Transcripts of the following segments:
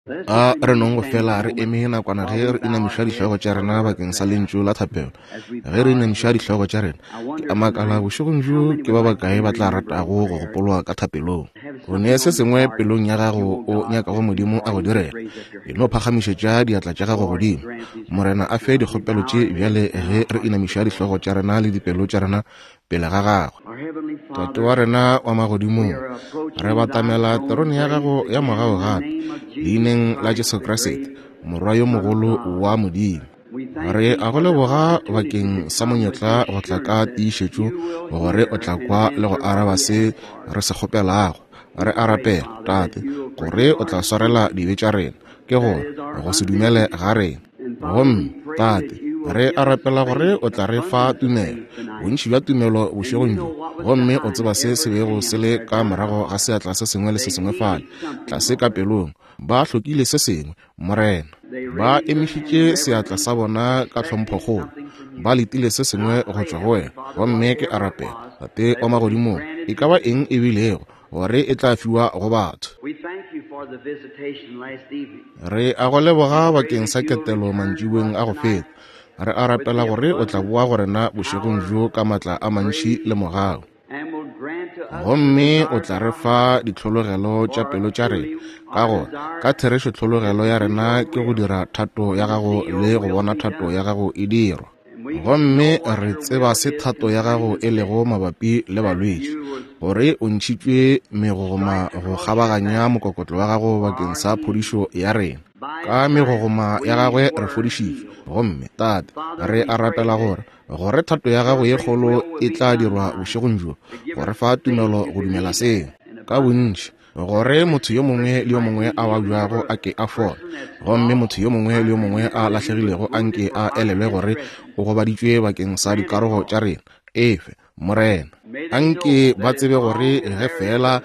A re nong go fela re eme nakwana ge re inamiša dihlogo tša rena bakeng sa lentšu la thapelo. Ge re inamiša dihlogo tša rena, ke a makala bošegong bjo ke ba bakae ba tla ratago go gopolwa ka thapelong. O ne se sengwe pelong ya gago o nyakago Modimo a go direla, e no phagamišetša diatla tša gago godimo. Morena a fe dikgopelo tše bjale ge re inamiša dihlogo tša rena le dipelo tša rena pele ga gagwe. Tate wa rena wa magodimong, re batamela terone ya gago ya mogau gape, leineng la Jesu Kriste, Morwa yo mogolo wa Modimo. Re a go leboga bakeng sa monyetla go tla ka tiišetšo gore o tla kwa le go araba se re se kgopelago. Re a rapela, Tate, gore o tla swarela dibe tša rena, ke gore go se dumele ga rena. Gomme, Tate, re a rapela gore o tla re fa tumelo, bontši bja tumelo bošegong bjo. Gomme o tseba se se bego se le ka morago ga seatla se sengwe le se sengwe fale, tlase ka pelong. Ba hlokile se sengwe, Morena. Ba emišitše seatla sa bona ka tlhomphokgolo. Ba letile se sengwe go tšwa go wena. Gomme ke a rapela, Tate wa Magodimong, e ka ba eng e bilego, gore e tla fiwa go batho. Re a go leboga bakeng sa ketelo mantšiboeng a go feta. Re a rapela gore o tla boa go rena bošegong bjo ka matla a mantši le mogau. Gomme o tla re fa ditlhologelo tša pelo tša rena, ka gore ka therešo tlhologelo ya rena ke go dira thato ya gago le go bona thato ya gago e dirwa. Gomme re tseba se thato ya gago e lego mabapi le balwetši, gore o ntšhitšwe megogoma go kgabaganya mokokotlo wa gago bakeng sa phodišo ya rena. Ka megogoma ya gagwe re fodišitšwe. Gomme, Tate, re a rapela gore, gore thato ya gago ye kgolo e tla dirwa bošegong bjo, go re fa tumelo go dumela seo ka bontši. Gore motho yo mongwe le yo mongwe a babjago a ke a fole, gomme motho yo mongwe le yo mongwe a lahlegilego a nke a elelwe gore o gobaditšwe bakeng sa dikarogo tša rena. Efe, Morena. A nke ba tsebe gore ge feela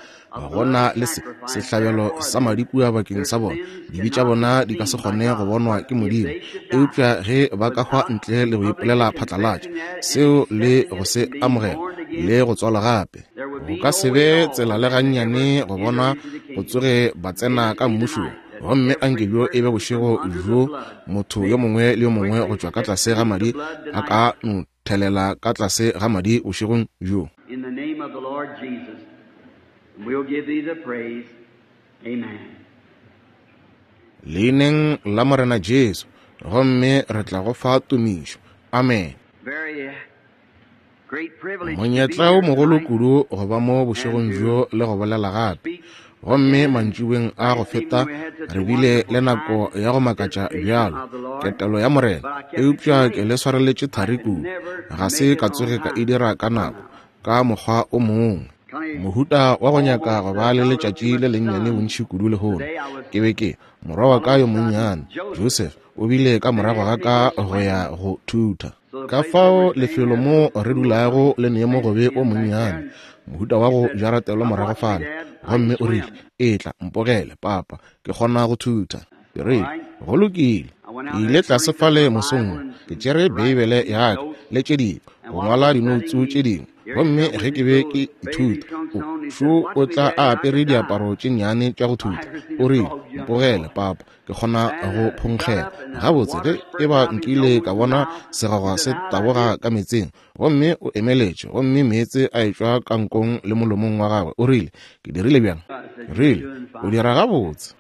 go na le se, sehlabelo sa madi kua bakeng sa bona, dibe tša bona di ka se kgone go bonwa ke Modimo. Eupša ge ba ka hwa ntle le go ipolela phatlalatša seo le go se amogela le go tswalwa gape, Go ka se be tsela le gannyane go bona go tsoge ba tsena ka mmušong. Gomme anke bjo e be bošego bjo motho yo mongwe le yo mongwe go tšwa ka tlase ga madi a ka no thelela ka tlase ga madi bošegong bjo. In the name of the Lord Jesus, and we'll give thee the praise. Amen. Leineng la Morena Jesu, gomme re tla go fa tumišo. Amen. Very Monyetla o mogolo kudu go ba mo bošegong bjo le go bolela gape. Gomme mantšiboeng a go feta re bile le nako ya go makatša bjalo, ketelo ya Morena, eupša ke le swareletše thari kudu. Ga se ka tsoge ka e dira ka nako, ka mokgwa o mongwe. Mohuta wa go nyaka go ba le letšatši le lennyane bontši kudu lehono. Ke be ke, morwa wa ka yo monnyane, Joseph, o bile ka morago ga ka go ya go thutha. Ka fao lefelo mo re dulago le ne mogobe o monnyane, mohuta wa go jaratelwa morago fale. Gomme o rile, Etla, mpogele, papa, ke kgona go thutha. Ke rile, Go lokile. Ke ile tlase fale mosong wo, ke tšere Beibele ya ka le tše dingwe, go ngwala dinoutsu tše dingwe. Gomme ge ke be ke ithuta, o, šo o tla a apere diaparo tše nnyane tša go thutha. O rile, Mpogele, papa, ke kgona go phonkgela gabotse ge e ba nkile ka bona segagwa se taboga ka meetseng. Gomme o emeletše, gomme meetse a etšwa ka nkong le molomong wa gagwe. O rile, Ke dirile bjang? Ke rile, O dira gabotse.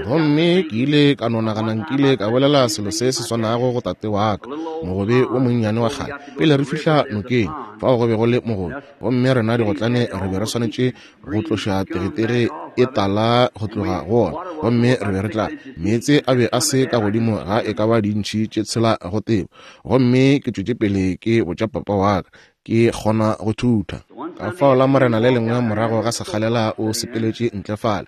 Gomme ke ile ka no nagana nkile ka bolela selo se se swanago go tate wa ka, mogobe wo monnyane wa kgale, pele re fihla nokeng, fao go be go le mogobe, gomme rena digotlane re be re swanetše go tloša tegetege e tala go tloga go ona, gomme re be re tla. Meetse a be a se ka godimo ga e ka ba dintšhi tše tshela go tebo. Gomme ke tšwetše pele ke botša papa wa ka, ke kgona go thutha. Ka fao la Morena le lengwe morago ga sekgalela o sepeletše ntle fale,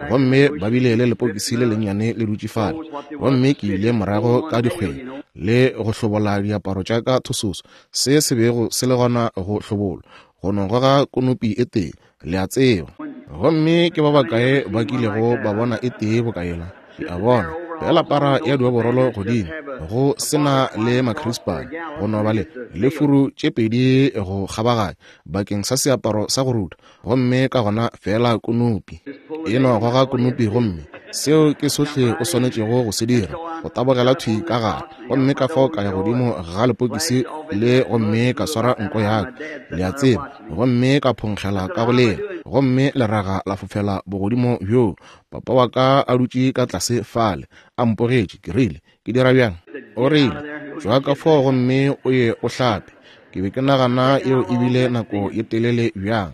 gomme ba bile le lepokisi le lennyane le dutše fale. Gomme ke ile morago ka dikgweng le go hlobola diaparo tša ka thososo, se se bego se le gona go hlobolwa, go no goga konopi e tee, le a tseba. Gomme ke ba bakae ba kilego ba bona e tee boka yela? Le a bona, feela para ya dioborolo godimo, go se na le makhrispane, go no ba le, le furu tše pedi go kgabaganya, bakeng sa seaparo sa go rutha, gomme ka gona feela konopi. E no goga konopi gomme Seo ke sohle o swanetšego go se dira, go tabogela thwi ka gare. Gomme ka fao ka ya godimo ga lepokisi le gomme ka swara nko ya ka, le a tseba, gomme ka phonkgela ka go lela, gomme leraga la fofela bogodimo bjoo. Papa wa ka a dutše ka tlase fale, a mpogetše. Ke rile, Ke dira bjang? O rile, Tšwa ka fao gomme o ye o hlape. Ke be ke nagana yeo e bile nako ye telele bjang.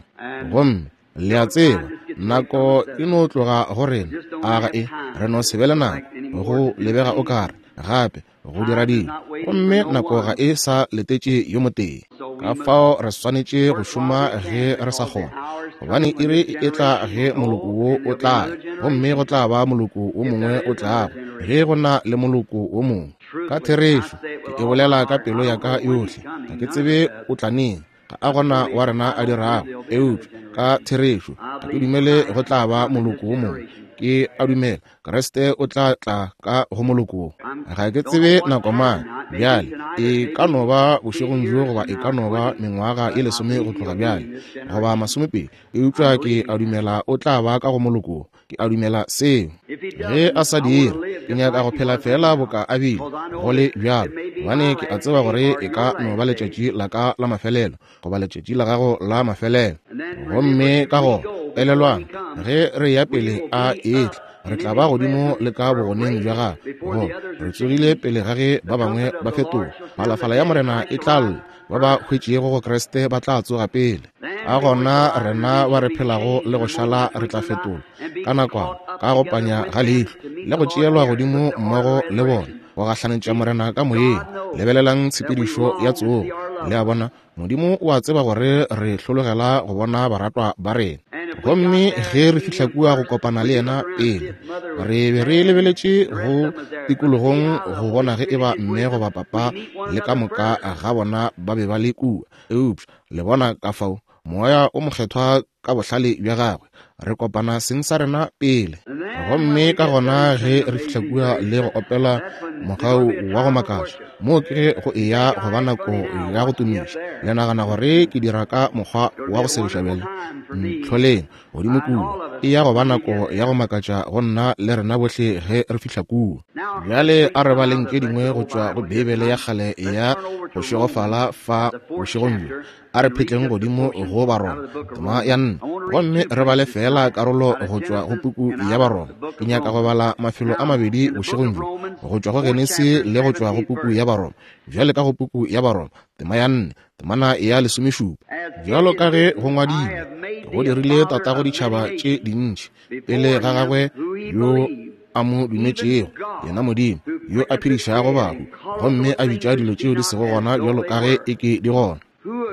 Gomme le a tseba, nako e no tloga go rena, a ga e? Re no se be le nako, go lebega o kare, gape, go dira dilo. Gomme nako ga e sa letetše yo motee. Ka fao re swanetše go šoma ge re sa kgona, gobane iri e etla ge moloko wo o tla ya, gomme go tla ba moloko wo mongwe o tlago, ge go na le moloko wo mongwe. Ka therešo, ke e bolela ka pelo ya ka yohle, ga ke tsebe o tla neng, ga a gona wa rena a dirago, eupša ka therešo ga ke dumele go tla ba moloko wo mongwe. Ke a dumela Kriste o tla tla ka go moloko wo. Ga ke tsebe nako mang bjale, e ka no ba bošegong bjo goba e ka no ba mengwaga ye lesome go tloga bjale, goba masomepedi, eupša ke a dumela o tla ba ka go moloko wo. Ke a dumela seo. Ge a sa dire, ke nyaka go phela feela boka a bile, go le bjalo, gobane ke a tseba gore e ka no ba letšatši la ka la mafelelo, goba letšatši la gago la mafelelo. Gomme ka gona, elelwang, ge re ya pele a etla, re tla ba godimo le ka bogoneng bja gagwe, go re tsogile pele ga ge ba bangwe ba fetoga. Phalafala ya Morena e tla lla, ba ba hwetšego go Kriste ba tla tsoga pele. A gona rena ba re phelago le go šala re tla fetolwa ka nakwana, ka go panya ga leihlo, le go tšeelwa godimo mmogo le bona, go gahlanetša Morena ka moyeng. Lebelelang tshepedišo ya tsogo. Le a bona, Modimo o a tseba gore re hlologela go bona baratwa ba rena. Gomme ge re fihla kua go kopana le yena pele, re be re lebeletše go tikologong go bona ge eba mme goba papa le ka moka ga bona ba be ba le kua. Eupša le bona ka fao Moya o Mokgethwa ka bohlale bja gagwe re kopana seng sa rena pele. Gomme ka gona ge re fihla kua le go opela mogau wa go makatša, moo ke ge go eya go ba nako ya go tumiša. Le nagana gore ke dira ka mokgwa wa go segiša bjale? Ntlholeng godimo kua. E ya go ba nako ya go makatša go nna le rena bohle ge re fihla kua. Bjale a re baleng tše dingwe go tšwa go Beibele ya kgale ya go šegofala fa bošegong bjo. A re phetleng godimo go Baroma, tema ya nne, gomme re bale feela karolo go tšwa go puku ya Baroma. Ke nyaka go bala mafelo a mabedi bošegong bjo, go tšwa go Genesi le go tšwa go puku ya Baroma. Bjale ka go puku ya Baroma, tema ya nne, temana ya lesomešupa. Bjalo ka ge go ngwadilwe, ke go dirile tatago ditšhaba tše dintši pele ga gagwe yo a mo dumetšego, yena Modimo yo a phedišago bahu gomme a bitša dilo tšeo di sego gona bjalo ka ge e ke di gona,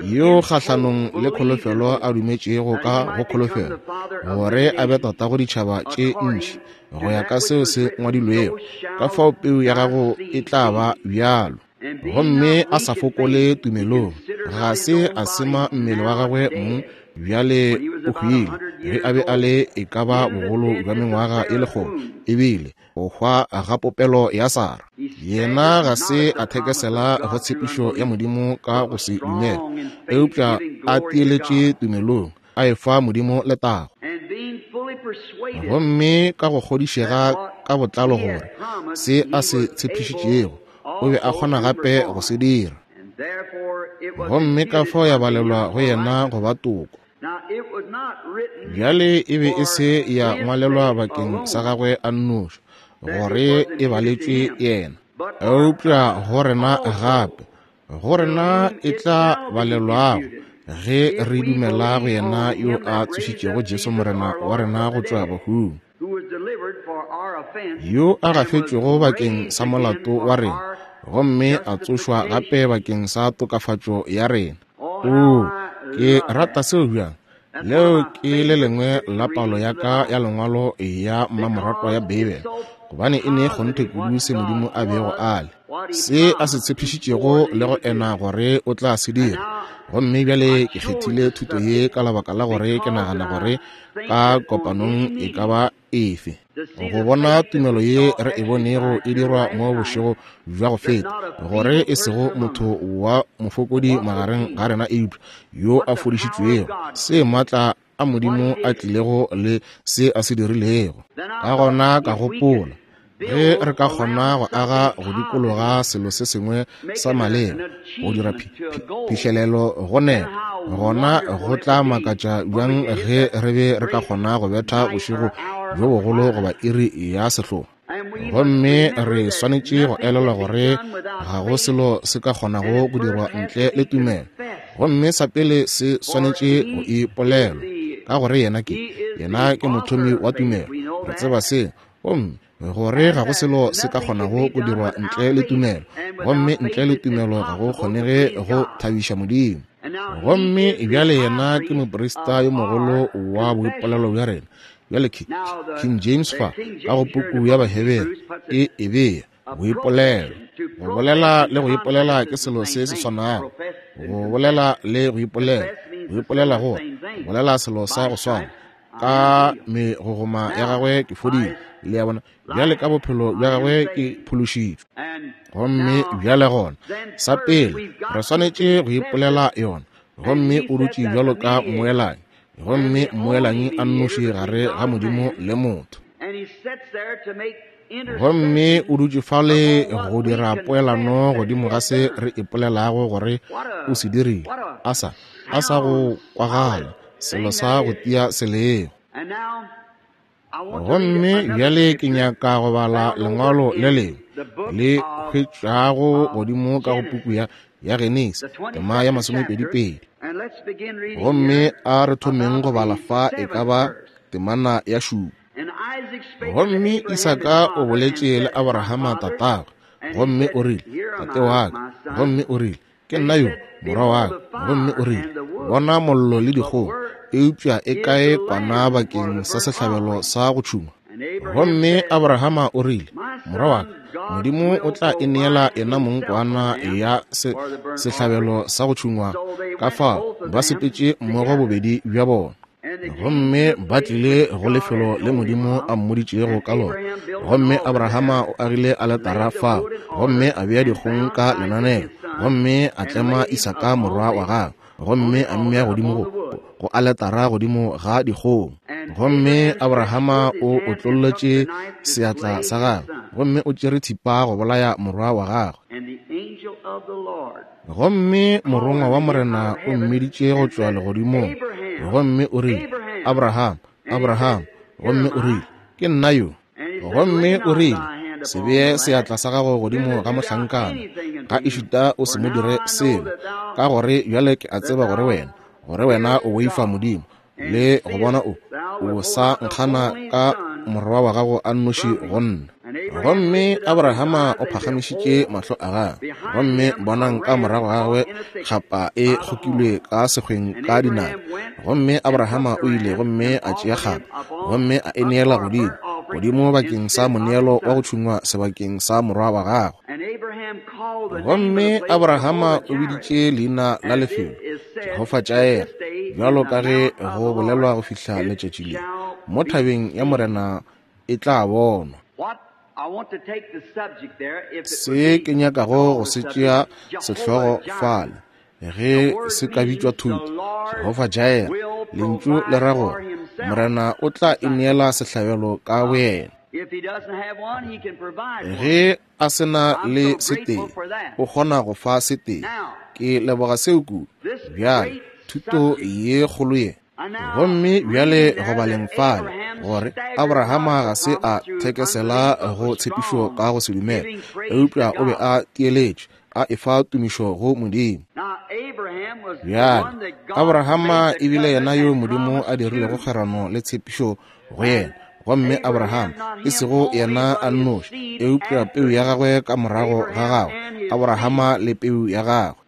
yo kgahlanong le kholofelo a dumetšego ka go kholofelo, gore a be tatago ditšhaba tše ntši, go ya ka seo se ngwadilwego, ka fao peu ya gago e tla ba bjalo. Gomme a sa fokole tumelong, ga se a sema mmele wa gagwe mong, bjale o hwile ge a be a le e ka ba bogolo bja mengwaga e lekgolo, ebile go hwa ga popelo ya Sara. Yena ga se a thekesela go tshepišo ya Modimo ka go se dumele, eupša a tieletše tumelong, a efa Modimo letago. Gomme ka go kgodišega ka botlalo gore se a se tshepišitšego o be a kgona gape go se dira, gomme ka fao ya balelwa go yena go ba toko. Bjale e be e se ya ngwalelwa bakeng sa gagwe a nnoši, gore e baletšwe yena, eupša go rena gape, go rena e tla balelwago ge re dumela go yena yo a tsošitšego Jesu Morena wa rena go tšwa bahung, yo a gafetšwego bakeng sa molato wa rena gomme a tsošwa gape bakeng sa tokafatšo ya rena. Oo, ke rata seo bjang! Leo ke le lengwe la palo ya ka ya lengwalo ya mmamoratwa ya Beibele, gobane e ne kgonthe kudu se Modimo a bego a le, se a se tshepišitšego le go ena gore o tla se dira. Gomme bjale ke kgethile thuto ye ka lebaka la gore ke nagana gore ka kopanong e ka ba efe go bona tumelo ye re e bonego e dirwa mo bošego bja go feta, gore e sego motho wa mofokodi magareng ga rena eupša yo a fodišitšwego, se maatla a Modimo a tlilego le se a se dirilego. Ka gona ka gopola, ge re ka kgona go aga go dikologa selo se sengwe sa maleba, go dira phihlelelo go nepo, gona go tla makatša bjang ge re be re ka kgona go betha bošego bjo bogolo goba iri ya sehlogo. Gomme re swanetše go elelwa gore ga go selo se ka kgonago go dirwa ntle le tumelo. Gomme sa pele se swanetše go ipolelwa, ka gore yena ke, yena ke mothomi wa tumelo. Re tseba se. Gomme gore ga go selo se ka kgonago go dirwa ntle le tumelo, gomme ntle le tumelo ga go kgonege go thabiša Modimo. Gomme bjale yena ke moprista yo mogolo wa boipolelo bja rena. Bjale King James fa ka go puku ya Bahebere e e bea boipolelo. Go bolela le go ipolela ke selo se se swanago. Go bolela le go ipolela, go ipolela go bolela selo sa go swana. Ka megogoma ya gagwe ke fodile, le a bona. Bjale ka bophelo bja gagwe ke phološitšwe. Gomme bjale gona, sa pele re swanetše go ipolela yona. Gomme o dutše bjalo ka mmoelanyi, gomme mmoelanyi a nnoši gare ga Modimo le motho. Gomme o dutše fale go dira poelano godimo ga se re ipolelago gore o se dirile, a sa, a sa go kwagala, selo sa go tia selego. Gomme bjale ke nyaka go bala lengwalo le lengwe le hwetšwago godimo ka go puku ya, ya Genesi, tema ya 22. Gomme a re thomeng go bala fa e ka ba temana ya 7. Gomme Isaka o boletše le Abrahama tatagwe, gomme o rile, Tate wa ka. Gomme o rile, Ke nna yo, morwa wa ka. Gomme o rile, Bona mollo le dikgong, eupša e kae kwana bakeng sa sehlabelo sa go tšhungwa? Gomme Abrahama o rile, Morwa wa ka, Modimo o tla e neela yena mong kwana ya sehlabelo sa go tšhungwa. Ka fao ba sepetše mmogo bobedi bja bona. Gomme ba tlile go lefelo le Modimo a mmoditšego ka lona. Gomme Abrahama o agile aletara fao, gomme a bea dikgong ka lenaneo, gomme a tlema Isaka morwa wa gagwe, gomme a mmea godimo go, go aletara godimo ga dikgong. Gomme Abrahama o otlolletše seatla sa gagwe, gomme o tšere thipa go bolaya morwa wa gagwe. Gomme morongwa wa Morena o mmiditše go tšwa legodimong, gomme o rile, Abraham, Abraham. Gomme o rile, Ke nna yo. Gomme o rile, Se bee seatla sa gago godimo ga mohlankana, ga ešita o se mo dire selo, ka gore bjale ke a tseba gore wena, gore wena o boifa Modimo, le go bona o, o sa nkgana ka morwa wa gago a nnoši go nna. Gomme Abrahama o phagamišitše mahlo a gagwe, gomme bonang ka morago ga gagwe kgapa e kgokilwe ka sekgweng ka dinaka. Gomme Abrahama o ile gomme a tšea kgapa, gomme a e neela godimo, godimo bakeng sa moneelo wa go tšhungwa sebakeng sa morwa wa gagwe. Gomme Abrahama o biditše leina la lefelo Jehofa Jair, bjalo ka ge go bolelwa go fihla letšatši le, mo thabeng ya Morena e tla bonwa. Se ke nyakago go se tšea sehlogo fale, ge se ka bitšwa thuto, Jehofa Jair, lentšu le ra gore Morena o tla ineela sehlabelo ka boyena. Ge a se na le setee, o kgona go fa setee. Ke leboga seo kudu. Bjale, thuto ye kgolo ye. Gomme bjale go baleng fale, gore Abrahama ga se a thekesela go tshepišo ka go se dumele, eupša o be a tieletše, a efa tumišo go Modimo. Bjale, Abrahama e bile yena yo Modimo a dirilego kgwerano le tshepišo go yena. Gomme Abraham, e sego yena a nnoši, eupša peu ya gagwe ka morago ga gagwe, Abrahama le peu ya gagwe.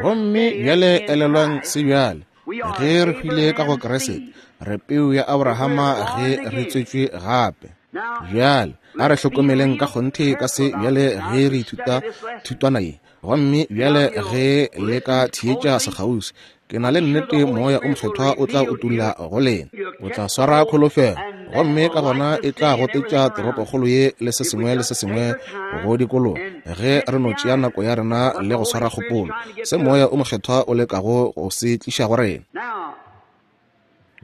Gomme bjale elelwang se bjale, ge re hwile ka go Kriste, re peu ya Abrahama ge re tswetšwe gape. Bjale a re hlokomeleng ka kgonthe ka se bjale ge re ithuta thutwana ye. Gomme bjale ge le ka theetša sekgauswi, ke na le nnete Moya o Mokgethwa o tla utolla go lena. O tla swara kholofelo. Gomme ka gona e tla gotetša toropokgolo ye le se sengwe le se sengwe go dikologa, ge re no tšea nako ya rena le go swara kgopolo, se Moya o Mokgethwa o lekago go se tliša go rena.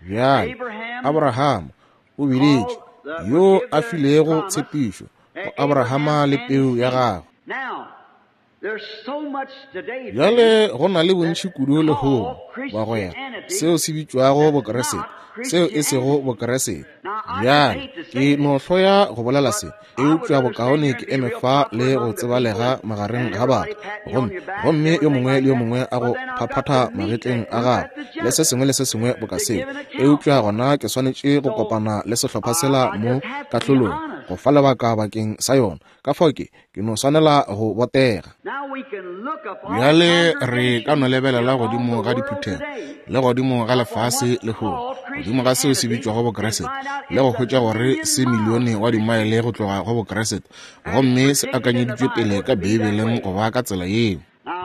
Bjale, Abraham o biditše, yo a filego tshepišo go Abrahama le peu ya gagwe. Bjale go na le bontši kudu lehono, bagwera, seo se bitšwago Bokeresete, seo e sego Bokeresete. Bjale, ke no hloya go bolela se, eupša bokaone ke eme fa le go tsebalega magareng ga batho, gomme, gomme yo mongwe le yo mongwe a go phaphatha magetleng a gagwe, le se sengwe le se sengwe boka seo. Eupša gona ke swanetše go kopana le sehlopha sela mo kahlolong, go fa lebaka bakeng sa yona. Ka fao ke, ke no swanela go botega. Bjale re ka no lebelela godimo ga diphuthego le godimo ga lefase lehono, godimo ga seo se bitšwago Bokeresete, le go hwetša gore se milione wa dimaele go tloga go Bokeresete, gomme se akanyeditšwe pele ka Beibeleng go ba ka tsela yeo.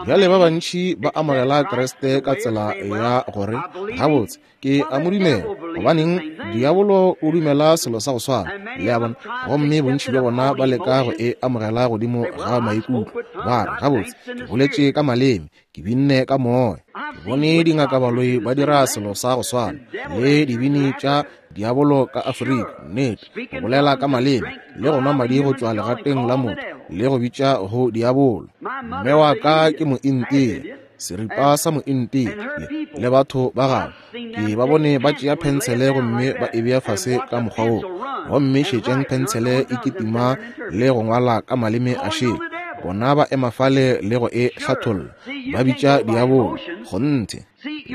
Bjale ba bantši ba amogela Kriste ka tsela ya gore, Gabotse, ke a mo dumela. Gobaneng, diabolo o dumela selo sa go swana. Le a bona? Gomme bontši bja bona ba leka go e amogela godimo ga maikutlo. Ba re, Gabotse, ke boletše ka maleme, ke binne ka moya. Ke bone dingakabaloi ba dira selo sa go swana, le dibini tša diabolo ka Afrika, nnete, go bolela ka maleme, le go nwa madi go tšwa legateng la motho, le go bitša go diabolo. Mme wa ka ke Mointia, seripa sa Mointia, le, le batho ba gagwe. Ke ba bone ba tšea phensele gomme ba e bea fase ka mokgwa wo, gomme šetšang phensele e kitima le go ngwala ka maleme a šele. Bona ba ema fale le go e hlatholla, ba bitša diabolo. Kgonthe.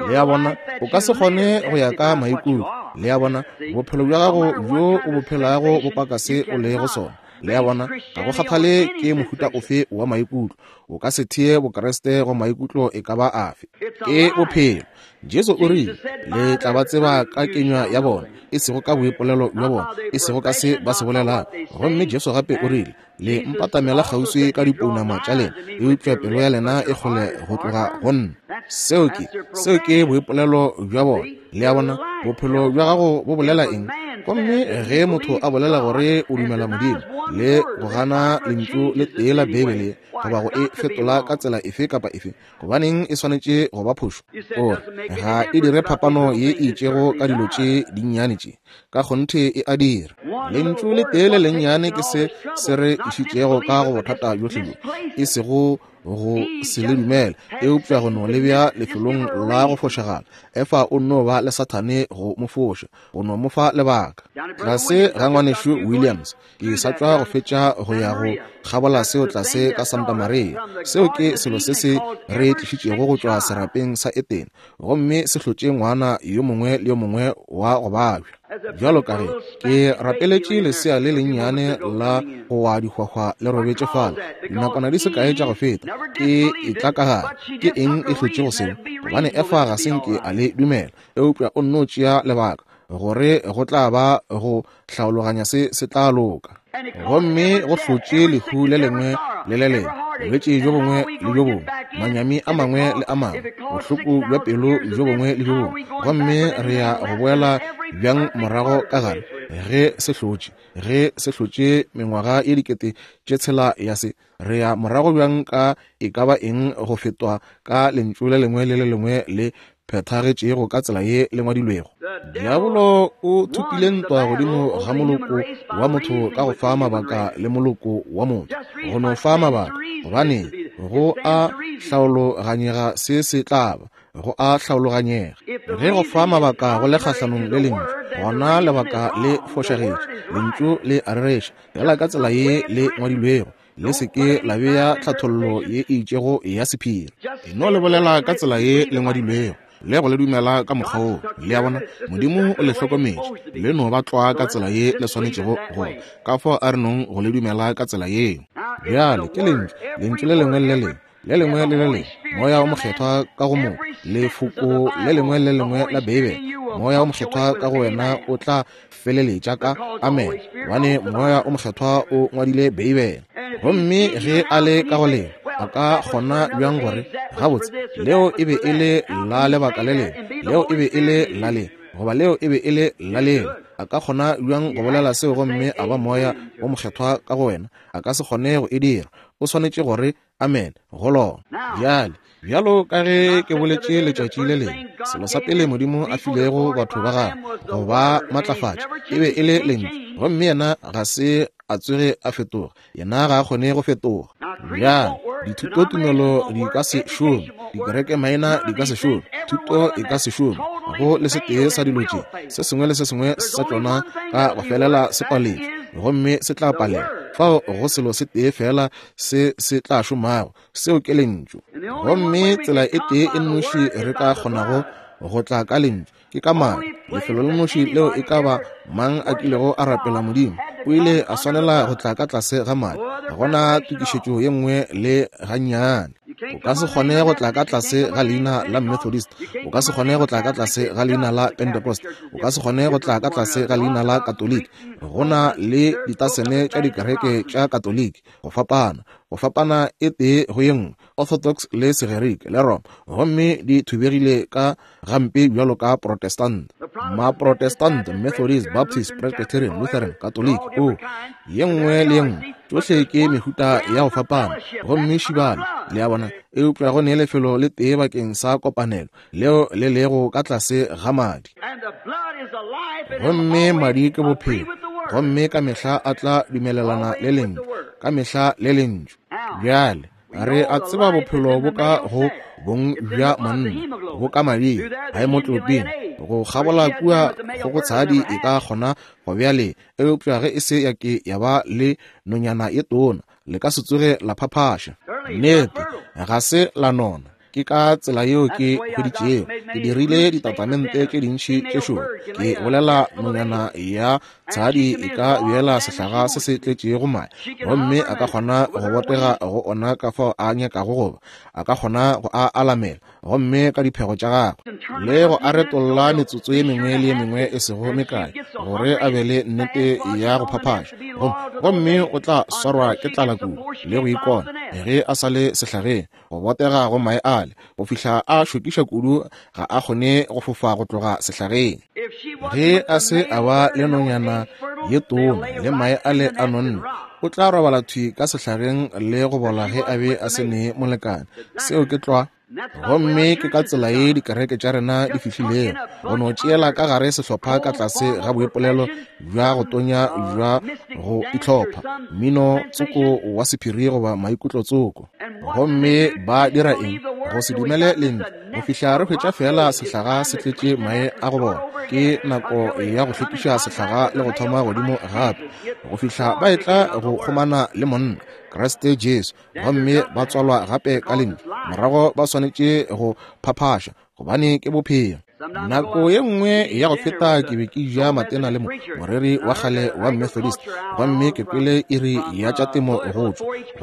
Le a bona, o ka se kgone go ya ka maikutlo. Le a bona, bophelo bja gago bjo o bo phelago bo paka se o lego sona. Le a bona, ga go kgathale ke mohuta ofe wa maikutlo, o ka se thee Bokriste go maikutlo e ka ba afe. Ke bophelo. Jesu o rile, Le tla ba tseba ka kenywa ya bona, e sego ka boipolelo bja bona, e sego ka se ba se bolelago. Gomme Jesu gape o rile, Le mpatamela kgauswi ka dipounama tša lena, eupša pelo ya lena e kgole go tloga go nna. Seo ke, seo ke boipolelo bja bona. Le a bona, bophelo bja gago bo bolela eng? Gomme ge motho a bolela gore o dumela Modimo, le go gana Lentšu le tee la Beibele, goba go e fetola ka tsela efe kapa efe, gobaneng e swanetše go ba phošo? O re, Ga e dire phapano ye e itšego ka dilo tše dinnyane tše. Ka kgonthe e a dira. Lentšu le tee le lennyane ke se se re išitšego ka go bothata bjohle bjo, e sego go se le dumele, eupša go no le bea lefelong la go fošagala. Efa o nno ba le Sathane go mo foša, go no mo fa lebaka. Tlase ga ngwanešu Williams, Ke sa tšwa go fetša go ya go kgabola seo tlase ka Santa Maria. Seo ke selo se se re tlišitšego go tšwa serapeng sa Etene, gomme se hlotše ngwana yo mongwe le yo mongwe wa go babja. Bjalo ka ge ke rapeletše lesea le lennyane la go wa dihwahwa le robetše fale dinakwana di se kae tša go feta, ke etla ka gare. Ke eng e hlotšego seo? Gobane Efa ga se nke a le dumela, eupša o nno tšea lebaka gore go tla ba go hlaologanya se se tla loka. Gomme go hlotše lehu le lengwe le le lengwe, bolwetši bjo bongwe le bjo bongwe, manyami a mangwe le a mangwe, bohloko bja pelo bjo bongwe le bjo bongwe. Gomme re ya go boela bjang morago ka gare ge se hlotše, ge se hlotše mengwaga ye 6000 ya se? Re ya morago bjang ka e ka ba eng go fetwa ka lentšu le lengwe le le lengwe le phethagetšego ka tsela ye le ngwadilwego? Diabolo o thopile ntwa godimo ga moloko wa motho ka go fa mabaka le moloko wa motho, go no fa mabaka, gobane go a hlaologanyega se se tla ba, go a hlaologanyega. Ge go fa mabaka go le kgahlanong le lentšu, gona lebaka le fošagetše. Lentšu le a rereša, Feela ka tsela ye le ngwadilwego. Le se ke la bea tlhathollo ye e itšego ya sephiri. E no le bolela ka tsela ye le ngwadilwego, le go le dumela ka mokgwa woo. Le a bona? Modimo o le hlokometše. Le no ba tlwa ka tsela ye le swanetšego go ba. Ka fao a re nong go le dumela ka tsela yeo. Bjale, ke Lentšu, Lentšu le lengwe le le lengwe. Le lengwe le le lengwe, Moya wo Mokgethwa ka go mo, Lefoko le lengwe le le lengwe la Beibele, Moya wo Mokgethwa ka go wena o tla feleletša ka amen, gobane Moya wo Mokgethwa o ngwadile Beibele. Gomme ge a le ka go lena, a ka kgona bjang gore, Gabotse, leo e be e le la lebaka le lengwe, leo e be e le la le? goba leo e be e le la lena. A ka kgona bjang go bolela seo gomme a ba Moya wo Mokgethwa ka go wena? A ka se kgone go e dira. O swanetše gore amen go lona. Bjale, bjalo ka ge ke boletše letšatši le lengwe, selo sa pele Modimo a filego batho ba gagwe go ba matlafatša e be e le lentšu, gomme yena ga se a tsoge a fetoga. Yena ga a kgone go fetoga. Bjale, dithutotumelo di ka se šome, dikerekemaina di ka se šome, thuto e ka se šome go le setee sa dilo tše. Se sengwe le se sengwe sa tšona ka go felela se paletšwe, gomme se tla palela. Fao go selo se tee feela se se tla šomago, seo ke Lentšu. Gomme tsela e tee e nnoši re ka kgonago go tla ka Lentšu ke ka madi. Lefelo le nnoši leo e ka ba mang a kilego a rapela Modimo, o ile a swanela go tla ka tlase ga madi. Ga gona tokišetšo ye nngwe le gannyane. O ka se kgone go tla ka tlase ga leina la Methodist, o ka se kgone go tla ka tlase ga leina la Pentecost, o ka se kgone go tla ka tlase ga leina la Katoliki. Go na le ditasene tša dikereke tša Katoliki, go fapana, go fapana e tee go ye nngwe, Orthodox le Segerike le Roma, gomme di thubegile ka gampe bjalo ka Protestant, Maprotestant, Methodist, Baptist, Presbyterian, Lutheran, Katoliki, o ye nngwe le ye nngwe, tšohle ke mehuta ya go fapana, gomme šibana, le a bona. Eupša go ne lefelo le tee bakeng sa kopanelo, leo le lego ka tlase ga madi. Gomme madi ke bophelo, gomme ka mehla a tla dumelelana le Lentšu, ka mehla le Lentšu. Bjale, re a tseba bophelo bo ka go bong bja monna, bo ka mading, haemotlopin, go kgabola kua kgogotshadi e ka kgona go bea lee, eupša ge e se ya ke ya ba le nonyana ye tona, le ka se tsoge la phaphaša. Nnete, ga se la nona. Ke ka tsela yeo ke hweditšego. Ke dirile ditatamente tše dintši tše šoro. Ke bolela nonyana ya tshadi e ka beela sehlaga se se tletšego mae, gomme a ka kgona go botega go ona ka fao a nyakago goba a ka kgona go a alamela, gomme ka diphego tša gagwe le go a retolla metsotso ye mengwe le ye mengwe e sego mekae gore a be le nnete ya go phaphaša, gomme o tla swarwa ke tlala kudu le go ikona ge a sa le sehlageng, go botega go mae ale go fihla a šokiša kudu ga a kgone go fofa go tloga sehlageng. Ge a se a ba le nonyana ye tona le mae ale a nonne, o tla robala thwi ka sehlageng le go bola ge a be a se ne molekane. Seo ke tlwa. Gomme ke ka tsela ye dikereke tša rena di fihlilego, go no tšeela ka gare sehlopha ka tlase ga boipolelo bja go tonya bja go itlhopha, mmino tsoko wa sephiri goba maikutlo tsoko. Gomme ba dira eng? Go se dumele Lentšu, go fihla re hwetša feela sehlaga se tletše mae a go bola. Ke nako ya go hlwekiša sehlaga le go thoma godimo gape, go fihla ba etla go kgomana le monna, Kriste Jesu, gomme ba tswalwa gape ka Lentšu. Morago ba swanetše go phaphaša, gobane ke bophelo. Nako ye nngwe ya go feta ke be ke ja matena le moreri wa kgale wa Methodist, gomme ke kwele iri ya tša temo go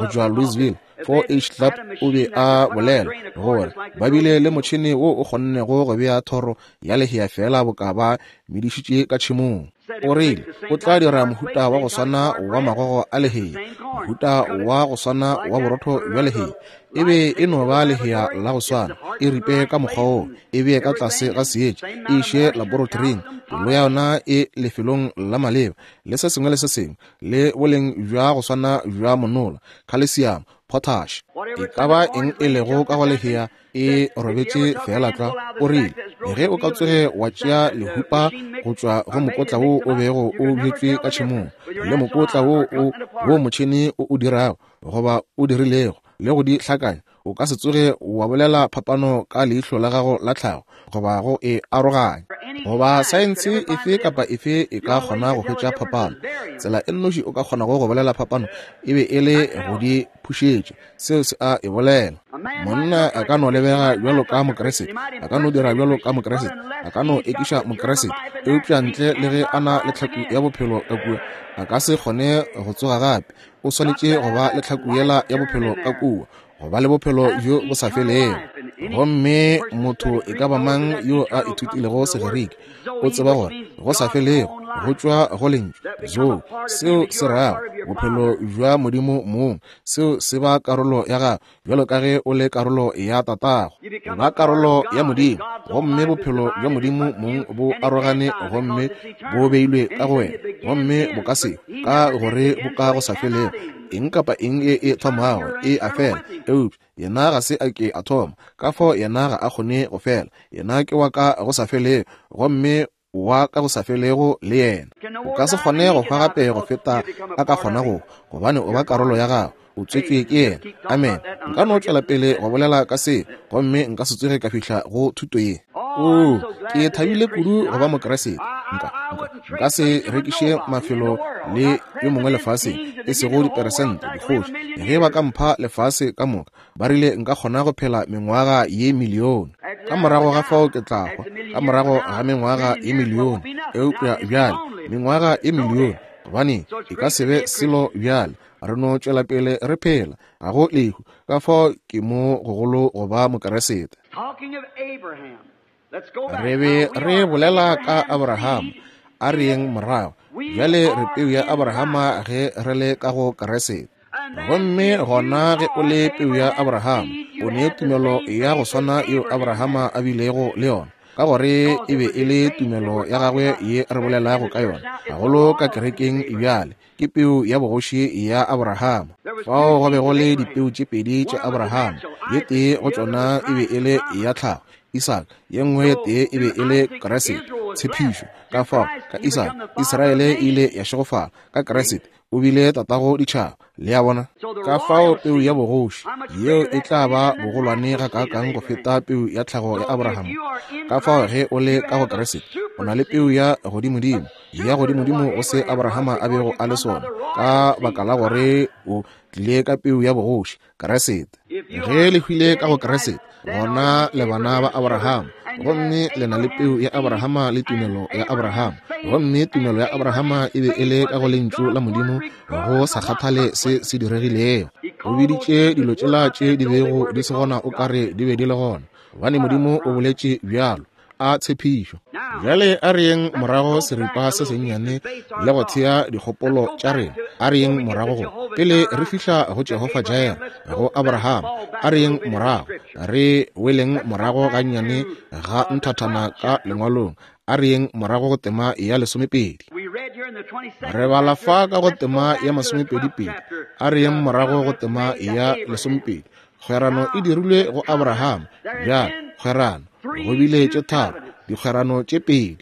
tšwa Louisville. 4-H Club o be a bolela gore ba bile le motšhene wo o kgonnego go bea thoro ya lehea feela boka ba medišitše ka tšhemong. O rile o tla dira mohuta wa go swana wa magogo a lehea, mohuta wa go swana wa borotho bja lehea. E be e no ba lehea la go swana, e ripe ka mokgwa woo, e bee ka tlase ga seetša, e iše laboratoring, pelo ya yona e lefelong la maleba, le se sengwe le se sengwe, le boleng bja go swana bja monola, khalesiamo, potash. E ka ba eng e lego ka go lehea, e robetše feela tlwa. O rile, ge o ka tsoge wa tšea lehupa go tšwa go mokotla wo o bego o bjetšwe ka tšhemong, le mokotla wo o wo motšhene o o dirago goba o dirilego, le go di hlakanya, o ka se tsoge wa bolela phapano ka leihlo la gago la tlhago goba go e aroganya. Goba saense efe kapa efe e ka kgona go hwetša phapano. Tsela e nnoši o ka kgonago go bolela phapano e be e le go di phušetša. Seo se a e bolela. Monna a ka no lebega bjalo ka Mokriste, a ka no dira bjalo ka Mokriste, a ka no ekiša Mokriste, eupša ntle le ge a na le tlhaku ya bophelo ka kua, a ka se kgone go tsoga gape. O swanetše go ba le tlhaku yela ya bophelo ka kua, go ba le bophelo bjo bo sa felego. Gomme motho e ka ba mang yo a ithutilego Segerike o tseba gore go sa felego go tšwa go lentšu zoe, seo se rago Bophelo bja Modimo mong, seo se ba karolo ya gago, bjalo ka ge o le karolo ya tatago. O ba karolo ya Modimo, gomme bophelo bja Modimo mong bo arogane gomme bo beilwe ka go wena, gomme bo ka se, ka gore bo ka go sa felego. Eng kapa eng ye e thomago e a fela, eupša yena ga se a ke a thoma, ka fao yena ga a kgone go fela. Yena ke wa ka go sa felego, gomme wa ka go sa felego le yena. O ka se kgone go hwa gape go feta a ka kgona go, gobane o ba karolo ya gago, o tswetšwe ke yena. Amen. Nka no tšwela pele go bolela ka se, gomme nka se tsoge ka fihla go thuto ye. Oo, ke thabile kudu go ba Mokriste. Nka, nka, nka se rekiše mafelo le yo mongwe lefaseng, e sego diperesente, dikgoši. Ge ba ka mpha lefase ka moka, ba rile nka kgona go phela mengwaga ye milione. Ka morago ga fao ke tla hwa, ka morago ga mengwaga ye milione. Eupša bjale, mengwaga ye milione, gobane e ka se be selo bjale. Re no tšwela pele re phela, ga go lehu. Ka fao ke mo gogolo go ba Mokeresete. Re be re bolela ka Abraham, a re yeng morago. Bjale re peu ya Abrahama ge re le ka go Keresete. Gomme gona ge o le peu ya Abrahama, o ne tumelo ya go swana yeo Abrahama a bilego le yona, ka gore e be e le tumelo ya gagwe ye re bolelago ka yona, gagolo ka kerekeng bjale. Ke peu ya bogoši ya Abrahama. Fao go be go le dipeu tše pedi tša Abrahama, ye tee go tšona e be e le ya tlhago, Isaka, ye nngwe ye tee e be e le Kriste, tshepišo. Ka fao, ka Isaka, Israele e ile ya šegofala, ka Kriste, o bile tatago ditšhaba. Le a bona? Ka fao peu ya bogoši yeo e tla ba bogolwane gakaakang go feta peu ya tlhago ya Abrahama. Ka fao ge o le ka go Kriste, o na le peu ya godimodimo, ya godimodimo go se Abrahama a bego a le sona, ka baka la gore o tlile ka peu ya bogoši, Kriste. Ge le hwile ka go Kriste, gona le bana ba Abrahama, gomme le na le peu ya Abrahama le tumelo ya Abrahama. Gomme tumelo ya Abrahama e be e le ka go Lentšu la Modimo, go sa kgathale se se diregilego. O biditše dilo tšela tše di bego di se gona o ka re di be di le gona, gobane Modimo o boletše bjalo. A tshepišo. Bjale a re yeng morago seripa se sennyane le go thea dikgopolo tša rena. A re yeng morago go, pele re fihla go Jehofa Jireh, go Abraham. A re yeng morago, re weleng morago gannyane ga nthathana ka Lengwalong. A re yeng morago go tema ya lesomepedi. Re bala fa ka go tema ya masomepedipedi. A re yeng morago go tema ya lesomepedi. Kgwerano e dirilwe go Abraham. Bjale, kgwerano, go bile tše tharo, dikgwerano tše pedi.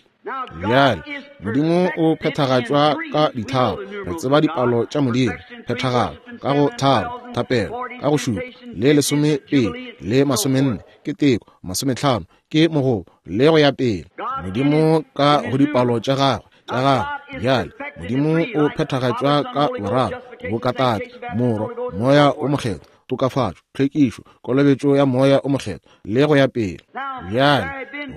Bjale, Modimo o phethagatšwa ka ditharo. Re tseba dipalo tša Modimo, phethagalo, ka go tharo, thapelo, ka go šupa, le lesomepedi, le masomenne, ke teko, masometlhano, ke mogobo, le go ya pele. Modimo ka go dipalo tša gagwe, tša gagwe. Bjale, Modimo o phethagatšwa ka boraro, bokatate, Morwa, Moya o Mokgethwa, tokafatšo, tlhwekišo, kolobetšo ya Moya o Mokgethwa, le go ya pele. Bjale,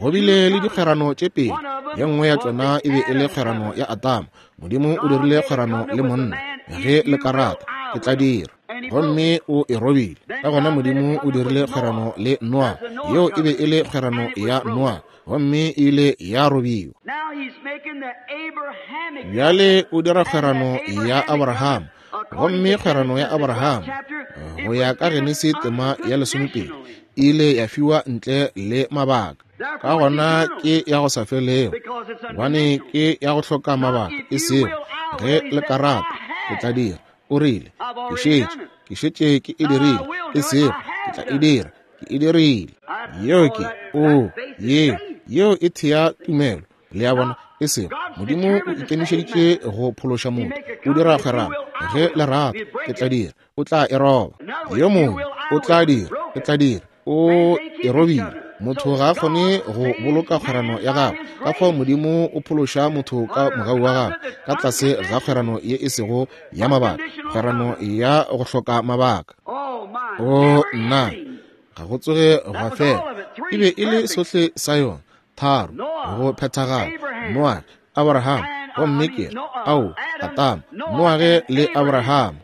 go bile le dikgwerano tše pedi. Ye nngwe ya tšona e be e le kgwerano ya Adama. Modimo o dirile kgwerano le monna, ge le ka rata, ke tla dira. Gomme o e robile. Ka gona Modimo o dirile kgwerano le Noa. Yeo e be e le kgwerano ya Noa, gomme e ile ya robiwa. Bjale o dira kgwerano ya Abraham, gomme kgwerano ya Abraham go ya ka Genesi tema ya lesomepedi e ile ya fiwa ntle le mabaka. Ka gona ke ya go sa felego, gobane ke ya go hloka mabaka, e sego ge le ka rata, ke tla dira. O rile, ke šetše, ke šetše ke e dirile, e sego ke tla e dira, ke e dirile. Yeo ke, oo, yeo, yeo e thea tumelo. Le a bona? E sego Modimo o ikemišeditše go phološa motho, o dira kgwerano, ge le rata, ke tla dira, o tla e roba. Yo mongwe o tla dira, ke tla dira, o e robile. Motho ga a kgone go boloka kgwerano ya gagwe, ka fao Modimo o phološa motho ka mogau wa gagwe ka tlase ga kgwerano ye e sego ya mabaka, kgwerano ya go hloka mabaka. O nna, ga go tsoge gwa fela. E be e le sohle sa yona, tharo, go phethagala, Noage, Abraham, gomme ke ao, Adama, Noage le Abraham.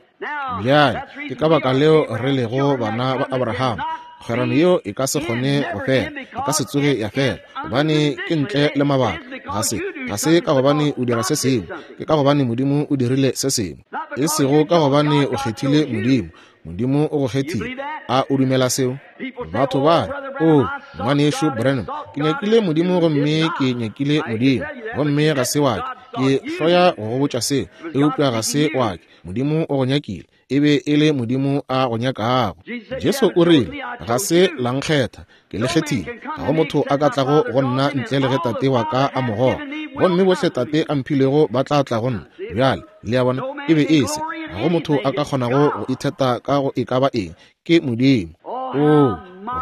Bjale, ke ka baka leo re lego bana ba Abraham. Kgwerano yeo e ka se kgone go fela, e ka se tsoge ya fela, gobane ke ntle le mabaka. Ga se Ga se ka gobane o dira se sengwe, ke ka gobane Modimo o dirile se sengwe. E sego ka gobane o kgethile Modimo, Modimo o go kgethile. A o dumela seo? Batho ba re, O, Ngwanešu Branham, ke nyakile Modimo gomme ke nyakile Modimo, gomme ga se wa ke. Ke hloya go go botša seo, eupša ga se wa ke. Modimo o go nyakile. E be e le Modimo a go nyakago. Jesu o rile, Ga se la nkgetha, ke le kgethile. Ga go motho a ka tlago go nna ntle le ge Tate wa ka a mo goga. Gomme bohle Tate a mphilego ba tla tla go nna. Bjale, le a bona, e be e se. Ga go motho a ka kgonago go itheta ka go e ka ba eng. Ke Modimo. Oo,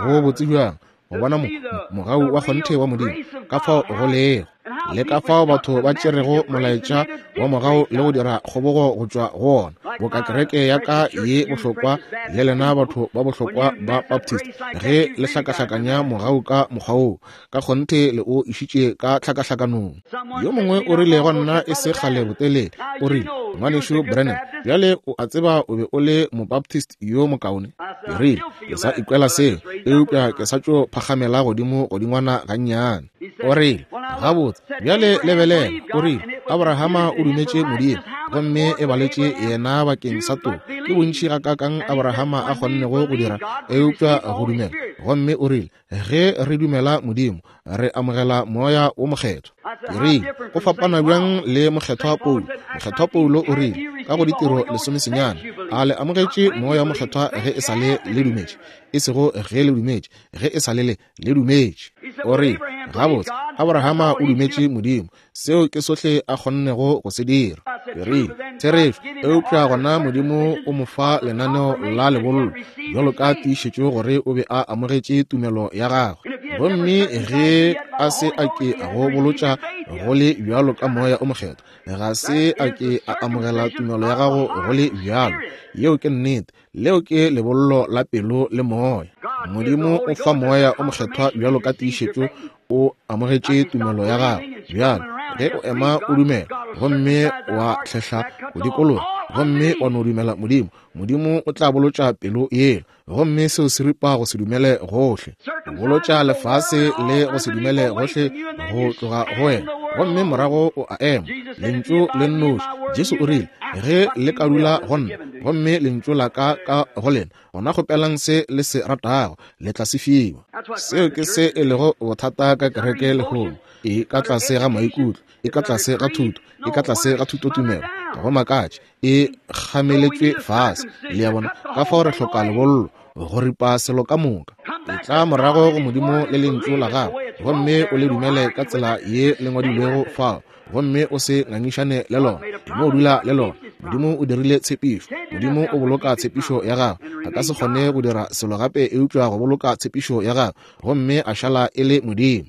go botse bjang go bona mo, mogau wa kgonthe wa Modimo, ka fao go lego, le ka fao batho ba tšerego molaetša wa mogau le go dira kgobogo go tšwa go wona, boka kereke ya ka ye bohlokwa le lena batho ba bohlokwa ba Baptist, ge le hlakahlakanya mogau ka mokgwa woo, ka kgonthe le o išitše ka tlhakahlakanong. Yo mongwe o rile go nna e se kgale botelele, o rile, Ngwanešu Branham, bjale o a tseba o be o le Mobaptist yo mokaone. Ke rile, Ke sa ikwela seo, eupša ke sa tšo phagamela godimo godingwana gannyane. O rile, Gabotse, bjale lebelela, o rile, Abrahama o dumetše Modimo, gomme e baletše yena bakeng sa toko. Ke bontši gakaakang Abrahama a kgonnego go dira eupša go dumela. Gomme o rile, Ge re dumela Modimo, re amogela Moya wo Mokgethwa. Ke rile, Go fapana bjang le Mokgethwa Paulo. Mokgethwa Paulo o rile, ka go Ditiro lesomesenyane, A le amogetše Moya wo Mokgethwa ge e sa le le dumetše? E sego ge le dumetše, ge e sa le le le dumetše. O rile, Gabotse, Abrahama o dumetše Modimo. Seo ke sohle a kgonnego go se dira. Ke rile, Therešo, eupša gona Modimo o mo fa lenaneo la lebollo, bjalo ka tiišetšo gore o be a amogetše tumelo ya gagwe. Gomme ge a se a ke a go bolotša go le bjalo ka Moya o Mokgethwa, ga se a ke a amogela tumelo ya gago go le bjalo. Yeo ke nnete. Leo ke lebollo la pelo le moya. Modimo o fa Moya o Mokgethwa bjalo ka tiišetšo o amogetše tumelo ya gago. Bjale, ge o ema o dumela, gomme wa hlehla go dikologa, gomme wa no dumela Modimo, Modimo o tla bolotša pelo yela, gomme seo se ripa go se dumele gohle. Bolotša lefase le go se dumele gohle go tloga go wena, gomme morago o a ema. Lentšu le nnoši. Jesu o rile, Ge le ka dula go nna, gomme lentšu la ka ka go lena, gona kgopelang se le se ratago, le tla se fiwa. Seo ke se e lego bothata ka kereke lehono. E ka tlase ga maikutlo, e ka tlase ga thuto, e ka tlase ga thutotumelo. Ga go makatše, e kgameletšwe fase. Le a bona? Ka fao re hloka lebollo, go ripa selo ka moka. Etla morago go Modimo le Lentšu la Gagwe, gomme o le dumele ka tsela ye le ngwadilwego fao. gomme o se ngangišane le lona. E no dula le lona. Modimo o dirile tshepišo. Modimo o boloka tshepišo ya gagwe. A ka se kgone go dira selo gape eupša go boloka tshepišo ya gagwe, gomme a šala e le Modimo.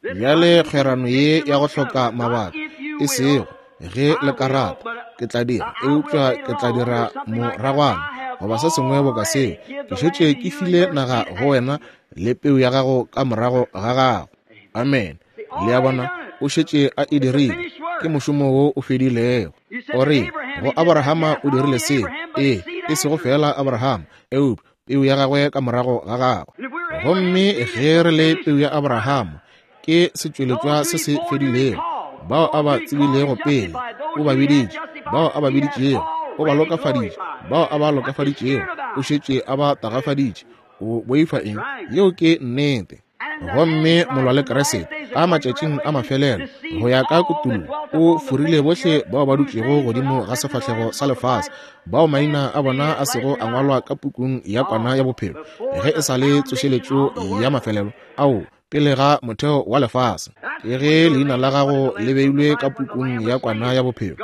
Bjale kgwerano ye ya go hloka mabaka, e sego ge le ka rata, ke tla dira, eupša ke tla dira moragwana goba se sengwe boka seo. Ke šetše ke file naga go wena le peu ya gago ka morago ga gago. Amene. Le a bona, o šetše a e dirile. Ke mošomo wo o fedilego. O re, go Abrahama o dirile seo. Ee, e sego feela Abrahama, eupša peu ya gagwe ka morago ga gagwe. Gomme ge re le peu ya Abrahama, ke setšweletšwa se se fedilego. Bao a ba tsebilego pele, o ba biditše. Bao a ba biditšego, o ba lokafaditše. Bao a ba lokafaditšego, o šetše a ba tagafaditše. O boifa eng? Yeo ke nnete. Gomme molwa le Kriste ka matšatšing a mafelelo, go ya ka kutullo, o forile bohle bao ba dutšego godimo ga sefahlego sa lefase, bao maina a bona a sego a ngwalwa ka pukung ya Kwana ya Bophelo, ge e sa le tsošeletšo ya mafelelo ao pele ga motheo wa lefase. Ke ge leina la gago le beilwe ka pukung ya Kwana ya Bophelo,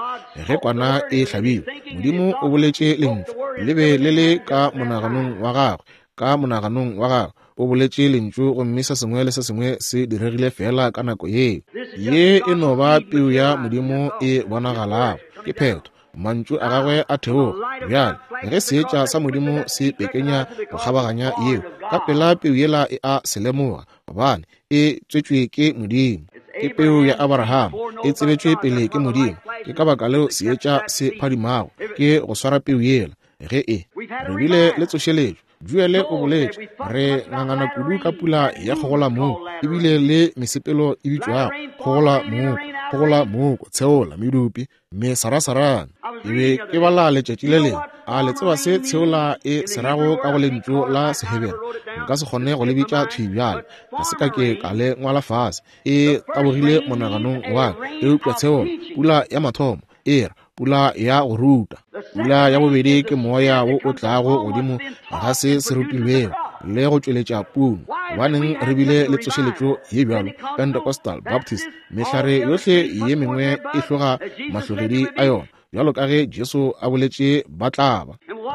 ge Kwana e hlabilwe. Modimo o boletše lentšu, le be le le ka monaganong wa gagwe, ka monaganong wa gagwe o boletše lentšu, gomme se sengwe le se sengwe se diregile feela ka nako yeo. Ye e no ba peu ya Modimo e bonagalago. Ke phetho. Mantšu a gagwe a theoga. Bjale, ge seetša sa Modimo se pekenya go kgabaganya yeo, ka pela peu yela e a se lemoga, gobane e tswetšwe ke Modimo. Ke peu ya Abraham, e tsebetšwe pele ke Modimo. Ke ka baka leo seetša se phadimago, ke go swara peu yela. Ge e re bile le tsošeletšo. Joele o boletše, re ngangana kudu ka pula ya kgogolamooko, ebile le mesepelo e bitšwago kgogolamooko, kgogolamooko, tsheola, medupi, mesarasarane. Ke be ke bala letšatši le lengwe. A le tseba se tsheola e se rago ka go lentšu la Sehebere? Nka se kgone go le bitša thwi bjale. Ga se ka ke ka le ngwala fase. E tabogile monaganong wa ka. Eupša tsheola, pula ya mathomo, e ra pula ya go ruta. Pula ya bobedi ke moya wo o tlago godimo ga se se rutilwego le go tšweletša puno. Gobaneng re bile le tsošeletšo ye bjalo, Pentecostal, Baptist, mehlare yohle ye mengwe e hloga mahlogedi a yona, bjalo ka ge Jesu a boletše ba tla ba.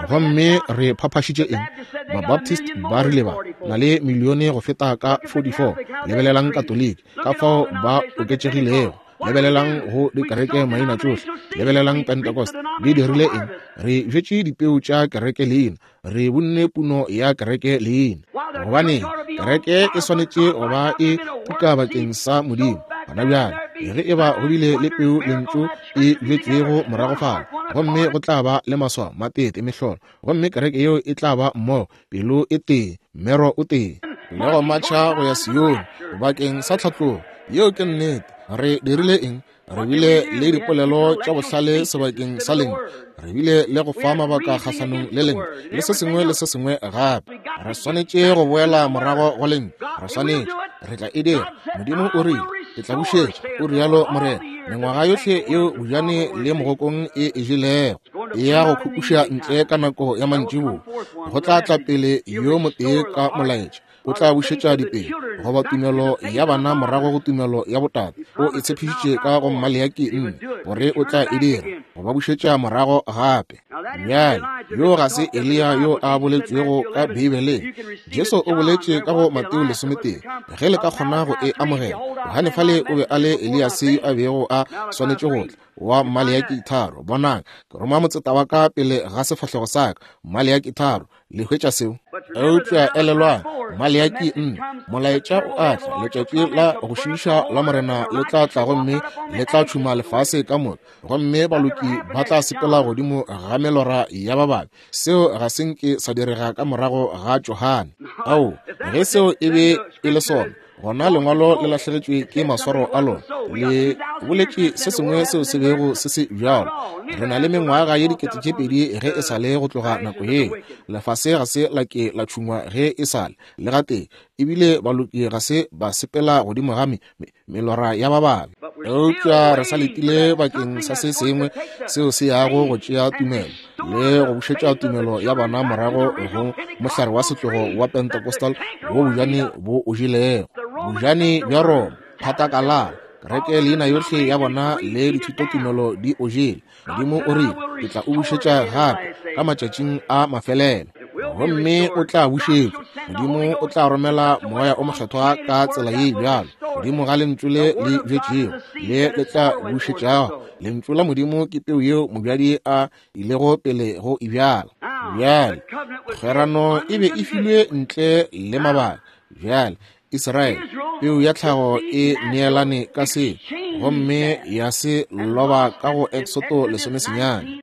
Gomme re phaphašitše eng? Ba-Baptist ba rile ba na le milione go feta ka 44. Lebelelang Katoliki, ka fao ba oketšegilego. Lebelelang go dikereke maina tšohle. Lebelelang Pentecost. Di dirile eng? Re bjetše dipeu tša kereke leina. Re bunne puno ya kereke leina. Gobane kereke e swanetše go ba e tuka bakeng sa Modimo. Gona bjale, ge e ba go bile le peu lentšu e bjetšwego morago fale, gomme go tla ba le maswao, matete, mehlolo, gomme kereke yeo e tla ba mmogo, pelo e tee, mmero o tee, le go matšha go ya Sione bakeng sa tlhatlogo. Yeo ke nnete. Re dirile eng? Re bile le dipolelo tša bohlale sebakeng sa lentšu. Re bile le go fa mabaka kgahlanong le lentšu, le se sengwe le se sengwe gape. Re swanetše go boela morago go lentšu. Re swanetše. Re tla e dira. Modimo o rile, Ke tla bušetša, o rialo Morena, mengwaga yohle yeo bojane le mogokong e e jelego. E ya go khukuša ntle ka nako ya mantšiboa. Go tla tla pele yo motee ka molaetša. O tla bušetša dipelo, goba tumelo ya bana morago go tumelo ya botate. O e tshepišitše ka go Maleaki 4, gore o tla e dira, go ba bušetša morago gape. Bjale, yo ga se Eliya yo a boletšwego ka Beibeleng. Jesu o boletše ka go Mateo 11, ge le ka kgona go e amogela. Johane fale o be a le Eliase yo a bego a swanetše go tla, wa Maleaki 3. Bonang, ke roma motseta wa ka pele ga sefahlego sa ka. Maleaki 3. Le hwetša seo? Eupša elelwang, Maleaki 4, molaetša o a tla, letšatši la go šiiša la Morena le tla tla gomme le tla tšhuma lefase ka moka, gomme baloki ba tla sepela godimo ga melora ya ba babe. Seo ga se nke sa direga ka morago ga Johane. Ao, ge seo e be e le sona, gona lengwalo le lahlegetšwe ke maswaro a lona. Le boletše se sengwe seo se bego se se bjalo. Re na le mengwaga ye 2000 ge e sa le go tloga nako yeo. Lefase ga se la ke la tšhungwa ge e sa le, le gatee, ebile baloki ga se ba sepela godimo ga melora ya ba babe. Eupša re sa letile bakeng sa se sengwe seo se yago go tšea tumelo le go bušetša tumelo ya bana morago go mohlare wa setlogo wa Pentecostal wo bojane bo o jelego. Bojane bja Roma, phatakalala, kereke leina yohle ya bona le dithutotumelo di o jele. Modimo o rile, Ke tla o bušetša gape ka matšatšing a mafelelo, gomme o tla bušetšwa. Modimo o tla romela Moya o Mokgethwa ka tsela ye bjalo godimo ga lentšu le le bjetšego le le tla bušetšago. Lentšu la Modimo ke peu yeo mobjadi a ilego pele go e bjala. Bjale, kgwerano e be e filwe ntle le mabaka. Bjale, Israele, peu ya tlhago e neelane ka se, gomme ya se loba ka go Eksoto 19.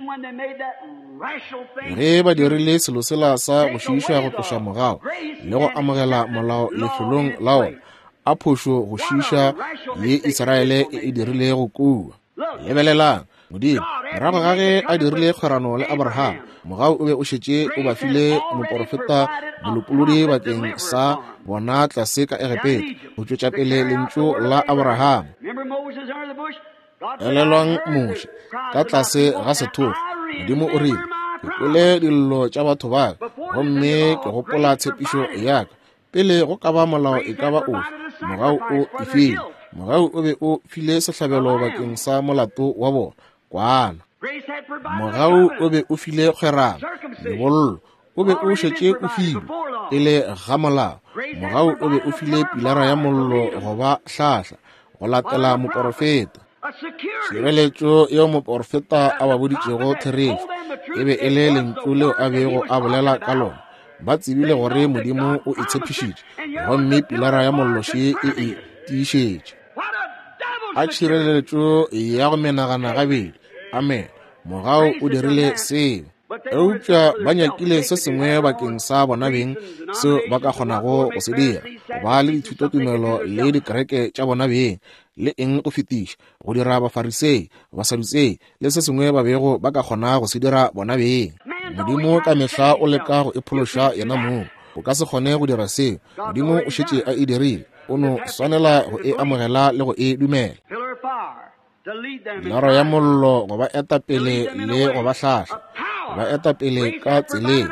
Ge ba dirile selo sela sa go šiiša go tloša mogau le go amogela molao lefelong la ona, a phošo go šiiša ye Israele e e dirilego kua. Lebelelang, Modimo, morago ga ge a dirile kgwerano le Abraham, mogau o be o šetše o ba file moporofeta molopolodi bakeng sa bona tlase ka Egepeta, go tšwetša pele lentšu la Abraham. Elelwang Moshe, ka tlase ga sethogo, Modimo o rile, Ke kwele dillo tša batho ba ka, gomme ke gopola tshepišo ya ka. Pele go ka ba molao e ka ba ofe, mogau o e file. Mogau o be o file sehlabelo bakeng sa molato wa bona, kwana. Mogau o be o file kgwerano, lebollo o be o šetše o filwe pele ga molao. Mogau o be o file pilara ya mollo go ba hlahla go latela moporofeta. Tšhireletšo yeo moporofeta a ba boditšego therešo e be e le lentšu leo a bego a bolela ka lona. Ba tsebile gore Modimo o e tshepišitše, gomme pilara ya mollo še e e tiišetše. A tšhireletšo ya go menagana gabedi. Amen. Mogau o dirile seo. Eupša ba nyakile se sengwe bakeng sa bona beng seo ba ka kgonago go se dira, go ba le dithutotumelo le dikereke tša bona beng, le eng go fetiša, go dira Bafarisei, Basadutsei, le se sengwe ba bego ba ka kgona go se dira bona beng. Modimo ka mehla o leka go iphološa yena mong. O ka se kgone go dira seo. Modimo o šetše a e dirile. O no swanela go e amogela le go e dumela. Pilara ya mollo go ba eta pele le go ba hlahla, go ba eta pele ka tseleng.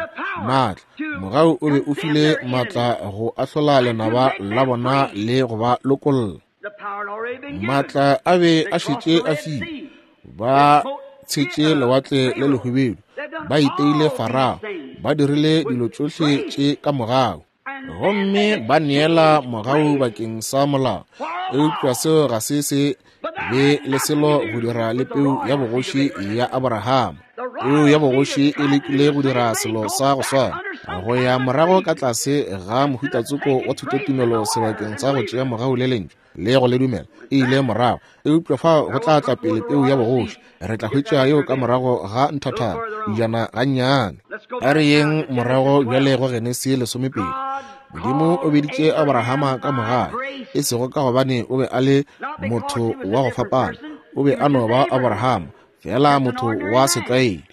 Maatla, mogau o be o file maatla go ahlola lenaba la bona le go ba lokolla. Maatla a be a šetše a filwe. Ba tshetše lewatle le lehubedu, ba iteile Farao, ba dirile dilo tšohle tše ka mogau. Gomme ba neela mogau bakeng sa molao, eupša seo ga se se be le selo go dira le peu ya bogoši ya Aborahama. Peu ya bogoši e lekile go dira selo sa go swana, go ya morago ka tlase ga mohutatsoko wa thutotumelo sebakeng sa go tšea mogau le lentšu le go le dumela, e ile morago. Eupša fao go tla tla pele peu ya bogoši. Re tla hwetša yeo ka morago ga nthathana, dijana gannyane. A re yeng morago bjale go Genesi 12. Modimo o biditše Abrahama ka mogau, e sego ka gobane o be a le motho wa go fapana, o be a no ba Abrahama, feela motho wa setlwaedi.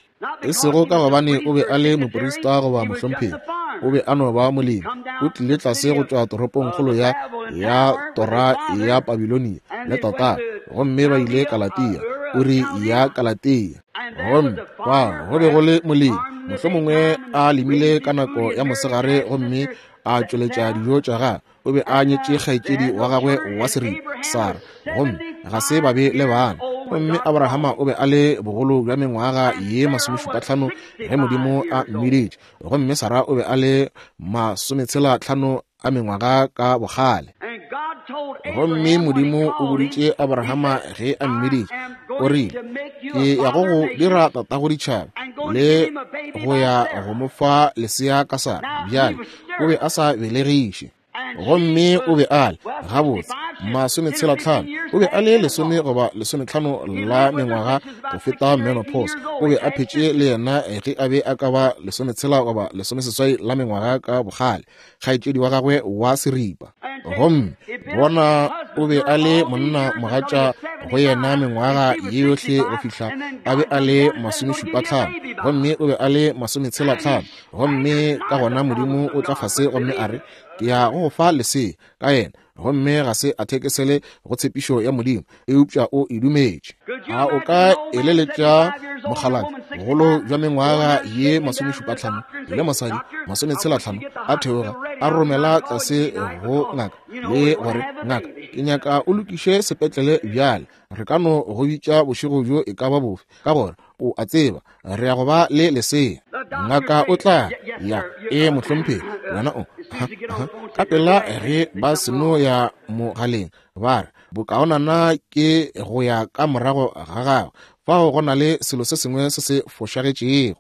E sego ka gobane o be a le moprista goba mohlomphegi, o be a no ba molemi. O tlile tlase go tšwa toropongkgolo ya, ya tora ya Babilonia le tatagwe, gomme ba ile Kalatia, Uri ya Kalatia. Gomme fao go be go le molemi, mohlomongwe a lemile ka nako ya mosegare gomme a tšweletša dijo tša gagwe. O be a nyetše kgaetšedi wa gagwe wa seripa, Sara, gomme ga se ba be le bana. Gomme Abrahama o be a le bogolo bja mengwaga ye 75 ge Modimo a mmiditše, gomme Sara o be a le 65 a mengwaga ka bokgale. Gomme Modimo o boditše Abrahama ge a mmiditše, o rile, Ke ya go go dira tatago ditšhaba, le go ya go mo fa lesea ka Sara. Bjale, o be a sa belegiše. Gomme o be a le, gabotse, 65, o be a le 10 goba 15 la mengwaga go feta menopause. O be a phetše le yena ge a be a ka ba 16 goba 18 la mengwaga ka bokgale, kgaetšedi wa gagwe wa seripa. Gomme bona, o be a le monna mogatša go yena mengwaga ye yohle go fihla a be a le 75, gomme o be a le 65. Gomme ka gona Modimo o tla fase gomme a re, Ke ya go go fa lesea ka yena. Gomme ga se a thekesele go tshepišo ya Modimo, eupša o e dumetše. A o ka eleletša mokgalabje, bogolo bja mengwaga ye 75, le mosadi 65, a theoga, a romela tlase go ngaka, le gore, Ngaka, ke nyaka o lokiše sepetlele bjale. Re ka no go bitša bošego bjo e ka ba bofe, ka gore o a tseba re ya go ba le lesea. Ngaka o tla ya, ee mohlomphegi, wena o, aha, aha. Ka pela ge ba seno ya mogaleng, ba re, Bokaonana ke go ya ka morago ga gagwe, fao go na le selo se sengwe se se fošagetšego.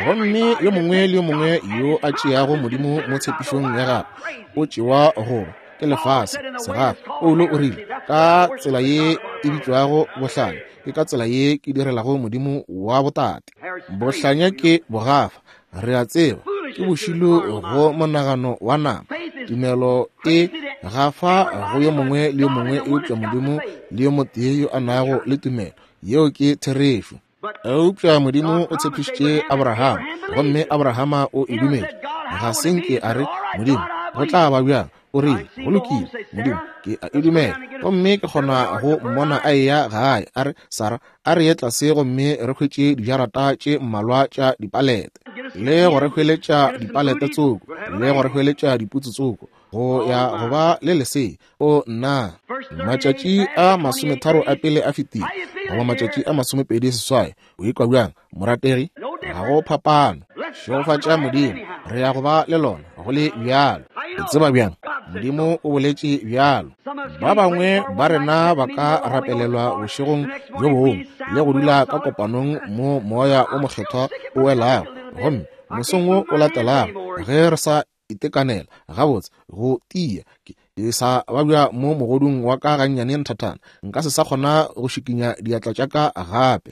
Gomme yo mongwe le yo mongwe yo a tšeago Modimo mo tshepišong ya gagwe, o tšewa go ba ke lefase segafa. Paulo o rile, Ka tsela ye e bitšwago bohlanya, ke ka tsela ye ke direlago Modimo wa botate. Bohlanya ke bogafa, re a tseba, ke bošilo go monagano wa nama. Tumelo e gafa go yo mongwe le yo mongwe eupša Modimo le yo motee yo a nago le tumelo. Yeo ke therešo. Eupša Modimo o tshepišitše Abrahama, gomme Abrahama o e dumetše. Ga se nke a re, Modimo, go tla ba bjang? O rile, Go lokile, Modimo, ke a e dumela. Gomme ke kgona go mmona a eya gae, a re, Sara, a re ye tlase gomme re hwetše dijarata tše mmalwa tša dipalete, le go re hweletša dipalete tsoko, le go re hweletša diputsu tsoko, go ya go ba le lesea. O nna, matšatši a 30 a pele a fetile, goba matšatši a 28. O ikwa bjang, morategi? Ga go phapano. Šegofatša Modimo, re ya go ba le lona go le bjalo. O tseba bjang? Modimo o boletše bjalo. Ba bangwe ba rena ba ka rapelelwa bošegong bjo bongwe le go dula ka kopanong mo Moya o Mokgethwa o welago, gomme mosong wo o latelago ge re sa itekanela gabotse go tia, ke sa babja mo mogodung wa ka gannyane nthathana, nka se sa kgona go šikinya diatla tša ka gape.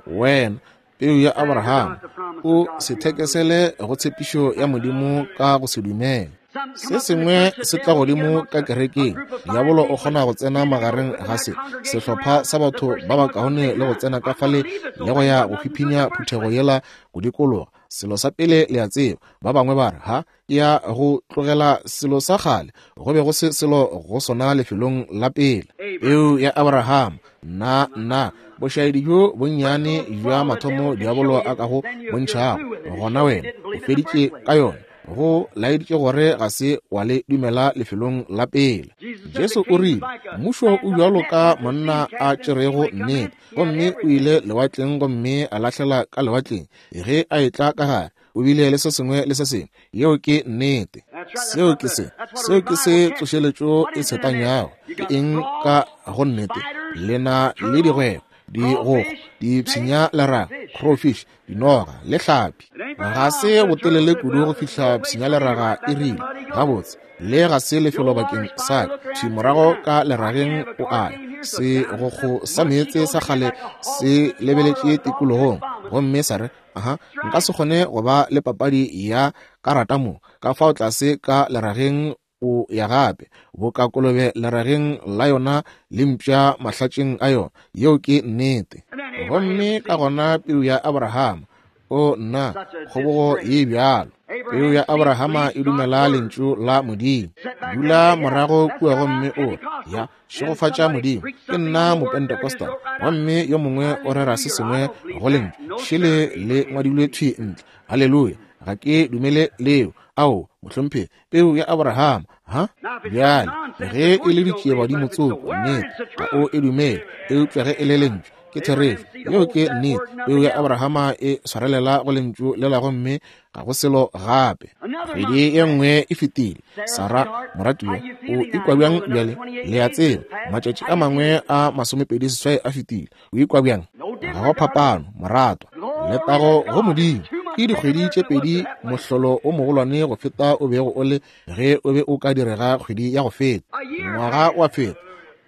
Wena, peu ya Abraham, o se thekesele go tshepišo ya Modimo ka go se dumele. Se sengwe se tla godimo ka kerekeng, diabolo o kgona go tsena magareng ga se sehlopha sa batho ba bakaone le go tsena ka fale le go ya go hwiphinya phuthego yela go dikologa. Selo sa pele le a tseba, ba bangwe ba re, Ha, ke ya go tlogela selo sa kgale, go be go se selo go sona lefelong la pele. Peu ya Abraham, nna, nna, bošaedi bjo bonnyane bja mathomo diabolo a ka go bontšhago, gona wena o feditše ka yona, go laeditše gore ga se wa le dumela lefelong la pele. Jesu o rile, Mmušo o bjalo ka monna a tšerego nnete, gomme o ile lewatleng gomme a lahlela ka lewatleng, ge a etla ka gare, o bile le se sengwe le se sengwe. Yeo ke nnete. Seo ke se, seo ke se tsošeletšo e tshetanyago. Ke eng ka go nnete? Le na le digwebo, digogo, dipshinya leraga, crawfish, dinoga le hlapi. Ga se botelele kudu go fihla pshinya leraga e rile, Gabotse, le ga se lefelo bakeng sa ka. Thwi morago ka lerageng o a ya. Segokgo sa meetse sa kgale se lebeletše tikologong gomme sa re, Aha, nka se kgone go ba le papadi ya karata mo. Ka fao tlase ka lerageng o ya gape, boka kolobe lerageng la yona le mpša mahlatšeng a yona. Yeo ke nnete. Gomme ka gona peu ya Abrahama, o nna, kgobogo ye bjalo. Peu ya Abrahama e dumela Lentšu la Modimo. Dula morago kua gomme o re, Ya, šegofatša Modimo, ke nna Mopentecostal. Gomme yo mongwe o rera se sengwe go Lentšu, šele le ngwadilwe thwi ntle. Haleluya! Ga ke dumele leo. Ao, mohlomphegi, peu ya Abrahama, ha? Bjale, ge e le ditšiebadimo tsoko, nnete, ga o e dumele, eupša ge e le Lentšu, ke therešo. Yeo ke nnete. Peu ya Abrahama e swarelela go Lentšu lela gomme ga go selo gape. Kgwedi ye nngwe e fetile. Sara, moratiwa, o ikwa bjang bjale? Le a tseba, matšatši a mangwe a 28 a fetile. O ikwa bjang? Ga go phapano, moratwa. Letago go Modimo! Ke dikgwedi tše pedi mohlolo o mogolwane go feta o bego o le ge o be o ka direga kgwedi ya go feta. Ngwaga wa feta.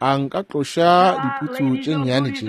A nka tloša diputsu tše nnyane tše?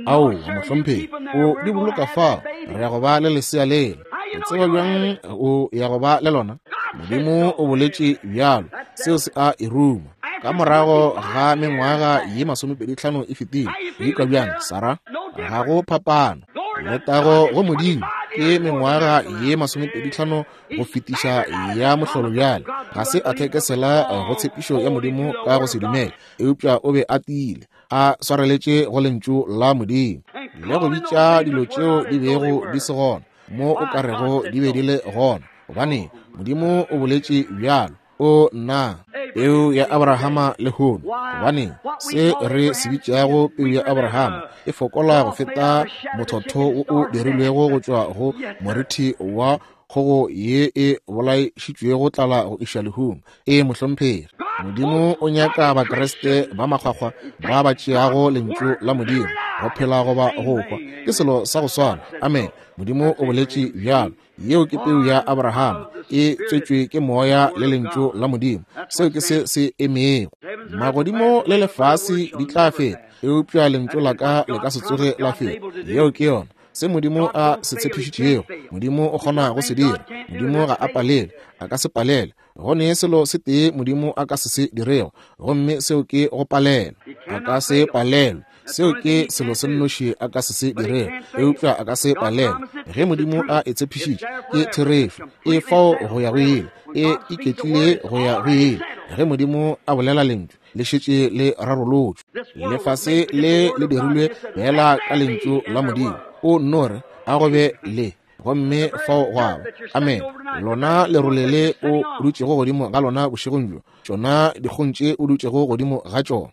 Aowa, mohlomphegi. O di boloka fao. Re ya go ba le lesea lela. O tseba bjang o ya go ba le lona? Modimo o boletše bjalo. Seo se a e ruma. Ka morago ga mengwaga ye 25 e fetile, o ikwa bjang, Sara? Ga go phapano. Letago go Modimo, ke mengwaga ye 25 go fetiša ya mohlolo bjale. Ga se a thekesela go tshepišo ya Modimo ka go se dumele, eupša o be a tiile, a swareletše go Lentšu la Modimo, le go bitša dilo tšeo di bego di se gona mo o ka rego di be di le gona, gobane Modimo o boletše bjalo. O nna, peu ya Abrahama lehono, gobane se re se bitšago peu ya Abrahama e fokola go feta mothotho wo o dirilwego go tšwa go morithi wa kgogo ye e bolaišitšwego tlala go iša lehung. Ee, mohlomphegi. Modimo o nyaka Bakriste ba makgwakgwa ba ba tšeago Lentšu la Modimo go phela goba go hwa. Ke selo sa go swana. Amen. Modimo o boletše bjalo. Yeo ke peu ya Abrahama, e tswetšwe ke Moya le Lentšu la Modimo. Seo ke se se emego. Magodimo le lefase di tla feta, eupša Lentšu la ka le ka se tsoge la feta. Yeo ke yona. Se Modimo a se tshepišitšego, Modimo o kgona go se dira. Modimo ga a palele, a ka se palele. Go ne selo se tee Modimo a ka se se dirego, gomme seo ke go palela. A ka se palelwe. Seo ke selo se nnoši a ka se se dirego, eupša a ka se palelwe. Ge Modimo a e tshepišitše, ke therešo. E fao go ya go ile. E iketlile go ya go ile. Ge Modimo a bolela lentšu, le šetše le rarolotšwe. Lefase le le dirilwe feela ka lentšu la Modimo. O nno re, A go be le, gomme fao gwa ba. Amen. Lona lerole le o dutšego godimo ga lona bošegong bjo, tšona dikgong tše o dutšego godimo ga tšona,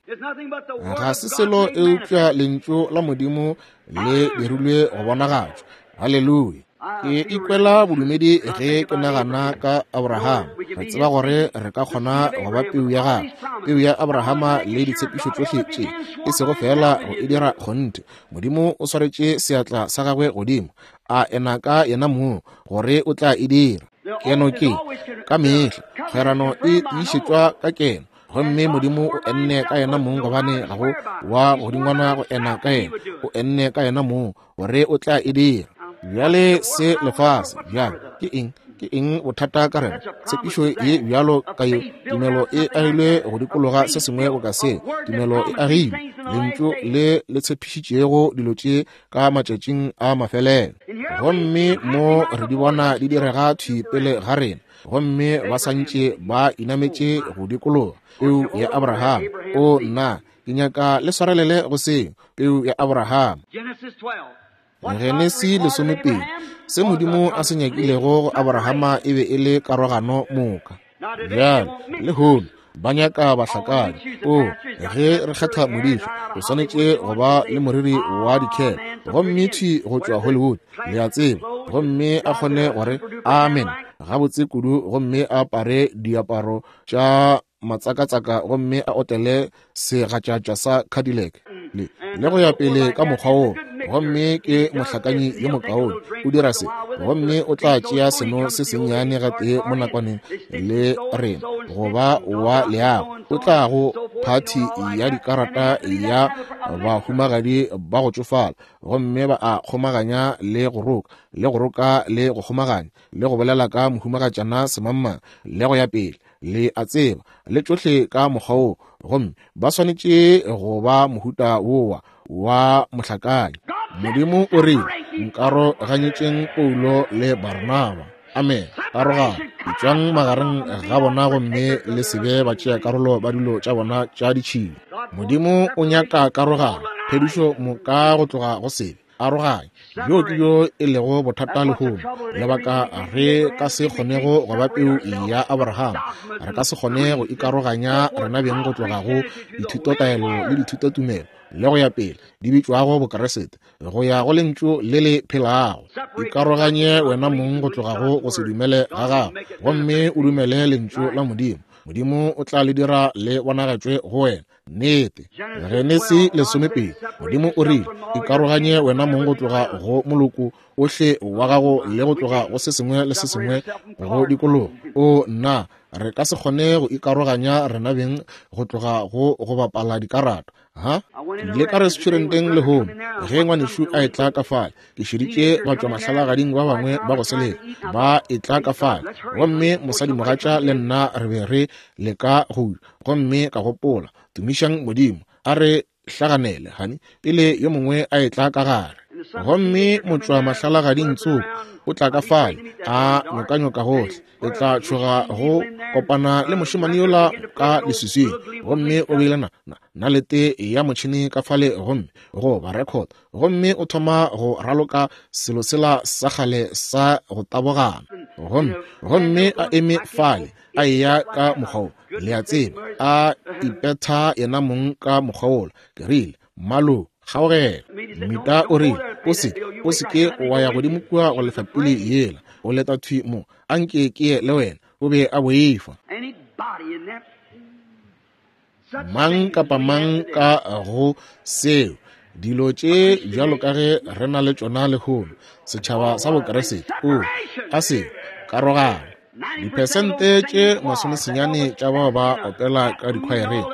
ga se selo eupša lentšu la Modimo le dirilwe go bonagatšwa. Haleluya. Ke ikwela bodumedi ge ke nagana ka Abraham. Re tseba gore re ka kgona go ba peu ya gagwe, peu ya Abrahama le ditshepišo tšohle tše, e sego feela go e dira kgonthe. Modimo o swaretše seatla sa gagwe godimo, a ena ka yena mong gore o tla e dira. Keno ke ka mehla, kgwerano e tiišetšwa ka keno. Gomme Modimo o enne ka yena mong, gobane ga go wa godingwana go ena ka yena. O enne ka yena mong gore o tla e dira. Bjale se lefase bjale ke eng? Ke eng bothata ka rena? Tshepišo ye bjalo ka ye, tumelo e agilwe go dikologa se sengwe boka se. Tumelo e agilwe lentšu le le tshepišitšego dilo tše ka matšatšing a mafelelo. Gomme mo re di bona di direga thwi pele ga rena, gomme ba santše ba inametše go dikologa peu ya Abraham. O nna, ke nyaka le swarelele go seo, peu ya Abraham. Genesi 12, se Modimo a se nyakilego go Abrahama e be e le karogano moka. Bjale, lehono, ba nyaka bahlakani. O, ge re kgetha modiša, o swanetše go ba le moriri wa dikhele, gomme thwi go tšwa Hollywood, le a tseba, gomme a kgone gore amen gabotse kudu, gomme a apare diaparo tša matsakatsaka, gomme a otele segatšatša sa Cadillac le le go ya pele ka mokgwa wo, gomme ke mohlakanyi yo mokaone, o dira se, gomme o tla tšea seno se sennyane gatee mo nakwaneng le rena go ba wa leago, o tla go phathi ya dikarata ya bahumagadi ba go tšofala, gomme ba a kgomaganya le go roka le go roka le go kgomaganya le go bolela ka mohumagatšana semangmang le go ya pele, le a tseba, le tšohle ka mokgwa wo, gomme ba swanetše go ba mohuta wowa wa mohlakanyi. Modimo o rile, nkaroganyetšeng Paulo le Barnaba. Amen. Karogano, etšwang magareng ga bona gomme le se be batšea karolo ba dilo tša bona tša ditšhila. Modimo o nyaka karogano, phedišo moka go tloga go sebe. Aroganya. Bjo ke bjo e lego bothata lehono, lebaka re ka se kgonego go ba peu ya Abraham. Re ka se kgone go ikaroganya rena beng go tloga go dithutotaelo le dithutotumelo le go ya pele di bitšwago Bokeresete, go ya go lentšu le le phelago. Ikaroganye wena mong go tloga go go se dumele ga gago, gomme o dumele lentšu la Modimo. Modimo o tla le dira le bonagatšwe go wena. Nnete. Genesi 12, Modimo o rile, ikaroganye wena mong go tloga go moloko ohle wa gago le go tloga go se sengwe le se sengwe go dikologa. O nna, re ka se kgone go ikaroganya rena beng go tloga go go bapala dikarata. Ha? Ke ile ka restauranteng lehono ge ngwanešu a etla ka fale. Ke šeditše batšwamahlalagading ba bangwe ba go seleka ba etla ka fale, gomme mosadimogatša le nna re be re leka go gomme ka gopola, tumišang Modimo, a re hlaganele, hani, pele yo mongwe a etla ka gare. Gomme motšwa mahlalagading tsoko o tla ka fale, a nyokanyoka gohle. E tla tšhoga go kopana le mošemane yola ka leswiswing, gomme o beile na, na, nalete ya motšhene ka fale, gomme go ba record, gomme o thoma go raloka selo sela sa kgale sa go tabogana, gomme, gomme a eme fale, a eya ka mokgwa wo, le a tseba, a ipetha yena mong ka mokgwa wola. Ke rile, Mmalo, kgaogela. Mmita o rile, O se, o se ke wa ya godimo kua go lefa pele yela, o leta thwi mo, a nke ke ye le wena. O be a boifa. Mang kapa mang ka go seo, dilo tše bjalo ka ge re na le tšona lehono, setšhaba sa Bokeresete, o a se karogano. Diphesente tše 90 tša bao ba opela ka dikhwaereng,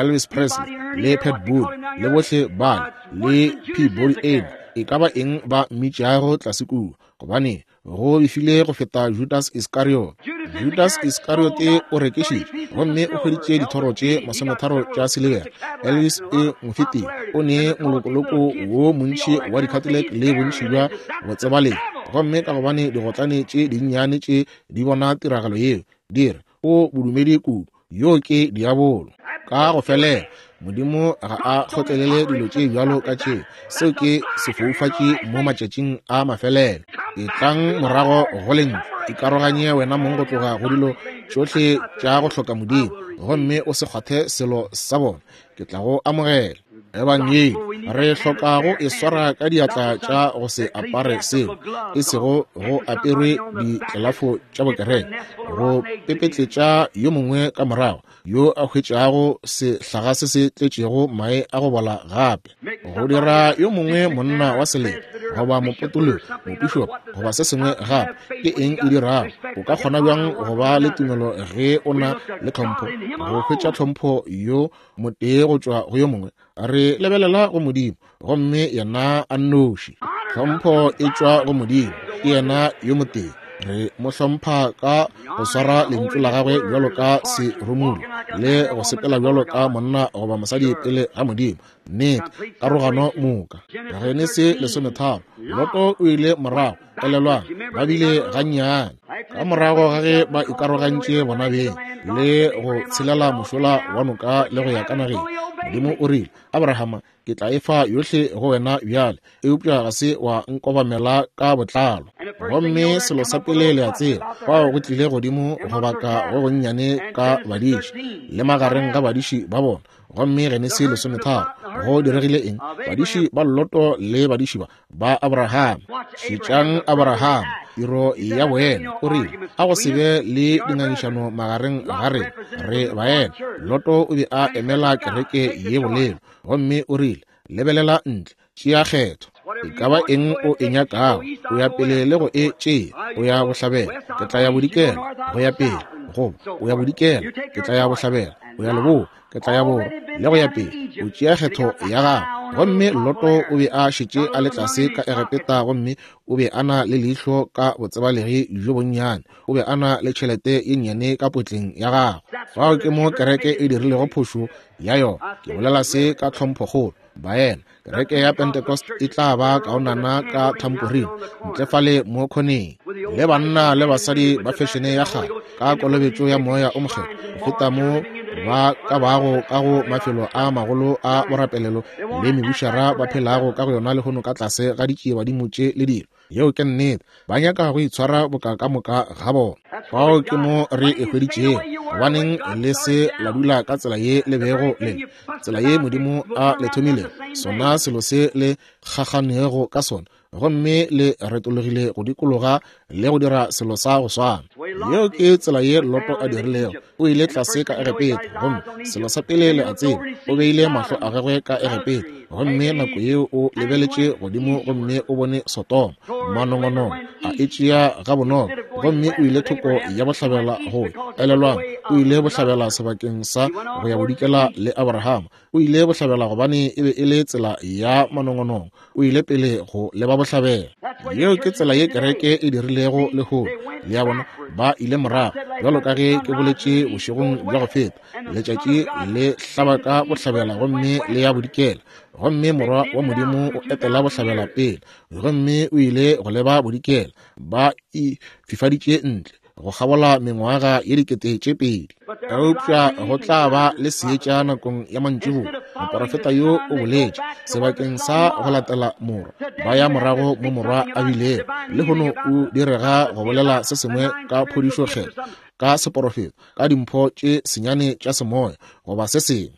Elvis Presley le Pat Boone le bohle bale le Peabody Amy, e ka ba eng ba mmitšago tlase kua, gobane go befile go feta Judas Iscariot. Judas Iscariot o rekišitše gomme o hweditše dithoro tše 30 tša silibera. Elvis e mo fetile, o ne molokoloko wo montši wa di-Cadillac le bontši bja botsebalegi. Gomme ka gobane digotlane tše dinnyane tše di bona tiragalo yeo, di re, O bodumedi kudu, yo ke diabolo. Ka go felela, Modimo ga a kgotlelele dilo tše bjalo ka tše. Seo ke sefoufatši mo matšatšing a mafelelo. Etlang morago go Lentšu. Ikaroganye wena mong go tloga go dilo tšohle tša go hloka Modimo, gomme o se kgwathe selo sa bona. Ke tla go amogela. Ebangedi re hlokago e swara ka diatla tša go se apare seo, e sego go aperwe ditlelafo tša bokereke, go pepetletša yo mongwe ka morago yo a hwetšago sehlaga se se tletšego mae a go bola gape, go dira yo mongwe monna wa selete goba mopotologi, mopišopo goba se sengwe gape. Ke eng e dirago? O ka kgona bjang go ba le tumelo ge o na le tlhompho, go hwetša tlhompho yo motee go tšwa go yo mongwe? Re lebelela go Modimo, gomme yena a nnoši. Tlhompho e tšwa go Modimo, ke yena yo motee. Re mo hlompha ka go swara lentšu la gagwe bjalo ka seromulo le go sepela bjalo ka monna goba mosadi pele ga Modimo. Nnete, karogano moka. Genesi 13, Loto o ile morago. Elelwang, ba bile gannyane ka morago ga ge ba ikarogantše bona beng le go tshelela mošola wa noka le go ya ka nageng. Modimo o rile, Abrahama, ke tla e fa yohle go wena bjale, eupša ga se wa nkobamela ka botlalo. Gomme selo sa pele le a tseba, fao go tlile godimo go baka go gonnyane ka badiši le magareng ga badiši ba bona. Gomme Genesi 13, go diregile eng? Badiši ba Loto le badiši ba Abraham. Šetšang Abraham, tiro ya boena. O rile, a go se be le dingangišano magareng ga rena, re baena. Loto o be a emela kereke ye bolelo, gomme o rile, lebelela ntle, tšea kgetho. E ka ba eng o e nyakago, o ya pele le go e tšea. O ya bohlabela, ke tla ya bodikela, go ya pele. Goba o ya bodikela, ke tla ya bohlabela. O ya leboa, ke tla ya borwa, le go ya pele. O tšea kgetho ya gago. Gomme Loto o be a šetše a le tlase ka Egepeta, gomme o be a na le leihlo ka botsebalegi bjo bonnyane. O be a na le tšhelete ye nnyane ka potleng ya gagwe. Fao ke mo kereke e dirilego phošo ya yona. Ke bolela se ka tlhomphokgolo, baena. Kereke ya Pentecost e tla ba kaonana ka thamporine ntle fale mo khoneng, le banna le basadi ba fešene ya kgale ka kolobetšo ya Moya o Mokgethwa, go feta mo ba ka bago ka go mafelo a magolo a borapelelo le mebušara ba phelago ka go yona lehono ka tlase ga ditšiebadimo tše le dilo. Yeo ke nnete. Ba nyaka go itshwara boka ka moka ga bona. Fao ke mo re e hweditšego. Gobaneng le se la dula ka tsela ye le bego le, tsela ye Modimo a le thomilego, sona selo se le kgakganego ka sona, gomme le retologile go dikologa le go dira selo sa go swana. Yeo ke tsela ye Loto a dirilego. O ile tlase ka Egepeta, gomme selo sa pele le a tseba, o beile mahlo a gagwe ka Egepeta, gomme nako yeo o lebeletše godimo gomme o bone Sodoma, manongonongo, a e tšea gabonolo, gomme o ile thoko ya bohlabela go ya. Elelwang, o ile bohlabela sebakeng sa go ya bodikela le Abrahama. O ile bohlabela gobane e be e le tsela ya manongonongo. O ile pele go leba bohlabela. Yeo ke tsela ye kereke e dirilego lehono. Le a bona, ba ile morago. Bjalo ka ge ke boletše bošegong bja go feta, letšatši le hlaba ka bohlabela gomme le ya bodikela, gomme Morwa wa Modimo o etela bohlabela pele, gomme o ile go leba bodikela. Ba e fifaditše ntle go kgabola mengwaga ye 2000. Eupša go tla ba le seetša nakong ya mantšiboa. Moporofeta yo o boletše, sebakeng sa go latela morwa, ba ya morago mo morwa a bilego. Lehono o direga go bolela se sengwe ka phodišo kgetho, ka seporofeto, ka dimpho tše senyane tša semoya, goba se sengwe.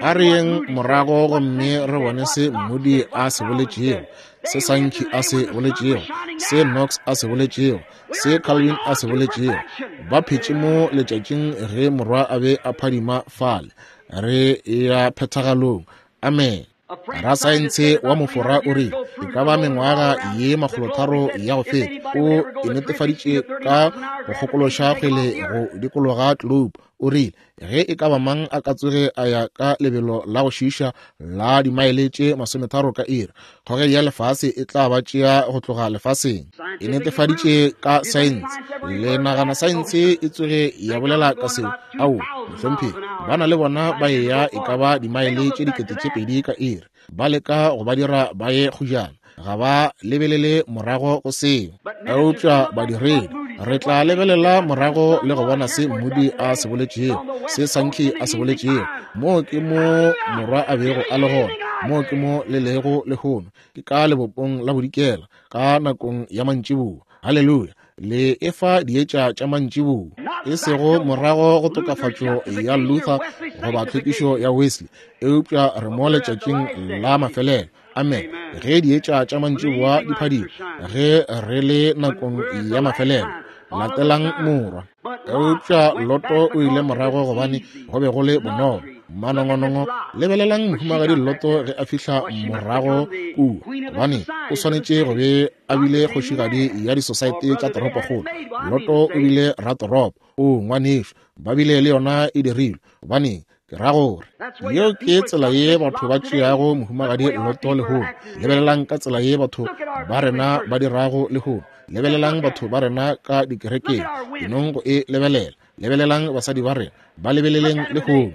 A re yeng morago gomme re bone se Moody a se boletšego, se Sankey a se boletšego, se Knox a se boletšego, se Calvin a se boletšego. Ba phetše mo letšatšing ge morwa a be a phadima fale. Re ya phethagalong. Amen. Rasaentshe wa Mofora o rile, e ka ba mengwaga ye 300 ya go feta, o e netefaditše ka go kgokološa kgwele go dikologa globe. O rile, ge e ka ba mang a ka tsoge a ya ka lebelo la go šiiša la dimaele tše 30 ka iri, kgogedi ya lefase e tla ba tšea go tloga lefaseng. E netefaditše ka saense. Le nagana saense e tsoge ya bolela ka seo? Aowa, mohlomphegi. Ba na le bona ba eya e ka ba dimaele tše 2000 ka iri, ba leka go ba dira ba ye kgojana. Ga ba lebelele morago go seo. Eupša badiredi, re tla lebelela morago le go bona se Moody a se boletšego, se Sankey a se boletšego. Moo ke mo morwa a bego a le gona, moo ke mo le lego lehono, ke ka lebopong la bodikela, ka nakong ya mantšiboa. Haleluya! Le efa dietša tša mantšiboa, e sego morago go tokafatšo ya Luther goba tlhwekišo ya Wesley, eupša re mo letšatšing la mafelelo. Amen. Ge dietša tša mantšiboa di phadima, ge re le nakong ya mafelelo, latelang Morwa. Eupša Loto o ile morago gobane go be go le bonolo. Manongonongo, lebelelang mohumagadi Loto ge a fihla morago kua, gobane o swanetše go be a bile kgošigadi ya disosaete tša toropokgolo. Loto o bile ratoropo. O ngwanešu, ba bile le yona e dirilwe. Gobaneng, ke ra gore yeo ke tsela ye batho ba tšeago mohumagadi Loto lehono. Lebelelang ka tsela ye batho ba rena ba dirago lehono. Lebelelang batho ba rena ka dikerekeng, enong go e lebelela. Lebelelang basadi ba rena, ba lebeleleng lehono.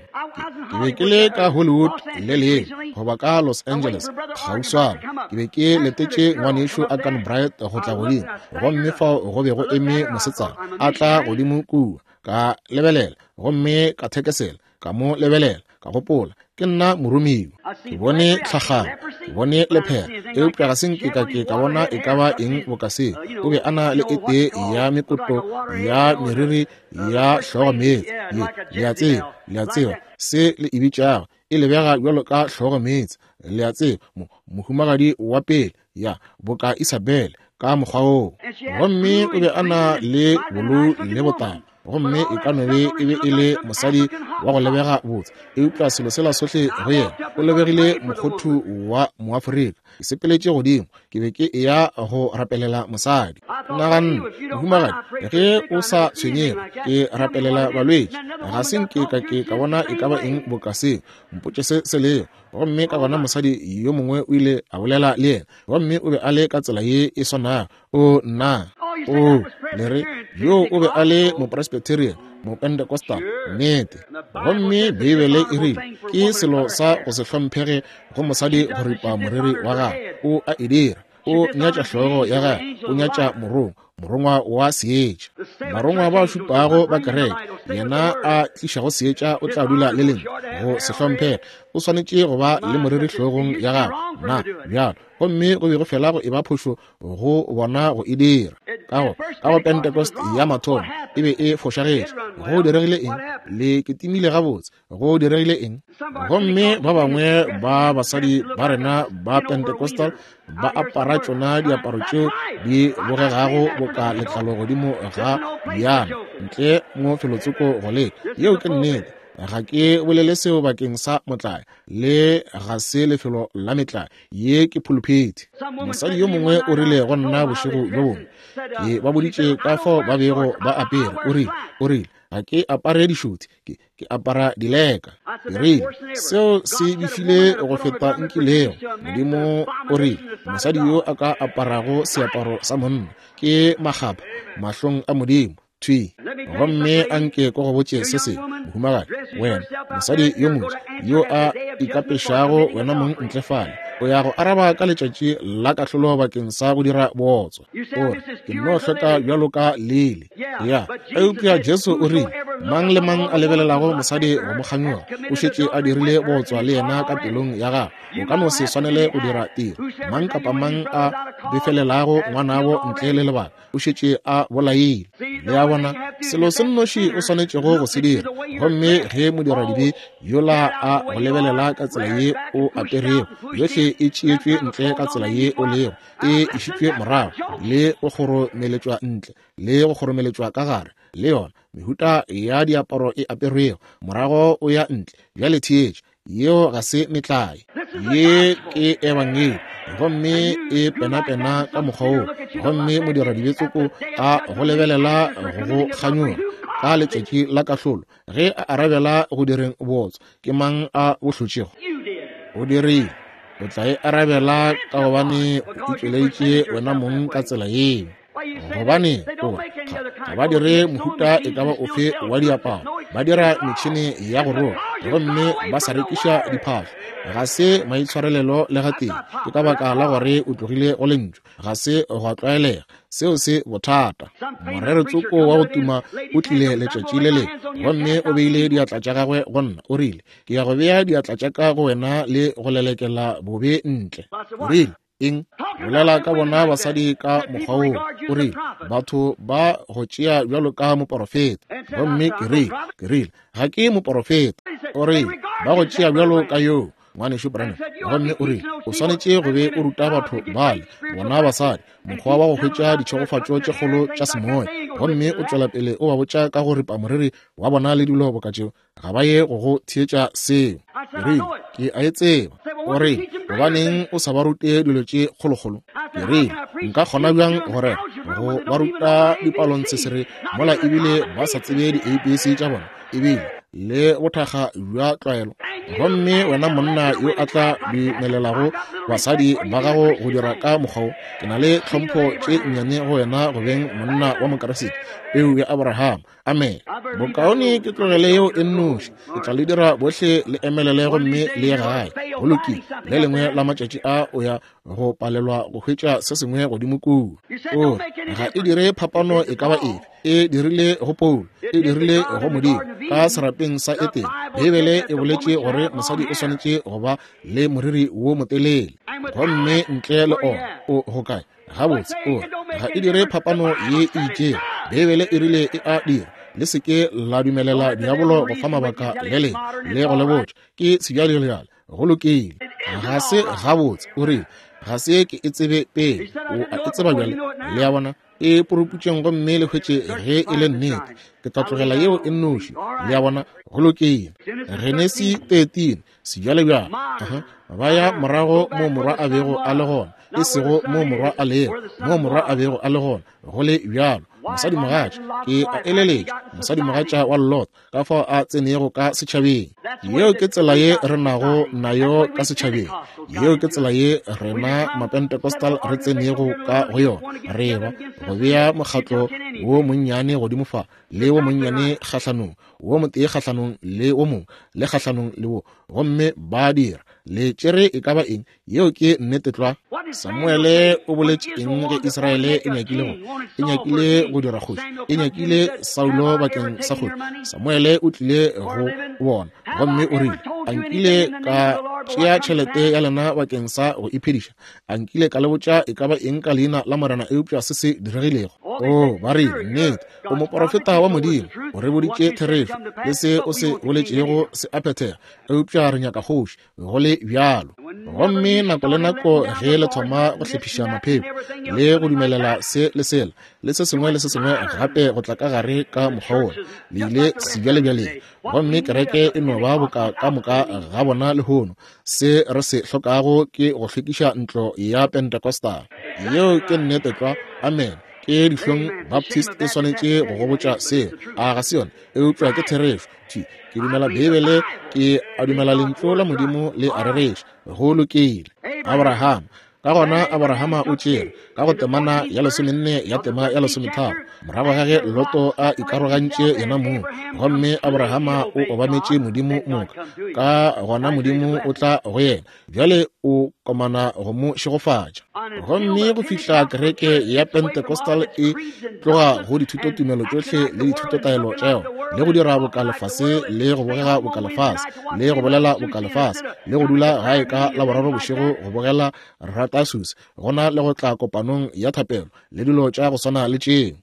Ke be ke le ka Hollywood le leng goba ka Los Angeles kgauswana. Ke be ke letetše ngwanešu Akan Bright go tla godimo, gomme fao go be go eme mosetsana a tla godimo kua. Ka lebelela gomme ka thekesela, ka mo lebelela, ka gopola, ke nna moromiwa. Ke bone tlhagalo, ke bone lephera, eupša ga se nke ka ke ka bona e ka ba eng boka seo. O be a na le e tee ya mekoto ya meriri ya hlogo meetse ye, le a tseba, le a tseba se le e bitšago, e lebega bjalo ka hlogo meetse, le a tseba, mohumagadi wa pele, ya boka Isabel ka mokgwa woo. Gomme o be a na le bolou le botala, gomme e ka no be e be e le mosadi wa go lebega botse, eupša selo sela sohle go yena, o lebegile mokgothu wa Moafrika. Ke sepeletše godimo, ke be ke eya go rapelela mosadi. Naganne, mohumagadi, ge o sa tshwenyege, ke rapelela balwetši. Ga se nke ka ke ka bona e ka ba eng boka seo. Mpotše se se lego. Gomme ka gona mosadi yo mongwe o ile a bolela le yena, gomme o be a le ka tsela ye e swanago. O nna, o le re, yo o be a le Mopresbyterian, Mopentecostal, nnete. Gomme Beibele e rile ke selo sa go se hlomphege go mosadi go ripa moriri wa gagwe. O a e dira. O nyatša hlogo ya gagwe, o nyatša morongwa, morongwa wa seetša. Barongwa ba šupago ba kereke, yena a tlišago seetša o tla dula le lengwe go se hlomphege. O swanetše go ba le moriri hlogong ya gagwe, na bjalo. Gomme go be go fela go eba phošo go bona go e dira. Ka go Pentecost ya mathomo e be e fošagetše. Go diregile eng? Le ketimile gabotse. Go diregile eng? Gomme ba bangwe ba basadi ba rena ba Pentecostal ba apara tšona diaparo tšeo di bogegago boka letlalo godimo ga bjana ntle mo felotsoko go leka. Yeo ke nnete. Ga ke bolele seo bakeng sa motlae, le ga se lefelo la metlae. Ye ke phuluphethi. Mosadi yo mongwe o rile go nna bošego bjo bongwe, ke ba boditše ka fao ba bego ba apere, o rile, o rile, ga ke apare dišothi, ke apara dileka. Ke rile, seo se befile go feta nkilego. Modimo o rile, mosadi yo a ka aparago seaparo sa monna ke makgapha mahlong a Modimo. Thwi. Gomme a nke ko go botše se sengwe, mohumagadi, wena mosadi yo moswa yo a ikapešago wena mong ntle fale, o ya go araba ka letšatši la kahlolo bakeng sa go dira bootswa. O re, ke nno hlweka bjalo ka lili. Ya, eupša Jesu o rile, mang le mang a lebelelago mosadi go mo kganyoga, o šetše a dirile bootswa le yena ka pelong ya gagwe. O ka no se swanele go dira tiro. Mang kapa mang a befelelago ngwanabo ntle le lebaka, o šetše a bolaile. Le a bona, selo se nnoši o swanetšego go se dira, gomme ge modiradibe yola a go lebelela ka tsela ye o aperego, yohle e tšeetšwe ntle ka tsela ye o lego, e išitšwe morago le go kgoromeletšwa ntle le go kgoromeletšwa ka gare, le yona mehuta ya diaparo e aperwego, morago o ya ntle. Bjale theetša, yeo ga se metlae, ye ke ebangedi, gomme e penapena ka mokgwa wo. Gomme modiradibetsoko a go lebelela go go kganyoga ka letšatši la kahlolo, ge a arabela go direng bootswa, ke mang a bo hlotšego? O dirile. O tla e arabela ka gobane o itšweleditše wena mong ka tsela yeo. Gobane o ga ba dire mohuta e ka ba ofe wa diaparo, ba dira metšhene ya go roka, gomme ba sa rekiša diphahlo. Ga se maitshwarelelo le gatee. Ke ka baka la gore o tlogile go lentšu. Ga se gwa tlwaelega. Seo se bothata. Moreretsoko wa go tuma o tlile letšatši le lengwe, gomme o beile diatla tša gagwe go nna. O rile, ke ya go bea diatla tša ka go wena le go lelekela bobe ntle. O rile, Eng? Bolela ka bona basadi ka mokgwa woo. O rile, Batho ba go tšea bjalo ka moporofeta. Gomme ke rile, ke rile, Ga ke moporofeta. O rile, Ba go tšea bjalo ka yoo, Ngwanešu Branham. Gomme o rile, O swanetše go be o ruta batho bale, bona basadi, mokgwa wa go hwetša ditšhegofatšo tše kgolo tša semoya. Gomme o tšwela pele o ba botša ka go ripa moriri wa bona le dilo boka tšeo. Ga ba ye go go theetša seo. Ke rile, Ke a e tseba. O rile, Gobaneng o sa ba rute dilo tše kgolokgolo? Ke rile, Nka kgona bjang go rera, go ba ruta dipalontsesere mola ebile ba sa tsebe di-ABC tša bona, ebile le bothakga bja tlwaelo? Gomme wena monna yo a tla dumelelago basadi ba gago go dira ka mokgwa wo, ke na le tlhompho tše nnyane go wena go beng monna wa Mokriste, peu ya Abraham. Amene. Bokaone ke tlogele yeo e nnoši. Ke tla le dira bohle le emelele gomme le ye gae. Go lokile. Le lengwe la matšatši a o ya go palelwa go hwetša se sengwe godimo kua. O re, ga e dire phapano e ka ba efe. E dirile go Paulo. E dirile go Modimo ka serapeng sa Etene. Beibele e boletše gore mosadi o swanetše go ba le moriri wo motelele. Gomme ntle le ona, o go kae? Gabotse, o re, ga e dire phapano ye e itšego. Beibele e rile e a dira. Le se ke la dumelela diabolo go fa mabaka le leng le go le botša ke sebjalebjale. Go lokile. Ga se gabotse. O rile, ga se ke e tsebe pele. O a e tseba bjale. Le a bona? E puruputšeng gomme le hwetše ge e le nnete. Ke tla tlogela yeo e nnoši. Le a bona? Go lokile. Genesi 13. Sebjalebjale. Uh-huh. Ba ya morago mo morwa a bego a le gona, e sego mo morwa a lego, mo morwa a bego a le gona. Go le bjalo, mosadimogatša, ke a eleletša, mosadimogatša wa Lot, ka fao a tsenego ka setšhabeng. Yeo ke tsela ye re nago nayo ka setšhabeng. Yeo ke tsela ye rena Mapentecostal re tsenego ka go yona. Re ba go bea mokgatlo wo monnyane godimo fa, le wo monnyane kgahlanong, wo motee kgahlanong le wo mongwe, le kgahlanong le wo, gomme ba dira. Le tšere e ka ba eng? Yeo ke nnete tlwa. Samuele o boletše eng ge Israele e nyakile go, e nyakile go dira kgoši, e nyakile Saulo bakeng sa kgoši? Samuele o tlile go bona gomme o rile, A nkile ka tšea tšhelete ya lena bakeng sa go iphediša? A nkile ka le botša e ka ba eng ka leina la Morena eupša se se diregilego? Oo, ba rile, nnete, o moporofeta wa Modimo, o re boditše therešo, le se o se boletšego se a phethega, eupša re nyaka kgoši, go le bjalo. Gomme nako le nako ge le thoma go hlephiša mapheko le go dumelela se le sela le se sengwe le se sengwe gape go tla ka gare ka mokgwa wola, le ile sebjalebjaleng, gomme kereke e no ba boka ka moka ga bona lehono. Se re se hlokago ke go hlwekiša ntlo ya Pentecostal. Yeo ke nnete tlwa. Amen. Ke dihlong Baptist e swanetše go go botša seo. A ga se yona? Eupša ke therešo. Thwi. Ke dumela Beibele, ke a dumela Lentšu la Modimo le a rereša. Go lokile. Abraham. Ka gona Abrahama o tšere, ka go temana ya lesomenne ya tema ya lesometharo, morago ga ge Loto a ikarogantše yena mong, gomme Abrahama o obametše Modimo moka, ka gona Modimo o tla go yena. Bjale o komana go mo šegofatša. Gomme go fihla kereke ya Pentecostal e tloga go dithutotumelo tšohle le dithutotaelo tša yona, le go dira boka lefase, le go bogega boka lefase, le go bolela boka lefase, le go dula gae ka Laboraro bošego go bogela Ratasus, gona le go tla kopanong ya thapelo, le dilo tša go swana le tšeo.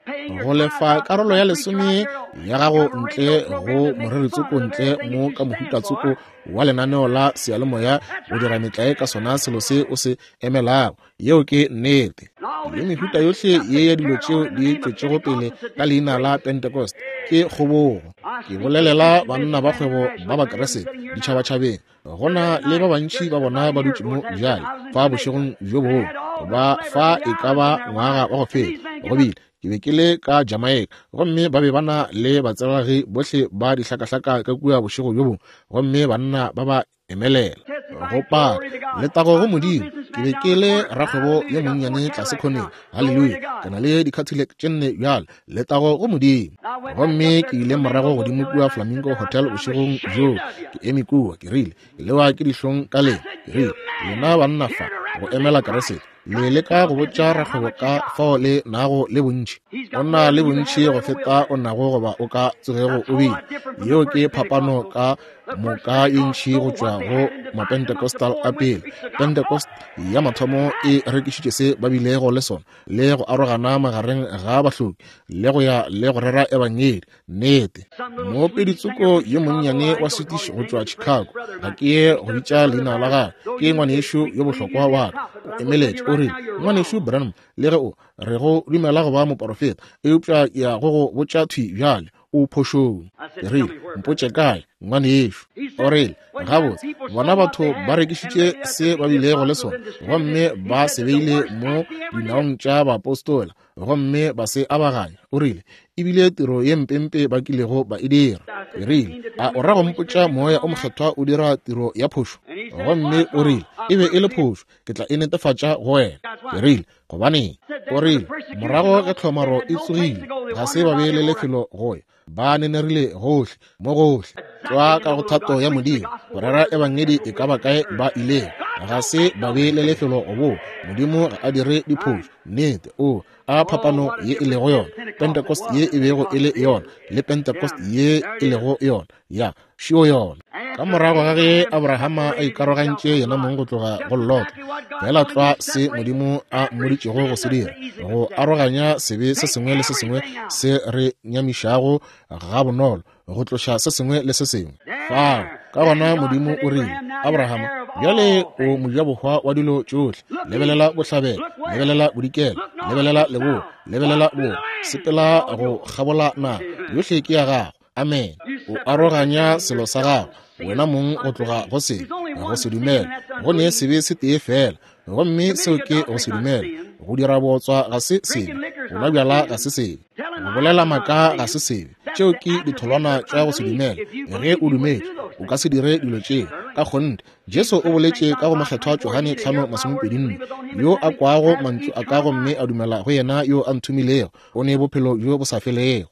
Go lefa karolo ya lesome ya gago ntle go moreritsoko ntle mo ka mohutatsoko wa lenaneo la seyalemoya go dira metlae ka sona selo se o se emelago. Yeo ke nnete. Le mehuta yohle ye ya dilo tšeo di tšwetšego pele ka leina la Pentecost ke kgobogo. Ke bolelela banna ba kgwebo ba Bakriste ditšhabatšhabeng, go na le ba bantši ba bona ba dutše mo bjale fa bošegong bjo bongwe, ba fa e ka ba ngwaga wa go feta, go bile Ke be ke le ka Jamaica, gomme ba be ba na le batsebalegi bohle ba dihlakahlaka ka kua bošego bjo bongwe, gomme banna ba ba emelela go paka letago go Modimo. Ke be ke le rakgwebo yo monnyane tlase khoneng. Haleluya! Ke na le di-Cadillac tše nne bjale. Letago go Modimo! Gomme ke ile morago godimo kua Flamingo Hotel bošegong bjoo, ke eme kua, ke rile, Ke lewa ke dihlong ka lena. Ke rile, Lena banna fa go emela Keresete. Le leka go botša rakgwebo ka fao le nago le bontši. O na le bontši go feta o nago goba o ka tsogego o bile. Yeo ke phapano ka moka ye ntši go tšwa go Mapentecostal a pele. Pentecost ya mathomo e rekišitše se ba bilego le sona, le go arogana magareng ga bahloki, le go ya le go rera ebangedi. Nnete. Moopedi tsoko yo monnyane wa Swedish go tšwa Chicago, ga ke ye go bitša leina la gagwe, ke ngwanešu yo bohlokwa wa ka. O emeletše, o rile, Ngwanešu Branham, le ge o re go dumela go ba moporofeta, eupša ke ya go go botša thwi bjale, o phošong. Ke rile, Mpotše kae, ngwanešu. O rile, Gabotse, bona batho ba rekišitše se ba bilego le sona, gomme ba se beile mo dinaong tša baapostola, gomme ba se abaganya. O rile, E bile tiro ye mpempe ba kilego ba e dira. Ke rile, A o ra go mpotša Moya o Mokgethwa o dira tiro ya phošo? Gomme o rile, E be e le phošo. Ke tla e netefatša go wena. Ke rile, Gobaneng? O rile, Morago ge tlhomaro e tsogile, ga se ba be le lefelo go ya. Ba nenerile gohle, mo gohle, tlwa ka go thato ya Modimo, go rera ebangedi e ka ba kae ba ilego. Ga se ba be le lefelo go boa. Modimo ga a dire diphošo. Nnete. O a phapano ye e lego yona, Pentecost ye e bego e le yona, le Pentecost ye e lego yona. Ya, šio yona. Ka morago ga ge Abrahama a ikarogantše yena mong go tloga go Lota, feela tlwa se Modimo a mmoditšego go se dira, go aroganya sebe se sengwe le se sengwe se re nyamišago gabonolo, go tloša se sengwe le se sengwe fao. Ka gona Modimo o rile, Abrahama, bjale o mojabohwa wa dilo tšohle. Lebelela bohlabela, lebelela bodikela, lebelela leboa, lebelela borwa, sepela go kgabola naga, yohle ke ya gago. Amen. O aroganya selo sa gago wena mong go tloga go sebe, go se dumele. Go ne sebe se tee feela, gomme seo ke go se dumele. Go dira bootswa ga se sebe, go nwa bjala ga se sebe, go bolela maaka ga se sebe. Tšeo ke ditholwana tša go se dumele. Ge o dumetše, o ka se dire dilo tšeo. Ka kgonthe, Jesu o boletše ka go Mokgethwa Johane 5:24, Yo a kwago mantšu a ka gomme a dumela go yena yo a nthomilego, o ne bophelo bjo bo sa felego.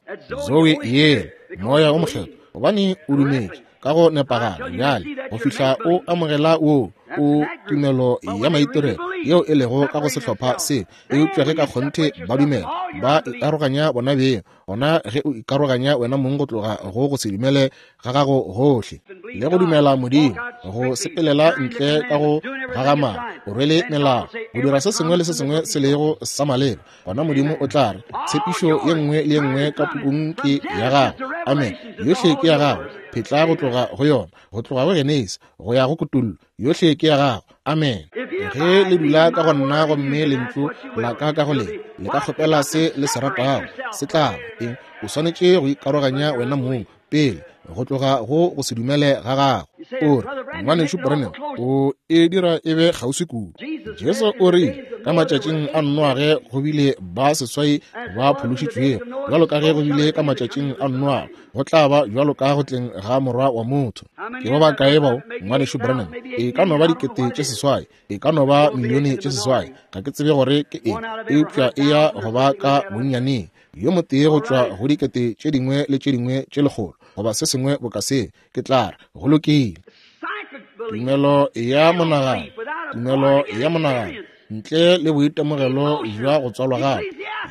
Zoe yela, Moya wo Mokgethwa, gobane o dumetše ka go nepagala bjale go fihla o amogela wo o tumelo ya maitirelo yeo e lego ka go sehlopha se. Eupša ge ka kgonthe ba dumela, ba ikaroganya bona beng, gona ge o ikaroganya wena mong go tloga go go se dumele ga gago gohle le go dumela Modimo, go sepelela ntle ka go gagamala, o rwele melao, go dira se sengwe le se sengwe se lego sa maleba, gona Modimo o tla re, tshepišo ye nngwe le ye nngwe ka pukung ke ya gago. Amen. Yohle ke ya gago. Phetla go tloga go yona, go tloga go Genesi go ya go Kutullo, yohle ke ya gago. Amen. Ge le dula ka go nna gomme lentšu la ka ka go lena, le ka kgopela se le se ratago, se tla ba. Eng? O swanetše go ikaroganya wena mong pele go tloga go go se dumele ga gago. O re, Ngwanešu Branham, o e dira e be kgauswi kudu. Jesu o rile, ka matšatšing a Noage go bile ba seswai ba phološitšwego, bjalo ka ge go bile ka matšatšing a Noage, go tla ba bjalo ka go tleng ga Morwa wa motho. Ke ba bakae bao, Ngwanešu Branham? E ka no ba 6,000, e ka no ba 6,000,000, ga ke tsebe gore ke eng, eupša e ya go ba ka bonnyaneng yo motee go tšwa go dikete tše dingwe le tše dingwe tše lekgolo, goba se sengwe boka se. Ke tla re, go lokile. Tumelo ya monagano, tumelo ya monagano, ntle le boitemogelo bja go tswalwa gape,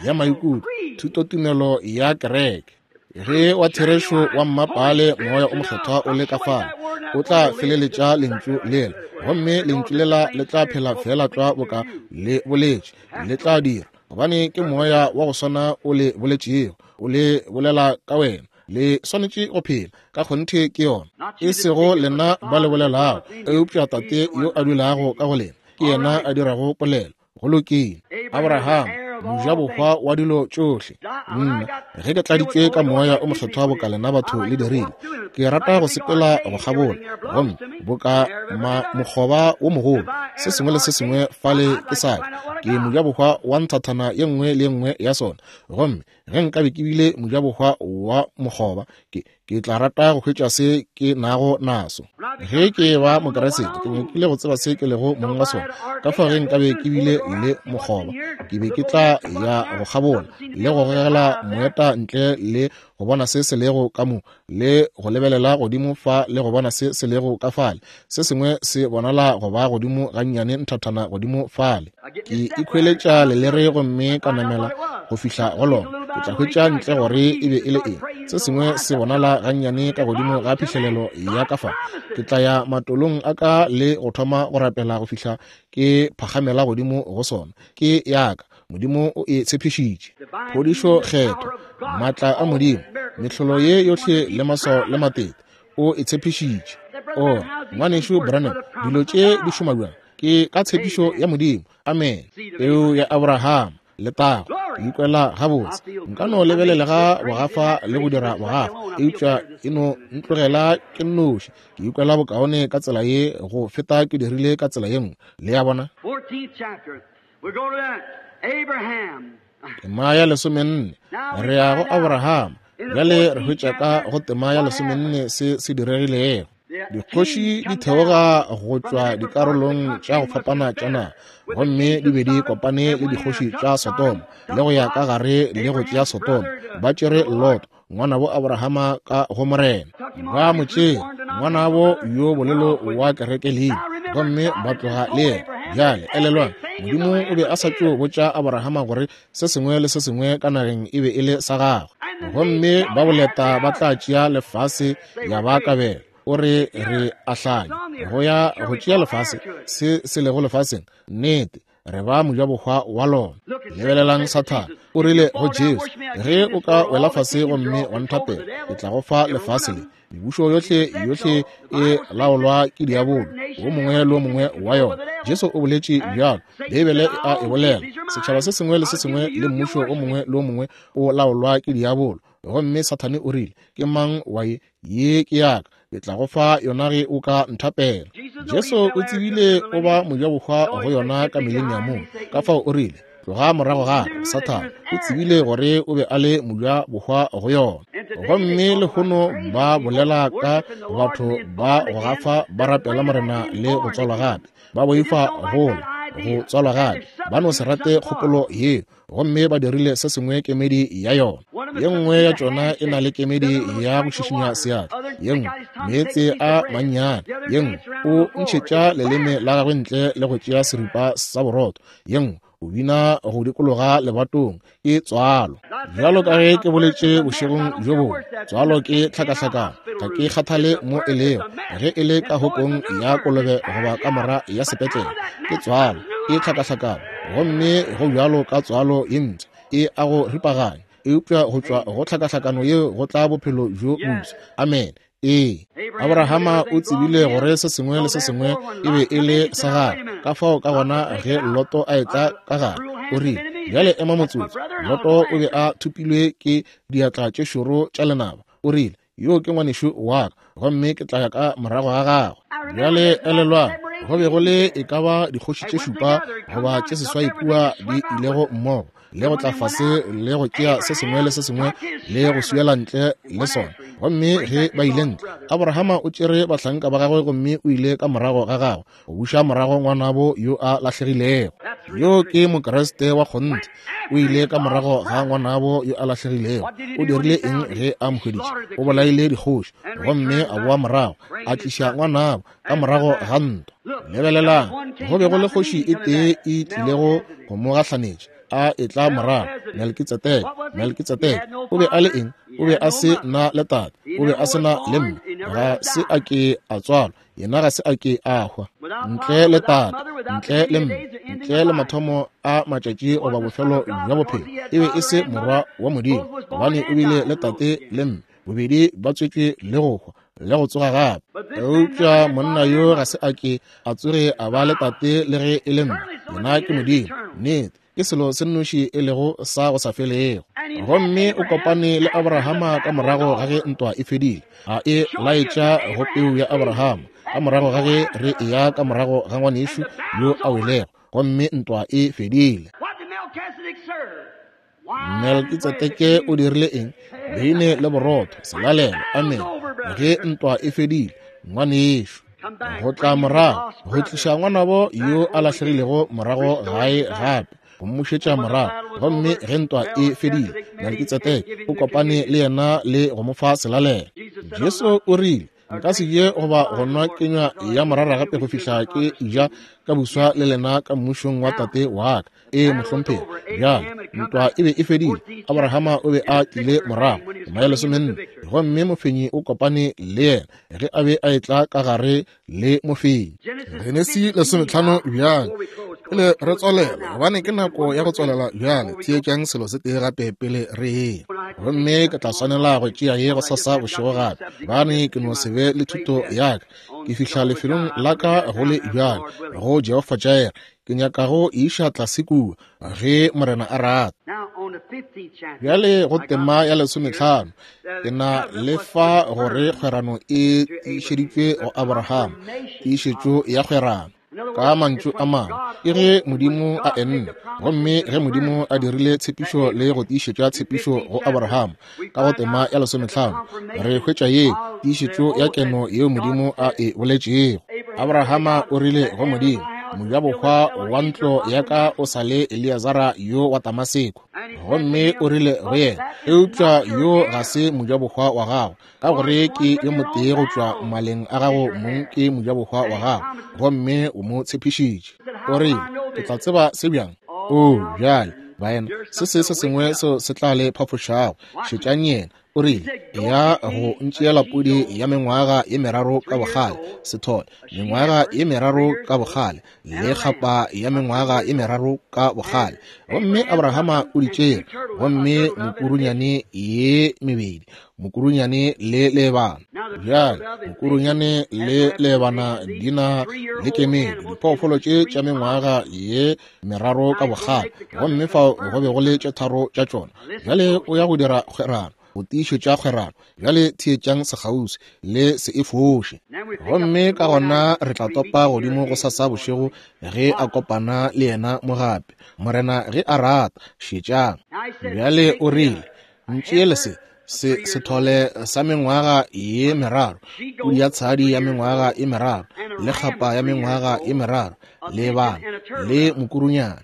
ya maikutlo, thutotumelo ya kereke. Ge wa therešo wa mmapaale Moya o Mokgethwa o le ka fao, o tla feleletša Lentšu lela, gomme Lentšu lela le tla phela feela tlwa boka le boletše le tla dira, gobane ke Moya wa go swana o le boletšego, o le bolela ka wena. Le swanetše go phela ka kgonthe ke yona, e sego lena ba le bolelago, eupša Tate yo a dulago ka go lena ke yena a dirago polelo. Go lokile. Abraham, mojabohwa wa dilo tšohle. Nna, ge ke tladitšwe ka Moya o Mokgethwa boka lena batho le dirile, ke rata go sepela go kgabola, gomme boka ma mokgoba wo mogolo, se sengwe le se sengwe fale ke sa ka. Ke mojabohwa wa nthathana ye nngwe le ye nngwe ya sona. Gomme Ge nkabe ke bile mojabohwa wa mokgoba, ke, ke tla rata go hwetša se ke nago naso. Ge ke ba Mokeresete, ke nyakile go tseba se ke lego mong wa sona. Ka fao ge nkabe ke bile le mokgoba, ke be ke tla ya go kgabola le go gogela moeta ntle le go bona se se lego ka mo, le go lebelela godimo fa le go bona se se lego ka fale. Se sengwe se bonala go ba godimo gannyane nthathana godimo fale. Ke ikhweletša lelere gomme ka namela go fihla go lona. Ke tla hwetša ntle gore e be e le eng. Se sengwe se bonala gannyane ka godimo ga phihlelelo ya ka fa. Ke tla ya matolong a ka le go thoma go rapela go fihla ke phagamela godimo go sona. Ke ya ka. Modimo o e tshepišitše. Phodišo Kgethwa, maatla a Modimo, mehlolo ye yohle le maswao le matete, o e tshepišitše. O, Ngwanešu Branham, dilo tše di šoma bjang? Ke ka tshepišo ya Modimo. Amene. Peu ya Abraham, letago. Ke ikwela gabotse. Nka no lebelelega bogafa le go dira bogafa, eupša e no ntlogela ke nnoši. Ke ikwela bokaone ka tsela ye go feta ke dirile ka tsela ye nngwe. Le a bona? 14th chapter. We go to Abraham. Tema ya lesomenne. Re ya go Abraham. Bjale re hwetša ka go tema ya lesomenne se se diregilego. Dikgoši di theoga go tšwa dikarolong tša go fapana tša naga, gomme di be di kopane le dikgoši tša Sodoma le go ya ka gare le go tšea Sodoma. Ba tšere Lot, ngwanabo Abrahama ka go Morena. Ba mo tšea, ngwanabo yo bolelo wa kereke leina, gomme ba tloga le yena. Bjale elelwang, Modimo o be a sa tšo botša Abrahama gore se sengwe le se sengwe ka nageng e be e le sa gagwe, gomme ba boleta ba tla tšea lefase ya ba kabelo. O re re a hlanya go ya go tšea lefase, se se lego lefaseng. Nnete, re ba mojabohwa wa lona. Lebelelang Sathane, o rile go Jesu, ge o ka wela fase gomme wa nthapela, ke tla go fa lefase le. Mebušo yohle, yohle e laolwa ke diabolo, wo mongwe le wo mongwe wa yona. Jesu o boletše bjalo, Beibele e a e bolela. Setšhaba se sengwe le se sengwe le mmušo o mongwe le o mongwe o laolwa ke diabolo. Gomme Sathane o rile, Ke mang wa ye? Ye ke ya ka. Ke tla go fa yona ge o ka nthapela. Jesu o tsebile o ba mojabohwa go yona ka mileniamong. Ka fao o rile, Tloga morago ga ka, Sathane. O tsebile gore o be a le mojabohwa go yona. Gomme lehono ba bolela ka batho ba go gafa ba rapela Morena le go tswalwa gape. Ba boifa gola, go tswalwa gape. Ba no se rate kgopolo yeo. Gomme ba dirile se sengwe kemedi ya yona. Ye nngwe ya tšona e na le kemedi ya go šišinya seatla, ye nngwe meetse a mannyane, ye nngwe o ntšhetša leleme la gagwe ntle le go tšea seripa sa borotho, ye nngwe o bina go dikologa lebatong. Ke tswalo. Bjalo ka ge ke boletše bošegong bjo bongwe, tswalo ke tlhakahlakano. Ga ke kgathale mo e lego, ge e le ka hokong ya kolobe goba kamora ya sepetlele, ke tswalo, ke tlhakahlakano. Gomme go bjalo ka tswalo ye mpsha, e a go ripaganya, eupša go tšwa go tlhakahlakano yeo go tla bophelo bjo bofsa. Amene. Ee, Abrahama o tsebile gore se sengwe le se sengwe e be e le sa gagwe. Ka fao ka gona ge Loto a etla ka gare, o rile, Bjale ema motsotso. Loto o be a thopilwe ke diatla tše šoro tša lenaba. O rile, Yo ke ngwanešu wa ka, gomme ke tla ya ka morago ga gagwe. Bjale elelwang, go be go le e ka ba dikgoši tše šupa goba tše seswai kua di ilego mmogo, le go tla fase le go tšea se sengwe le se sengwe le go swiela ntle le sona. Gomme ge ba ile ntle, Abrahama o tšere bahlanka ba gagwe gomme o ile ka morago ga gagwe go buša morago ngwanabo yo a lahlegilego. Yo ke Mokriste wa kgonthe. O ile ka morago ga ngwanabo yo a lahlegilego. O dirile eng ge a mo hweditše? O bolaile dikgoši gomme a boa morago a tliša ngwanabo ka morago ga ntwa. Lebelelang, go be go le kgoši e tee e tlilego go mo gahlanetša a etla morago, Melkitsedeke. Melkitsedeke o be a le eng? O be a se na le tate, o be a se na le mme, ga se a ke a tswalwa, yena ga se a ke a hwa. Ntle le tate, ntle le mme, ntle le mathomo a matšatši goba bofelo bja bophelo, e be e se morwa wa Modimo, gobane o bile le tate le mme, bobedi ba tswetšwe le go hwa le go tsoga gape. Eupša monna yo ga se a ke a tsoge a ba le tate le ge e le mme, yena ke Modimo. Nnete, ke selo se nnoši e lego sa go sa felego. Gomme o kopane le Abrahama ka morago ga ge ntwa e fedile, a e laetša go peu ya Abrahama, ka morago ga ge re eya ka morago ga ngwanešu yo a welego, gomme ntwa e fedile. What did Melchizedek serve? Melkitsedeke o dirile eng? Beine le borotho, selalelo. Amene. Ge ntwa e fedile, ngwanešu, go tla morago, go tliša ngwanabo yo a lahlegilego morago gae gape, go mmušetša morago. Gomme ge ntwa e fedile, Melkitsedeke o kopane le yena le go mo fa selalelo. Jesu o rile, Nka se je goba go nwa kenywa ya morara gape go fihla ke ja ka buswa le lena ka mmušong wa Tate wa ka. Ee, mohlomphegi. Bjale, ntwa e be e fedile. Abrahama o be a tlile morago, tema ya 14, gomme mofenyi o kopane le yena ge a be a etla ka gare le mofenyi. Genesi 15 bjale, pele re tswalela, gobane ke nako ya go tswalela bjale. Theetšang selo se tee gape pele re eya. Gomme ke tla swanela go tšea ye gosasa bošego gape, gobane ke no se be le thuto ya ka. Ke fihla lefelong la ka go le bjale, go Jehofa Jireh. Ke nyaka go e iša tlase kua, ge Morena a rata. Bjale go tema ya 15, ke na le fa gore kgwerano e tiišeditšwe go Abraham, tiišetšo ya kgwerano. Ka mantšu a mangwe, ke ge Modimo a enne, gomme ge Modimo a dirile tshepišo le go tiišetša tshepišo go Abraham, ka go tema ya 15, re hwetša ye tiišetšo ya keno yeo Modimo a e boletšego. Abrahama o rile go Modimo, Mojabohwa wa ntlo ya ka o sa le Eleazara yo wa Damaseko. Gomme o rile go yena, Eupša yo ga se mojabohwa wa gago, ka gore ke yo motee go tšwa maleng a gago mong ke mojabohwa wa gago, gomme o mo tshepišitše. O rile, Ke tla tseba se bjang? Oo, bjale, baena, se se se sengwe seo se tla le phafošago. Šetšang yena. O rile, Eya go ntšeela pudi ya mengwaga ye meraro ka bogale, sethole, mengwaga ye meraro ka bogale, le kgapa ya mengwaga ye meraro ka bogale. Gomme Abrahama o di tšere, gomme mokurunyane ye mebedi, mokurunyane le leebana. Bjale, mokurunyane le leebana di na le kemedi, diphoofolo tše tša mengwaga ye meraro ka bogale, gomme fao go be go le tše tharo tša tšona. Bjale o ya go dira kgwerano, go tiišetša kgwerano. Bjale theetšang sekgauswi, le se e foše. Gomme ka gona re tla topa godimo go sasa bošego ge a kopana le yena mo gape, Morena ge a rata. Šetšang. Bjale o rile, Ntšeele se, se sethole sa mengwaga ye meraro, pudi ya tshadi ya mengwaga ye meraro, le kgapa ya mengwaga ye meraro, le bana, le mokurunyana.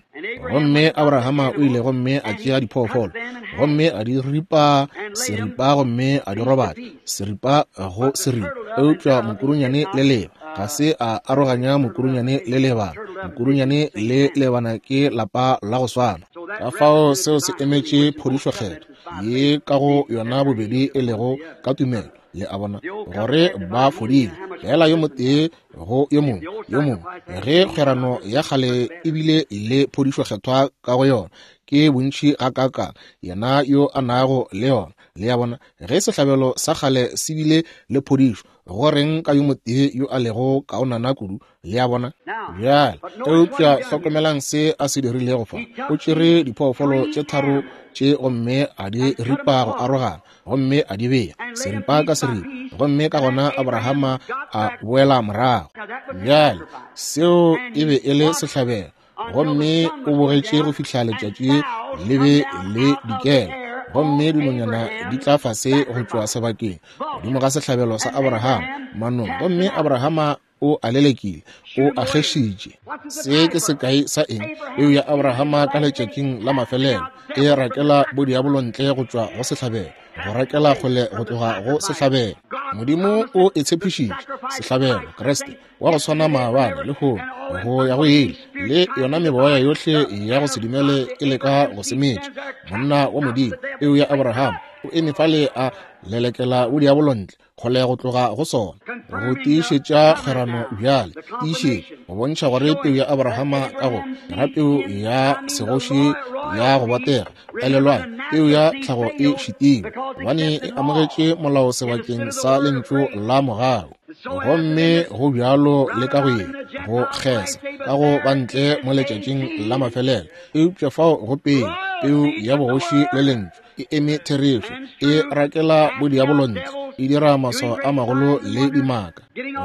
Gomme Abrahama o ile gomme a tšea diphoofolo, gomme a di ripa seripa gomme a di robatša, seripa go seripa. Eupša mokurunyane le leba ga se a aroganya mokurunyane le lebana. Mokurunyane le lebana ke lapa la go swana. Ka fao seo se emetše phodišo kgetho ye ka go yona bobedi e lego ka tumelo, le a bona, gore ba fodile fela yo motee go yo mongwe yo mongwe. Ge kgwerano ya kgale e bile le phodišo kgethwa ka go yona, ke bontši gakaakang yena yo a nago le yona. Le a bona, ge sehlabelo sa kgale se bile le phodišo, go reng ka yo motee yo a lego kaonana kudu? Le a bona? Bjale, eupša hlokomelang se a se dirilego fa. O tšere diphoofolo tše tharo tše gomme a di ripa go arogana, gomme a di bea seripa ka seripa, gomme ka gona Abrahama a boela morago. Bjale, seo e be e le sehlabelo, gomme o bogetše go fihla letšatši le be le dikela, gomme dinonyana di tla fase go tšwa sebakeng godimo ga sehlabelo sa Abrahama manong, gomme Abrahama o a lelekile, o a kgešitše. Se ke sekai sa eng? Peu ya Abrahama ka letšatšing la mafelelo e rakela bodiabolo ntle go tšwa go sehlabelo, go rakela kgole go tloga go sehlabelo. Modimo o e tshepišitše, sehlabelo, Kriste, wa go swana maabane, lehono, go ya go ile, le yona meboya yohle ya go se dumele e leka go se metša. Monna wa Modimo, peu ya Abrahama, o eme fale a lelekela bodiabolo ntle, kgole go tloga go sona, go tiišetša kgwerano bjale, tiišetša, go bontšha gore peu ya Abrahama ka go ra peu ya segoši ya go botega. Elelwang, peu ya tlhago e šitilwe, gobane e amogetše molao sebakeng sa lentšu la mogau. Gomme go bjalo le ka go ye, go kgesa, ka go ba ntle mo letšatšing la mafelelo. Eupša fao go peu, peu ya bogoši le lentšu, e eme therešo, e rakela bodiabolo ntle. e dira maswao a magolo le dimaka,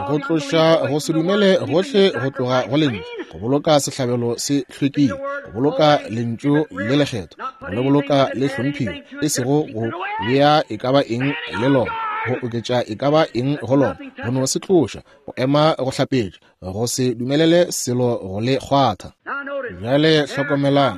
go tloša go se dumele gohle go tloga go Lentšu, go boloka sehlabelo se hlwekile, go boloka Lentšu le lekgethwa, go le boloka le hlomphile, e sego go bea e ka ba eng le lona, go oketša e ka ba eng go lona, go no se tloša, go ema go hlapetša, go se dumelele selo go le kgwatha. Bjale hlokomelang,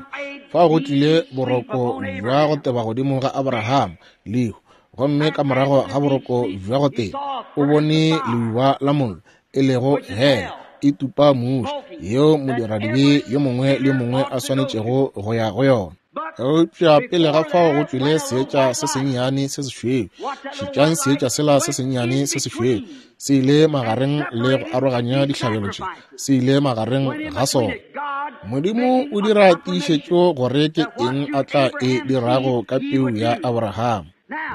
fao go tlile boroko bja go teba godimo ga Abraham, lehu, gomme ka morago ga boroko bja go teba o bone leuba la mollo, e lego hell, e tupa muši, yeo modiradibe yo mongwe le yo mongwe a swanetšego go ya go yona. Eupša pele ga fao go tšwele seetša se sennyane se sešweu. Šetšang seetša sela se sennyane se sešweu. Se ile magareng le go aroganya dihlabelo tše. Se ile magareng ga sona. Modimo o dira tiišetšo gore ke eng a tla e dirago ka peu ya Abraham.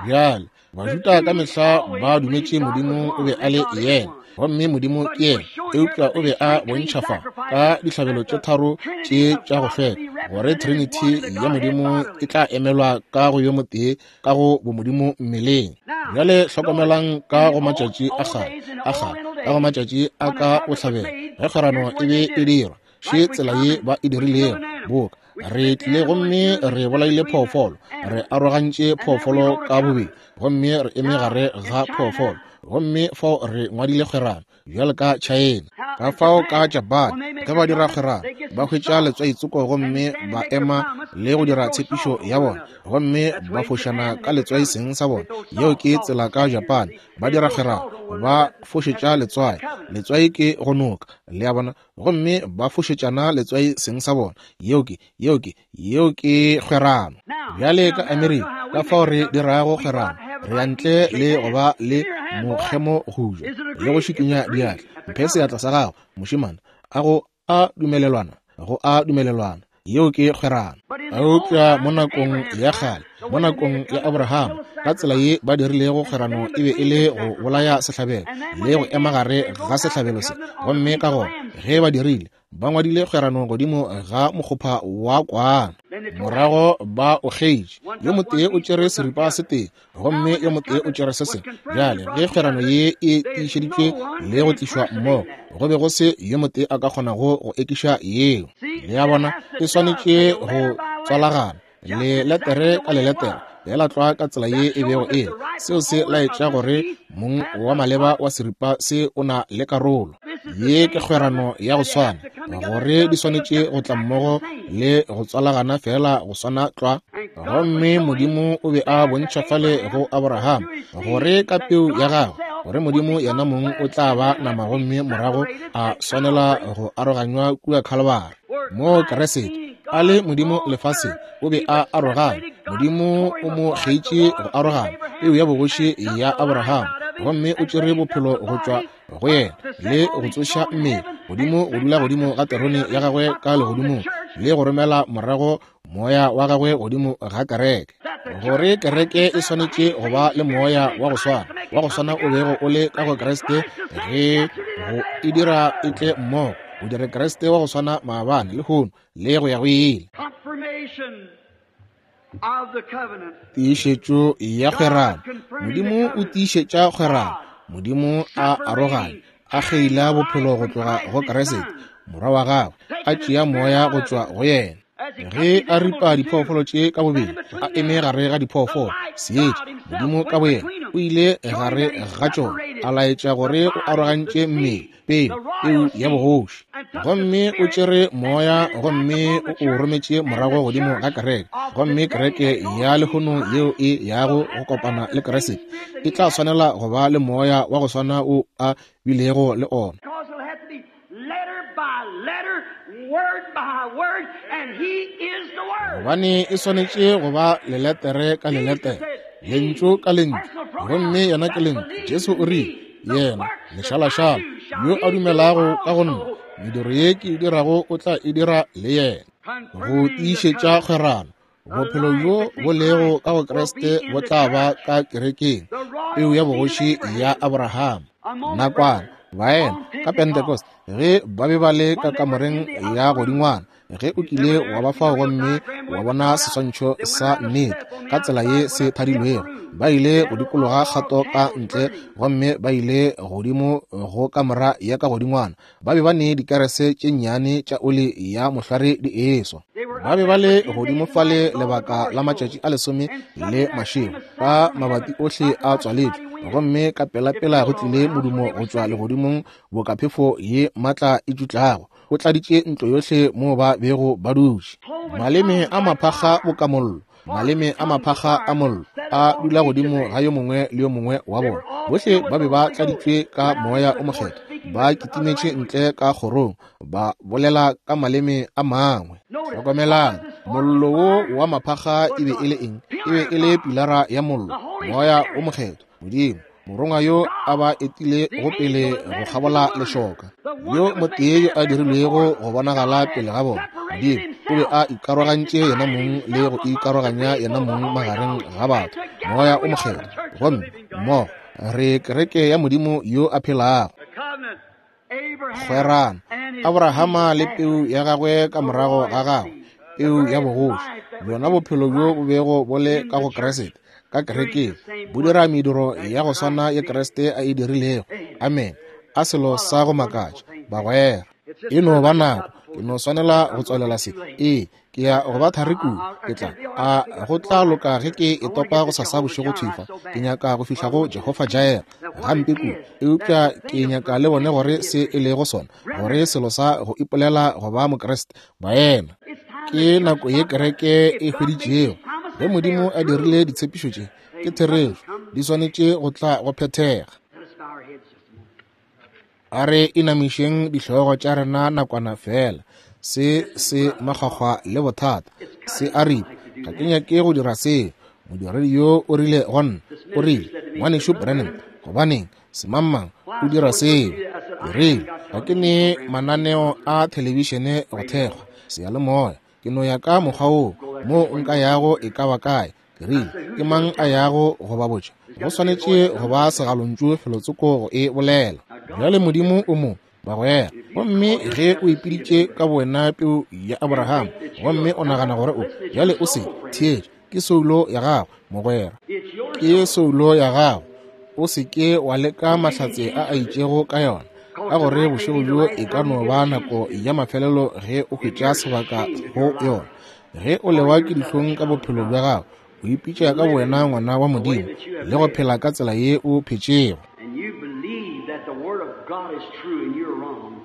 Bjale, Bajuda ka mehla ba dumetše Modimo o be a le yena, gomme Modimo ke yena, eupša o be a bontšha fa ka dihlabelo tše tharo tše tša go hlweka gore Trinity ya Modimo e tla emelwa ka go yo motee ka go bomodimo mmeleng. Bjale hlokomelang ka go matšatši a kgale, a kgale, ka go matšatši a ka bohlabela, ge kgwerano e be e dirwa, še tsela ye ba e dirilego, boka re tlile gomme re bolaile phoofolo, re arogantše phoofolo ka bobedi, gomme re eme gare ga phoofolo, gomme fao re ngwadile kgwerano bjalo ka China. Ka fao ka Japan, ge ba dira kgwerano, ba hwetša letswaitsoko gomme ba ema le go dira tshepišo ya bona, gomme ba fošana ka letswai seng sa bona. Yeo ke tsela ka Japan, ba dira kgwerano, ba fošetša letswai. Letswai ke go noka, le a bona, gomme ba fošetšana letswai seng sa bona. Yeo ke, yeo ke, yeo ke kgwerano. Bjale ka Amerika, ka fao re dirago kgwerano, re ya ntle le go ba le mokgemo go ja le go šikinya diatla. Mphe seatla sa gago, mošemane. A go a dumelelwana? Go a dumelelwana. Yeo ke kgwerano. Eupša mo nakong ya kgale, mo nakong ya Abraham, ka tsela ye ba dirilego kgwerano e be e le go bolaya sehlabelo le go ema gare ga sehlabelo se. Gomme ka gona ge ba dirile, ba ngwadile kgwerano godimo ga mokgopha wa kwana. Morago ba o kgeitše. Yo motee o tšere seripa se tee, gomme yo motee o tšere se sengwe. Bjale ge kgwerano ye e tiišeditšwe le go tlišwa mmogo, go be go se yo motee a ka kgonago go ekiša yeo. Le a bona, e swanetše go tswalagana leletere ka leletere, feela tlwa ka tsela ye e bego e le. Seo se laetša gore mong wa maleba wa seripa se o na le karolo. Ye ke kgwerano ya go swana, gore di swanetše go tla mmogo le go tswalagana feela go swana tlwa. Gomme Modimo o be a bontšha fale go Abraham gore ka peu ya gagwe, gore Modimo yena mong o tla ba nama gomme morago a swanela go aroganywa kua Khalibari, moo Kriste a le Modimo lefaseng o be a arogana. Modimo o mo kgeitše go arogana peu ya bogoši ya Abraham, gomme o tšere bophelo go tšwa go yena le go tsoša mmele godimo go dula godimo ga terone ya gagwe ka legodimong le go romela morago moya wa gagwe godimo ga kereke, gore kereke e swanetše go ba le moya wa go swana, wa go swana o bego o le ka go Kriste, ge go e dira e tle mmogo, go dire Kriste wa go swana maabane, lehono, le go ya go ile. Tiišetšo ya kgwerano. Modimo o tiišetša kgwerano. Modimo a aroganya, a kgeila bophelo go tloga go Kriste, morwa wa gagwe, a tšea moya go tšwa go yena. Ge a ripa diphoofolo tše ka bobedi, a eme gare ga diphoofolo, seetša, Modimo ka boyena o ile gare ga tšona, a laetša gore o arogantše mmele, peu, peu ya bogoši. Gomme o tšere moya gomme o o rometše morago godimo ga kereke. Gomme kereke ya lehono yeo e yago go kopana le Kriste e tla swanela go ba le moya wa go swana o a bilego le ona. Gobane e swanetše go ba leletere ka leletere, lentšu ka lentšu, gomme yena ke lentšu. Jesu o rile, Yena, lešalašala, yo a dumelago ka go nna, mediro ye ke e dirago o tla e dira le yena. Go tiišetša kgwerano, bophelo bjo bo lego ka go Kriste bo tla ba ka kerekeng, peu ya bogoši ya Abraham. Nakwana, baena, ka Pentecost, ge ba be ba le ka kamoreng ya godingwana, Ge o kile wa ba fao gomme wa bona seswantšho sa nnete ka tsela ye se thadilwego, ba ile go dikologa kgato ka ntle gomme ba ile godimo go kamora ya ka godingwana. Ba be ba ne dikerese tše nnyane tša oli ya mohlware di eswa. Ba be ba le godimo fale lebaka la matšatši a 10 le mašego, ka mabati ohle a tswaletšwe, gomme ka pelapela go tlile modumo go tšwa legodimong boka phefo ye maatla e tšutlago. O tladitše ntlo yohle moo ba bego ba dutše. Maleme a maphakga boka mollo, maleme a maphakga a mollo a dula godimo ga yo mongwe le yo mongwe wa bona. Bohle ba be ba tladitšwe ka Moya o Mokgethwa, ba kitimetše ntle ka kgorong, ba bolela ka maleme a mangwe. Hlokomelang, mollo wo wa maphakga e be e le eng? E be e le pilara ya mollo, Moya o Mokgethwa, Modimo, morongwa yo a ba etile go pele go kgabola lešoka, yo motee yo a dirilwego go bonagala pele ga bona. Modimo o be a ikarogantše yena mong le go ikaroganya yena mong magareng ga batho, Moya o Mokgethwa. Gomme mmogo re kereke ya Modimo yo a phelago. Kgwerano, Abrahama le peu ya gagwe ka morago ga gagwe, peu ya bogoši, bjona bophelo bjo bo bego bo le ka go Kriste, ka kerekeng, bo dira mediro ya go swana ye Kriste a e dirilego. Amen. A selo sa go makatša, bagwera. E no ba nako, ke no swanela go tswalela se. Ee, ke ya go ba thari kudu. Ke tla, a go tla loka ge ke e topa go sasa bošego thwifa. Ke nyaka go fihla go Jehofa Jireh gampe kudu, eupša ke nyaka le bone gore se e lego sona, gore selo sa go ipolela go ba Mokriste, baena. Ke nako ye kereke e hweditšego. Ge Modimo a dirile ditshepišo tše, ke therešo, di swanetše go tla go phethega. A re inamišeng dihlogo tša rena nakwana fela. Se se makgwakgwa le bothata, se a ripa. Ga ke nyake go dira seo. Modiredi yo o rile go nna, o rile, Ngwanešu Branham, gobaneng semangmang o dira seo? Ke rile, ga ke ne mananeo a thelebišene go thekgwa seyalemoya. Ke no ya ka mokgwa woo mo nka yago e ka ba kae. Ke rile, ke mang a yago go ba botša? Go swanetše go ba segalontšu felotsoko go e bolela. Bjale Modimo o mo, bagwera. Gomme ge o ipiditše ka bowena peu ya Abraham, gomme o nagana gore o bjale o se theetše, ke soulo ya gago, mogwera. Ke soulo ya gago. O se ke wa leka mahlatse a a itšego ka yona, ka gore bošego bjo e ka no ba nako ya mafelelo ge o hwetša sebaka go yona. Ge o lewa ke dihlong ka bophelo bja gago, o ipitša ka wena ngwana wa Modimo le go phela ka tsela ye o phetšego. And you believe that the Word of God is true and you're wrong,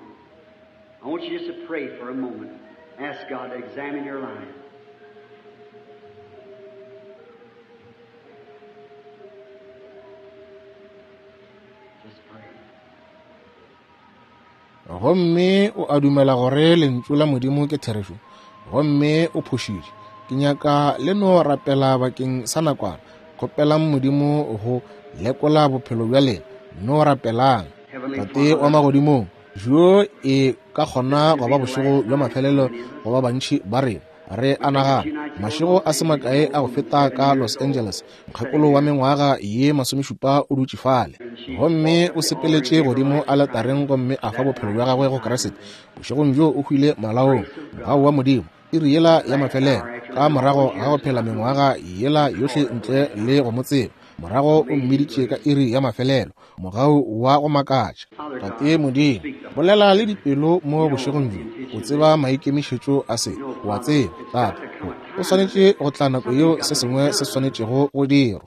I want you just to pray for a moment. Ask God to examine your life. Just pray. Gomme o a dumela gore lentšu la Modimo ke therešo, gomme o phošitše. Ke nyaka le no rapela bakeng sa nakwana. Kgopelang Modimo go lekola bophelo bja lena. No rapelang. Tate wa magodimong, jo e ka kgona go ba bošego bja mafelelo go ba bantši ba rena. Re a nagana mašego a se makae a go feta ka Los Angeles, mokgekolo wa mengwaga ye 70 o dutše fale, gomme o sepeletše godimo aletareng gomme a fa bophelo bja gagwe go Kriste. Bošegong bjo o hwile malaong, mogau wa Modimo, iri yela ya mafelelo, ka morago ga go phela mengwaga yela yohle ntle le go mo tseba, morago o mmiditše ka iri ya mafelelo, mogau wa go makatša. Tate Modimo, bolela le dipelo mo bošegong bjo. O tseba maikemišetšo a se, o a tseba, Tate, o swanetše go tla nako yeo se sengwe se swanetšego go dirwa.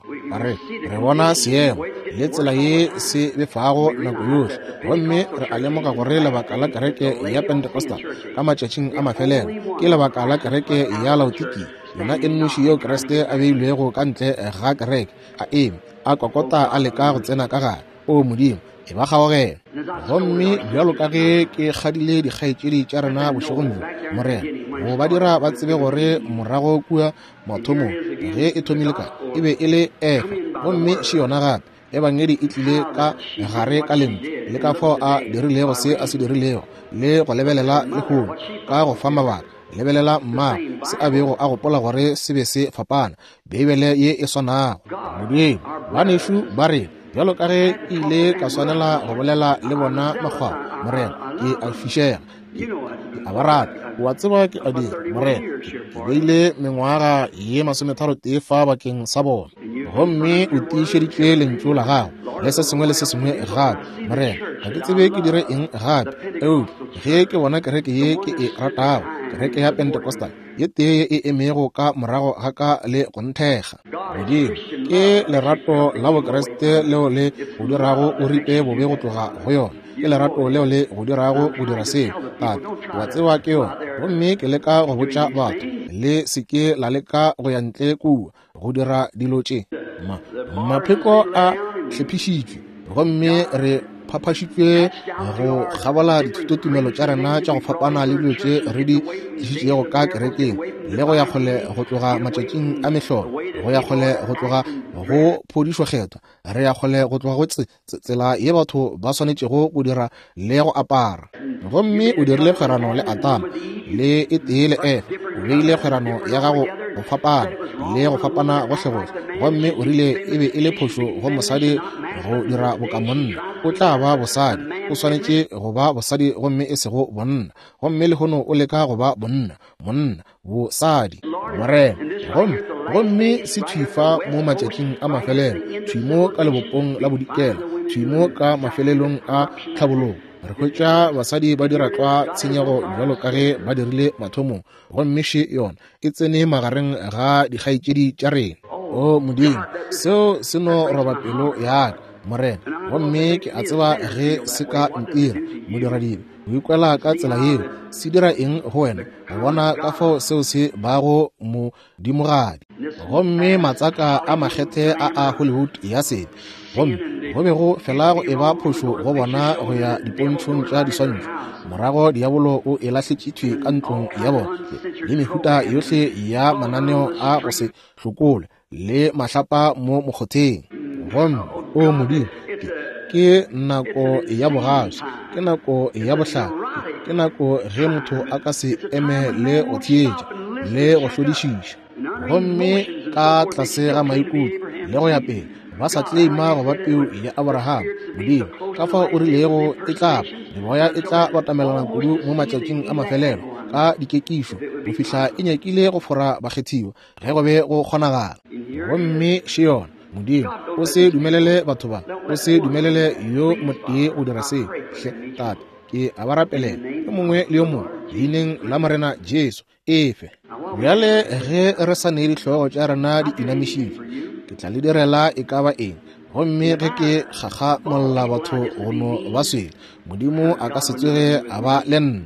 Re bona seemo le tsela ye se befago nako yohle, gomme re a lemoga gore lebaka la kereke ya Pentecostal ka matšatšing a mafelelo ke lebaka la kereke ya Laodikia, yona e nnoši yeo Kriste a beilwego ka ntle ga kereke, a eme a kokota a leka go tsena ka gare. O Modimo, e ba kgaogela. Gomme bjalo ka ge ke kgadile dikgaetšedi tša rena bošegong bjo, Morena, go ba dira ba tsebe gore morago kua mathomong ge e thomile ka e be e le Efa, gomme še yona gape, Ebangedi e tlile ka gare ka lentšu, le ka fao a dirilego se a se dirilego, le go lebelela lehono ka go fa mabaka. Lebelela mmago, se a bego a gopola gore se be se fapana, Beibele ye e swanago. Modimo, banešu ba rena, bjalo ka ge ke ile ka swanela go bolela le bona makgwao, Morena, ke a fišega, ke a ba rata. O a tseba ke a dira, Morena. Ke beile mengwaga ye 33 fa bakeng sa bona. Gomme o tiišeditše lentšu la gago le se sengwe le se sengwe gape. Morena, ga ke tsebe ke dire eng gape. Eupša ge ke bona kereke ye ke e ratago, kereke ya Pentecostal, ye tee ye e emego ka morago ga ka le go nthekga. Modimo, ke lerato la Bokriste leo le go dirago o ripe bobe go tloga go yona. Ke lerato leo le go dirago go dira seo. Tate, wa tseba ke yona. Gomme ke leka go botša batho, le se ke la leka go ya ntle kua go dira dilo tše. Mapheko a hlephišitšwe, gomme re phaphašitšwe go kgabola dithutotumelo tša rena tša go fapana le dilo tše re di tlišitšego ka kerekeng, le go ya kgole go tloga matšatšing a mehlolo, go ya kgole go tloga go phodišo kgethwa, re ya kgole go tloga go tsela ye batho ba swanetšego go dira le go apara. Gomme o dirile kgwerano le Adama le e tee le Efa, o beile kgwerano ya gago go fapana le go fapana gohlegohle, gomme o rile e be e le phošo go mosadi go dira boka monna. O tla ba bosadi, o swanetše go ba bosadi gomme e sego bonna. Gomme lehono o leka go ba bonna, monna, bosadi. Morena, gomme, gomme se thwi fa mo matšatšing a mafelelo, thwi mo ka lebopong la bodikela, thwi mo ka mafelelong a tlhabologo, re hwetša basadi ba dira tlwa tshenyego bjalo ka ge ba dirile mathomong, gomme še yona e tsene magareng ga dikgaetšedi tša rena. O Modimo, seo se no roba pelo ya ka, Morena, gomme ke a tseba ge se ka ntira modiradibe go ikwela ka tsela yeo. Se dira eng go wena go bona ka fao seo se bago modimogadi? Gomme matsaka a makgethe a a Hollywood ya sebe, gomme go be go fela go eba phošo go bona go ya dipontšhong tša diswantšho. Morago diabolo o e lahletše thwi ka ntlong ya bona, le mehuta yohle ya mananeo a go se hlokole le mahlapa mo mokgotheng. Gomme, o Modimo, ke nako ya bogaswi, ke nako ya bohlale, ke nako ge motho a ka se eme le go theetša le go hlodišiša. Gomme ka tlase ga maikutlo le go ya pele, ba sa tleima go ba peu ya Abraham. Modimo, ka fao o rilego e tla ba, meboya e tla batamelana kudu mo matšatšing a mafelelo ka dikekišo go fihla e nyakile go fora bakgethiwa ge go be go kgonagala. Gomme še yona. Modimo, o se dumelele batho ba, o se dumelele yo motee go dira seo. Hle, Tate, ke a ba rapelela, yo mongwe le yo mongwe, leineng la Morena Jesu. Efe. Bjale ge re sa ne dihlogo tša rena di inamišitšwe, ke tla le direla e ka ba eng. Gomme ge ke gagamolla batho go no ba swele, Modimo a ka se tsoge a ba le nna.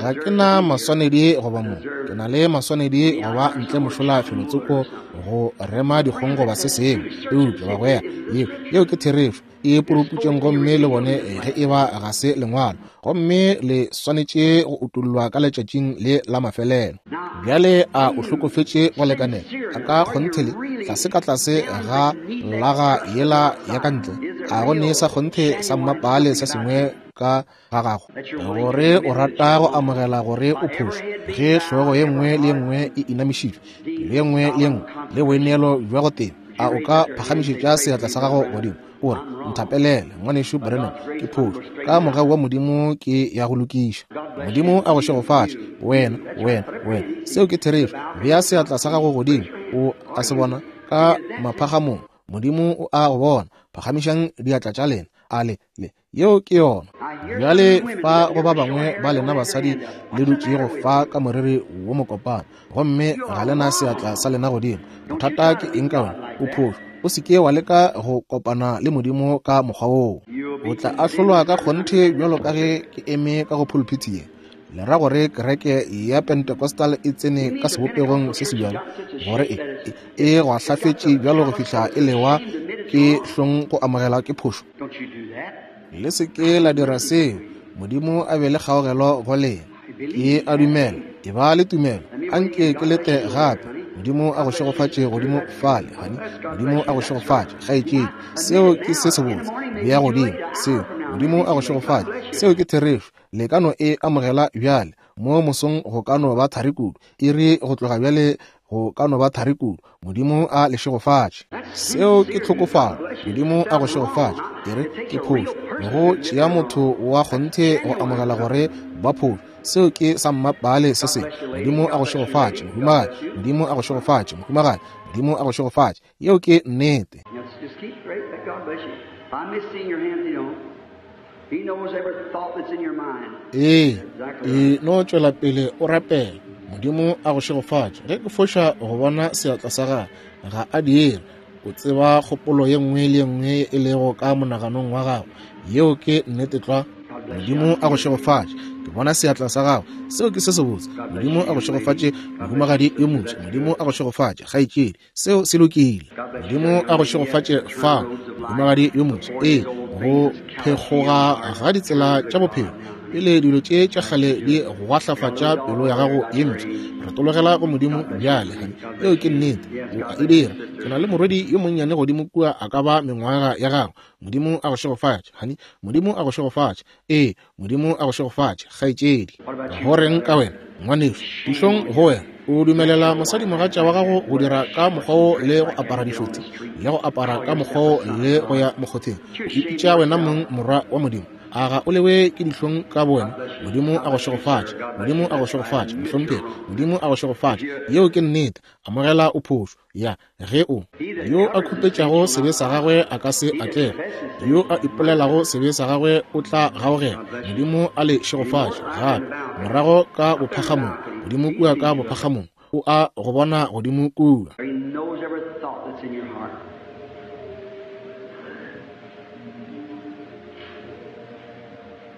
Ga ke na maswanedi goba mo, ke na le maswanedi go ba ntle mošola felotsoko go rema dikgong goba se sengwe. Eupša bagwera, yeo, yeo ke therešo. E puruputšeng gomme le bone ge e ba ga se lengwalo, gomme le swanetše go utollwa ka letšatšing le la mafelelo. Bjale a o hlokofetše go lekanela a ka kgonthe le tlase ka tlase ga laga yela ya ka ntle? A go ne sa kgonthe sa mmapale se sengwe ka ga gago gore o rata go amogela gore o phošo, ge hlogo ye nngwe le ye nngwe e inamišitšwe, pelo ye nngwe le ye nngwe le boineelo bja go teba? A o ka phagamišetša seatla sa gago godimo, o re, Nthapelele, Ngwanešu Branham, ke phošo. Ka mogau wa Modimo ke ya go lokiša. Modimo a go šegofatše, wena, wena, wena. Seo ke therešo. Bea seatla sa gago godimo. O a se bona ka maphagamong. Modimo o a go bona. Phagamišang diatla tša lena. A le, le, yeo ke yona. Bjale fa go ba bangwe ba lena basadi le dutšego fa ka moriri wo mokopana, gomme ga le na seatla sa lena godimo. Bothata ke eng ka wena? O phošo. O se ke wa leka go kopana le Modimo ka mokgwa woo. O tla ahlolwa ka kgonthe bjalo ka ge ke eme ka go phuluphithi ye. Le ra gore kereke ya Pentecostal e tsene ka sebopegong se sebjalo, gore e, e, e gwahlafetše bjalo go fihla e lewa ke hlong go amogela ke phošo? Le se ke la dira seo. Modimo a be le kgaogelo go lena. Ke a dumela. E ba le tumelo. Anke ke lete gape. Modimo a go šegofatše godimo fale, honey. Modimo a go šegofatše, kgaetšedi. Seo ke se sebotse. Bea godimo seo. Modimo a go šegofatše. Seo ke therešo. Le ka no e amogela bjale. Mo mosong go ka no ba thari kudu. Iri go tloga bjale go ka no ba thari kudu. Modimo a le šegofatše. Seo ke tlhokofalo. Modimo a go šegofatše. E re ke phošo. Go tšea motho wa kgonthe go amogela gore ba phošo. Seo ke sa mmapaale se sengwe. Modimo a go šegofatše, mohumagadi. Modimo a go šegofatše, mohumagadi. Modimo a go šegofatše. Yeo ke nnete. Ee, e no tšwela pele o rapela. Modimo a go šegofatše. Ge ke foša go bona seatla sa gagwe, ga a dire. O tseba kgopolo ye nngwe le ye nngwe e lego ka monaganong wa gago. Yeo ke nnete tlwa. Modimo a go šegofatše. Ke bona seatla sa gago. Seo ke se sebotse. Modimo a go šegofatše, mohumagadi yo motse. Modimo a go šegofatše, kgaetšedi. Seo se lokile. Modimo a go šegofatše fao, mohumagadi yo motse. Ee, go phekgoga ga ditsela tša bophelo pele dilo tše tša kgale di gwahlafatša pelo ya gago ye mpsha. Retologela go Modimo bjale, honey. Yeo ke nnete. O a e dira. Ke na le morwedi yo monnyane godimo kua a ka ba mengwaga ya gago. Modimo a go šegofatše, honey. Modimo a go šegofatše. Ee, Modimo a go šegofatše, kgaetšedi. Go reng ka wena, ngwanešu? Dihlong go wena. O dumelela mosadimogatša wa gago go dira ka mokgwa wo le go apara dišothi, le go apara ka mokgwa wo le go ya mokgotheng. O ipitša wena mong morwa wa Modimo. A ga o lewe ke dihlong ka bowena? Modimo a go šegofatše. Modimo a go šegofatše, mohlomphegi. Modimo a go šegofatše. Yeo ke nnete. Amogela o phošo. Ya, ge o. Yo a khupetšago sebe sa gagwe a ka se atlege. Yo a ipolelago sebe sa gagwe o tla gaogela. Modimo a le šegofatše gape. Morago ka bophagamong, godimo kua ka bophagamong, o a go bona godimo kua. He knows every thought that's in your heart.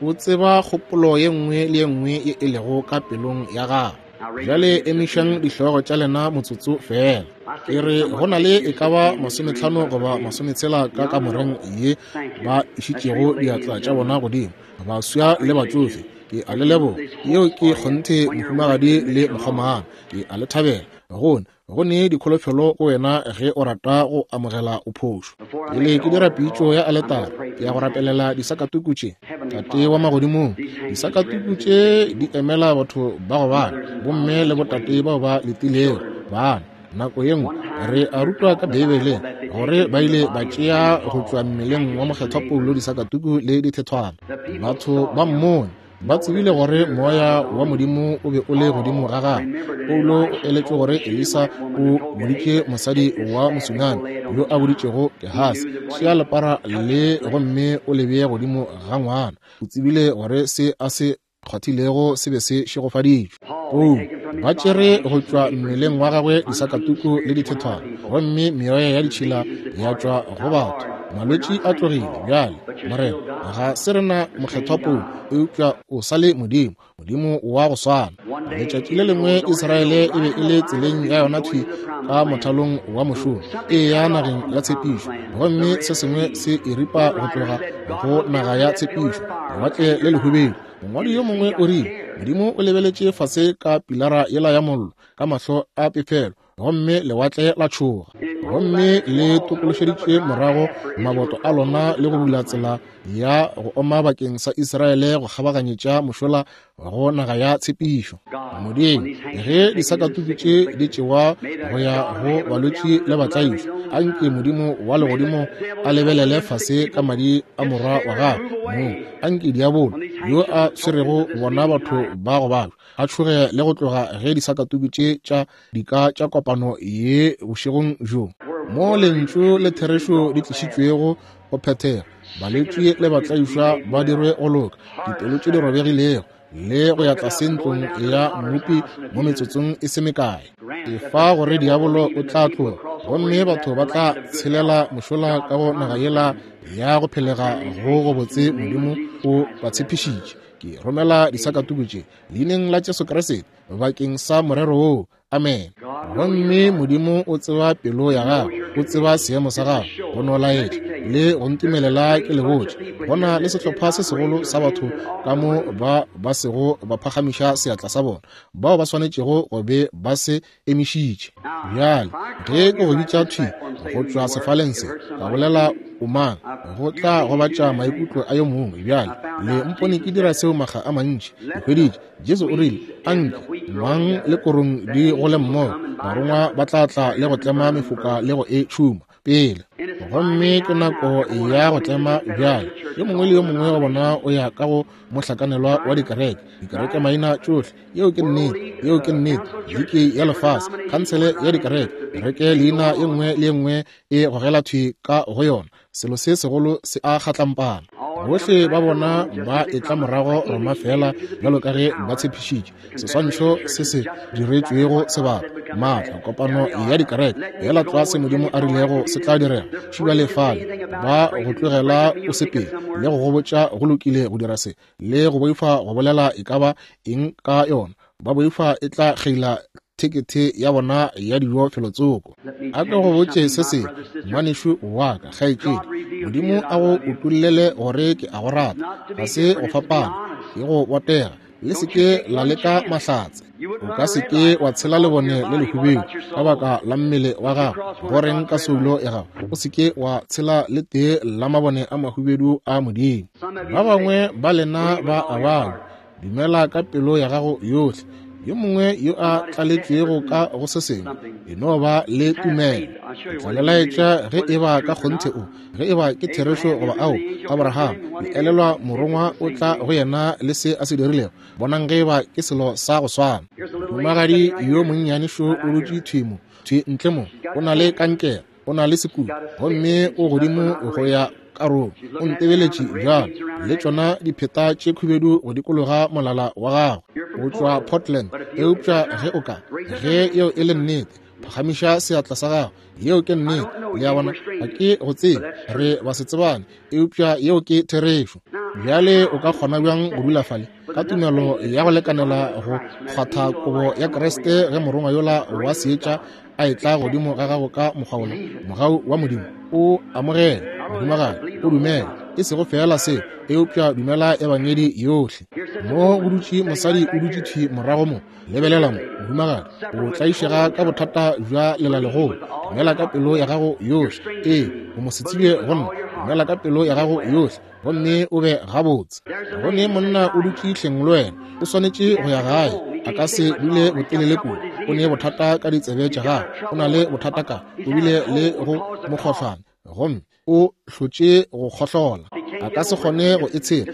O tseba kgopolo ye nngwe le ye nngwe ye e lego ka pelong ya gago. Bjale emišang dihlogo tša lena motsotso feela. Ke re go na le e ka ba 50 goba 60 ka kamoreng ye ba išitšego diatla tša bona godimo, baswa le batšofe. Ke a le leboga. Yeo ke kgonthe, mohumagadi le mokgomana. Ke a le thabela. Gone go ne dikholofelo go wena ge o rata go amogela o phošo. Pele ke dira pitšo ya aletare, ke ya go rapelela disakatuku tše. Tate wa magodimong, disakatuku tše di emela batho ba go bana, bomme le botate bao ba letilego bana. Nako ye nngwe re a rutwa ka Beibeleng gore ba ile ba tšea go tšwa mmeleng wa mokgethwa Paulo disakatuku le dithethwana. Batho ba mmone ba tsebile gore moya wa Modimo o be o le godimo ga gagwe. Paulo o eletšwe gore Elisa o boditše mosadi wa Mosunami yo a boditšego Gehasi, tšea lepara le gomme o le bee godimo ga ngwana. O tsebile gore se a se kgwathilego se be se šegofaditšwe. Paulo ba tšere go tšwa mmeleng wa gagwe disakatuku le dithethwana, gomme meoya ya ditšhila ya tšwa go batho. Malwetši a tlogile. Bjale, Morena, ga se rena mokgethwa Paulo, eupša o sa le Modimo, Modimo wa go swana. Letšatši le lengwe Israele e be e le tseleng ya yona thwi ka mothalong wa mošomo, e ya nageng ya tshepišo, gomme se sengwe se e ripa go tloga go naga ya tshepišo, Lewatle le Lehubedu. Mongwadi yo mongwe o rile, Modimo o lebeletše fase ka pilara yela ya mollo ka mahlo a pefelo, gomme lewatle la tšhoga, gomme le tokološeditše morago maboto a lona le go bula tsela ya go oma bakeng sa Israele go kgabaganyetša mošola go naga ya tshepišo. Modimo, ge disakatuku tše di tšewa go ya go balwetši le batlaišwa, anke Modimo wa legodimo a lebelele fase ka madi a morwa wa gagwe mong. Anke diabolo yo a swerego bona batho ba go babja a tšhoge le go tloga ge disakatuku tše tša dika tša kopano ye bošegong bjo, mo lentšu le therešo di tlišitšwego go phethega, balwetši le batlaišwa ba dirwe go loka, dipelo tše di robegilego, le go ya tlase ntlong ya Mmopi mo metsotsong e se mekae. Efa gore diabolo o tla tloga, gomme batho ba tla tshelela mošola ka go naga yela ya go phelega go gobotse Modimo o ba tshepišitše. Ke romela disakatuku tše leineng la Jesu Kriste bakeng sa morero woo. Amen. Gomme Modimo o tseba pelo ya gago, o tseba seemo sa gago, go no laetša le go ntumelela ke le botše. Go na le sehlopha se segolo sa batho ka mo ba ba sego ba phagamiša seatla sa bona, bao ba swanetšego go be ba se emišitše. Bjale, ge ke go bitša thwi go tšwa sefaleng se, ka bolela o mang, go tla gobatša maikutlo a yo mongwe. Bjale, le mpone ke dira seo makga a mantši. Ke hweditše, Jesu o rile, Anke ngwang le korong di gole mmogo, barongwa ba tla tla le go tlema mefoka le go e tšhuma. pele. Gomme ke nako ya go tlema bjale. Yo mongwe le yo mongwe wa bona o ya ka go mohlakanelwa wa dikereke, dikereke maina tšohle. Yeo ke nnete, yeo ke nnete. Liki ya lefase, khansele ya dikereke, kereke leina ye nngwe le ye nngwe e gogela thwi ka go yona. Selo se segolo se a kgatlampana. Bohle ba bona ba etla morago Roma feela bjalo ka ge ba tshepišitše. Seswantšho se se diretšwego sebaka, maatla, kopano ya dikereke, feela tlwa se Modimo a rilego se tla direga. Šibale fale, ba go tlogela o sepele le go go botša go lokile go dira se, le go boifa go bolela e ka ba eng ka yona. Ba boifa e tla kgeila thekethe ya bona ya dijo felotsoko. A ke go botše se sengwe, ngwanešu wa ka, kgaetšedi. Modimo a go utollele gore ke a go rata. Ga se go fapana, ke go botega. Le se ke la leka mahlatse. O ka se ke wa tshela lebone le lehubedu ka baka la mmele wa gago. Go reng ka soulo ya gago? O se ke wa tshela le tee la mabone a mahubedu a Modimo. Ba bangwe ba lena ba a balwa. Dumela ka pelo ya gago yohle. Yo mongwe yo a tlaletšwego ka go se sengwe, e no ba le tumelo. Ke tla le laetša ge e ba ka kgonthe o, ge e ba ke therešo goba ao. Abraham, le elelwa morongwa o tla go yena le se a se dirilego? Bonang ge e ba ke selo sa go swana. Mohumagadi yo monnyane šo o dutše thwi mo, thwi ntle mo, o na le kankere, o na le sekutu, gomme o godimo go ya karolo. O ntebeletše bjalo, le tšona dipheta tše khubedu go dikologa molala wa gagwe. O tšwa Portland. Eupša ge o ka, ge yeo e le nnete, phagamiša seatla sa gago. Yeo ke nnete. Le a bona, ga ke go tsebe, re ba se tsebane, eupša yeo ke therešo. Bjale o ka kgona bjang go dula fale ka tumelo ya go lekanela go kgwatha kobo ya Kriste ge morongwa yola wa seetša a etla godimo ga gago ka mokgwa wola? Mogau wa Modimo o amogele, mohumagadi, o dumele, e sego feela se, eupša dumela ebangedi yohle. Mo go dutše mosadi o dutše thwi morago mo. Lebelela mo, mohumagadi, o tlaišega ka bothata bja lelalegolo. Dumela ka pelo ya gago yohle. Ee, o mo setsebje go nna. Dumela ka pelo ya gago yohle, gomme o be gabotse. Go ne monna o dutše hleng le wena, o swanetše go ya gae, a ka se dule botelele kudu. O ne bothata ka ditsebe tša gagwe, o na le bothata ka, o bile le go mokgohlwane, gomme o hlotše go kgohlola, a ka se kgone go e tshela.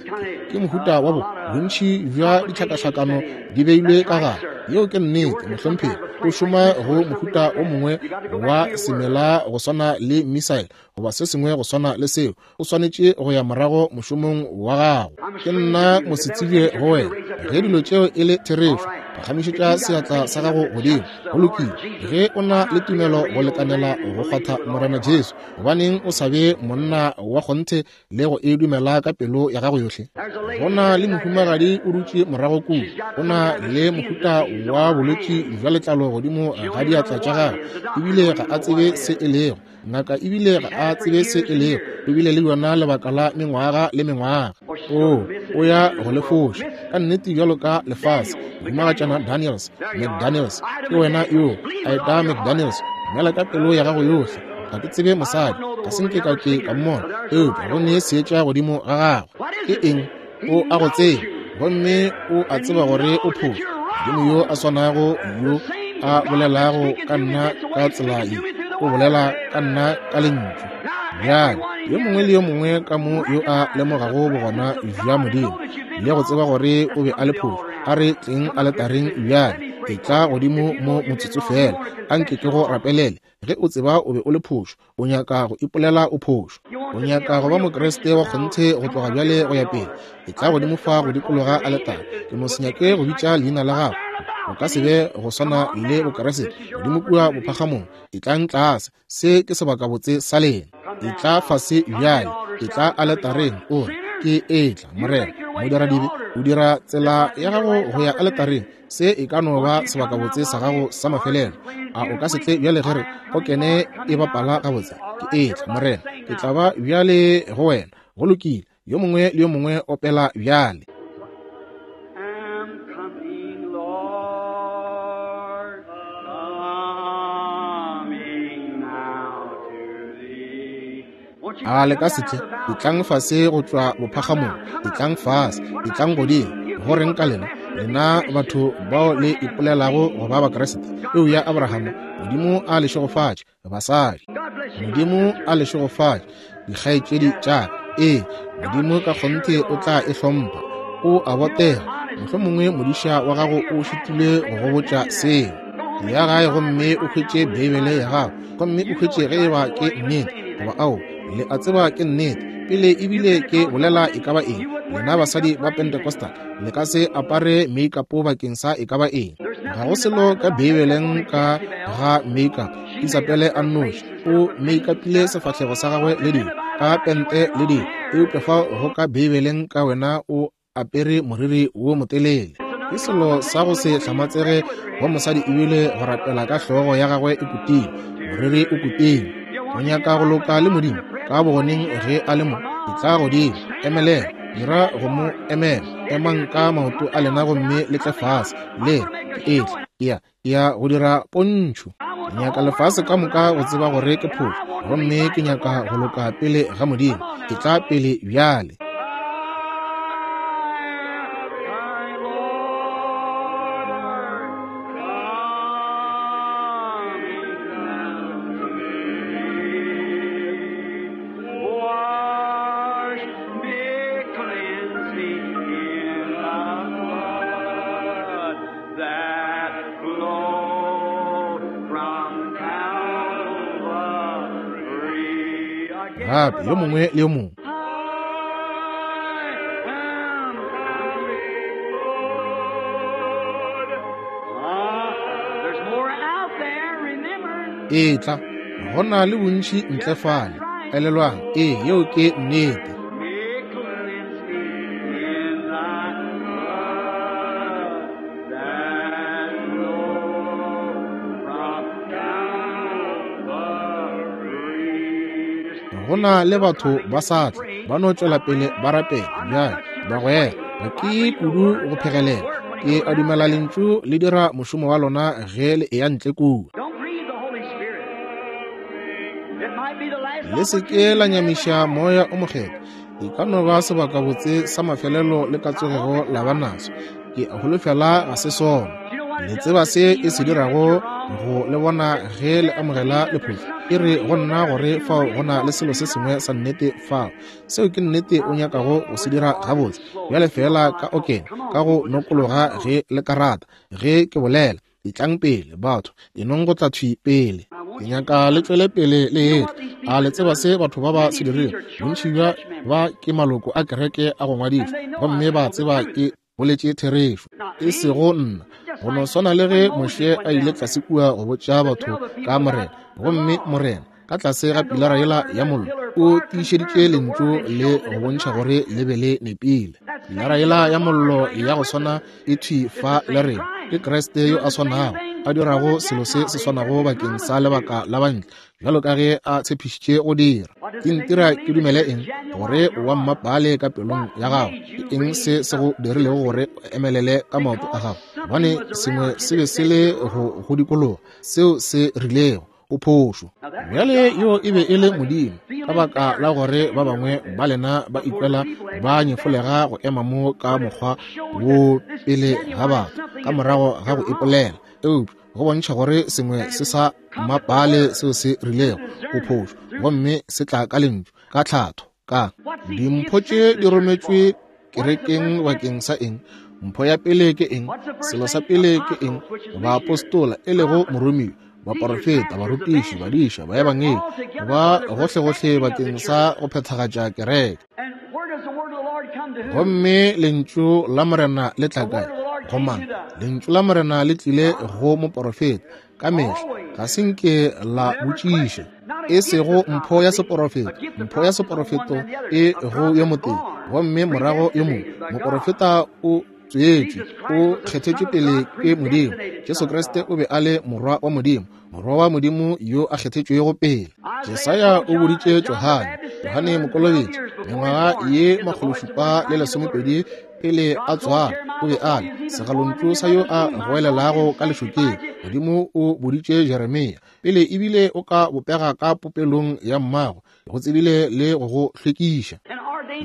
Ke mohuta wa bo bontši bja ditlhakahlakano di beilwe ka gare. Yeo ke nnete, mohlomphegi. O šoma go mohuta o mongwe wa semela go swana le missile goba se sengwe go swana le seo. O swanetše go ya morago mošomong wa gago. Ke nna mosetsebje go wena. Ge dilo tšeo e le therešo, phagamišetša seatla sa gago godimo. Go lokile. Ge o na le tumelo go lekanela go kgwatha Morena Jesu, gobaneng o sa be monna wa kgonthe le go e dumela ka pelo ya gago yohle? Go na le mohumagadi o dutše morago kua, o na le mohuta wa bolwetši bja letlalo godimo ga diatla tša gagwe, ebile ga a tsebe se e lego. Ngaka ebile ga a tsebe se e lego, o bile le yona lebaka la mengwaga le mengwaga. O, o ya go le foša ka nnete bjalo ka lefase. Mohumagatšana Daniels, McDaniels, ke wena yo a eta McDaniels. Dumela ka pelo ya gago yohle. Ga ke tsebe mosadi, ga se nke ka ke ka mmona, eupša go ne seetša godimo ga gagwe. Ke eng? O a go tseba, gomme o a tseba gore o phošo. Modimo yo a swanago yo a bolelago ka nna ka tsela ye, o bolela ka nna ka lentšu. Bjale, yo mongwe le yo mongwe ka mo yo a lemogago bogona bja Modimo le go tseba gore o be a le phošo, a re tleng aletareng bjale. Etla godimo mo motsotso feela, a nke ke go rapelele. Ge o tseba o be o le phošo, o nyaka go ipolela o phošo, o nyaka go ba Mokriste wa kgonthe go tloga bjale go ya pele, etla godimo fa go dikologa aletare. Ke no se nyake go bitša leina la gago, o ka se be go swana le Bokriste godimo kua bophagamong. Etlang tlase, se ke sebakabotse sa lena. Etla fase bjale, etla aletareng, o re, Ke etla, Morena. Modiradibe, o dira tsela ya gago go ya aletareng. Se e ka no ba sebakabotse sa gago sa mafelelo. A o ka se tle bjale ge re o kene e bapala gabotse? Ke etla, Morena, ke tla ba bjale go wena. Go lokile, yo mongwe le yo mongwe opela bjale. Am coming, Lord, coming now to thee. Won't you A le come ka se down tle? the valley? Etlang fase go tšwa bophagamong, etlang fase, etlang godimo. Go reng ka lena, lena batho bao le ipolelago go ba Bakriste? Peu ya Abrahama, Modimo a le šegofatše, basadi. God bless Modimo a le šegofatše, dikgaetšedi tša ka. Ee, Modimo ka kgonthe o tla e hlompha. O a botega. Mohlomongwe modiša wa gago o šitilwe go go botša seo. Ya gae gomme o hwetše Beibele ya gago, gomme o hwetše ge eba ke nnete goba ao. Le a tseba ke nnete. Pele ebile ke bolela e ka ba eng, lena basadi ba Pentecostal le ka se apare make-up bakeng sa e ka ba eng. Ga go selo ka Beibeleng ka ga make-up. Isabele a nnoši o make-upile sefahlego sa gagwe le dilo, ka pente le dilo, eupša fao go ka Beibeleng ka wena o apere moriri wo motelele. Ke selo sa go se hlamatsege go mosadi ebile go rapela ka hlogo ya gagwe e kutile, moriri o kutile. O nyaka go loka le Modimo ka bogoneng ge a le mo, etla godimo, emelela, dira go mo emela, emang ka maoto a lena gomme le tle fase, le re, Ke etla, ke ya, ke ya go dira pontšho. Ke nyaka lefase ka moka go tseba gore ke phošo, gomme ke nyaka go loka pele ga Modimo. Ke tla pele bjale. Wash me, cleanse me in the blood that flowed from Calvary. Again, Gape yo mongwe le yo mongwe. I am good. Ah, there's more out there, remember. Etla, go na le bontši ntle fale. Elelwang, ee, yeo ke nnete. Me cleanse me in thy blood that flowed from Calvary. Go na le batho ba sa tla, ba no tšwela pele ba rapela bjale, bagwera. Ga ke kudu go phegelela. Ke a dumela lentšu le dira mošomo wa lona ge le eya ntle kua. Don't grieve the Holy Spirit. It might be the last Le se ke la nyamiša moya o mokgethwa. E ka no ba sebakabotse sa mafelelo le ka tsogego la ba naso. Ke a holofela ga se sona. Le tseba se e se dirago go le bona ge le amogela lephošo. E re go nna gore fao go na le selo se sengwe sa nnete fao. Seo ke nnete o nyakago go se dira gabotse. Bjale feela ka okene, ka go nokologa ge le ka rata, ge ke bolela. Etlang pele, batho, enong go tla thwi pele. Ke nyaka le tšwele pele le etla. A le tseba se batho ba ba se dirile? Bontši bja ba ke maloko a kereke a go ngwadišwa, gomme ba tseba ke boletše therešo, e sego nna. Go no swana le ge Moshe a ile tlase kua go botša batho ka Morena, gomme Morena, ka tlase ga pilara yela ya mollo, o tiišeditše lentšu le go bontšha gore le be le nepile. Pilara yela ya mollo ya go swana e thwi fa le rena. Ke Kriste yo a swanago, a dirago selo se se swanago bakeng sa lebaka la bantle, bjalo ka ge a tshepišitše go dira. Ke ntira ke dumele eng? Gore o wa mmapale ka pelong ya gago. Ke eng se se go dirilego gore o emelele ka maoto a gago? Gobane sengwe se be se le go go dikologa, seo se rilego o phošo. Bjale yo e be e le Modimo, ka baka la gore ba bangwe ba lena ba ikwela ba nyefolega go ema mo ka mokgwa wo pele ga batho ka morago ga go ipolela, eupša go bontšha gore sengwe se sa mmapale seo se rilego o phošo, gomme se tla ka lentšu, ka tlhatho, ka dimpho tše di rometšwe kerekeng bakeng sa eng? Mpho ya pele ke eng? Selo sa pele ke eng? Baapostola, e lego moromiwa, baporofeta, barutiši, badiša, baebangedi, ba gohlegohle bakeng sa go phethagatša kereke. And where does the word of the Lord come to who? Gomme lentšu la Morena le tla kae? Go mang? Lentšu la Morena le tlile go moporofeta ka mehla, ga se nke la botšiša. E sego mpho ya seporofeto, mpho ya seporofeto e go yo motee, gomme morago yo mongwe. Moporofeta o tswetšwe, o kgethetšwe pele ke Modimo. Jesu Kriste o be a le Morwa wa Modimo, Morwa wa Modimo yo a kgethetšwego pele. Jesaya o boditše Johane, Johane Mokolobetši, mengwaga ye 720 pele a tswalwa, o be a le segalontšu sa yo a goelelago ka lešokeng. Modimo o boditše Jeremia, pele ebile o ka bopega ka popelong ya mmago, go tsebile le go go hlwekiša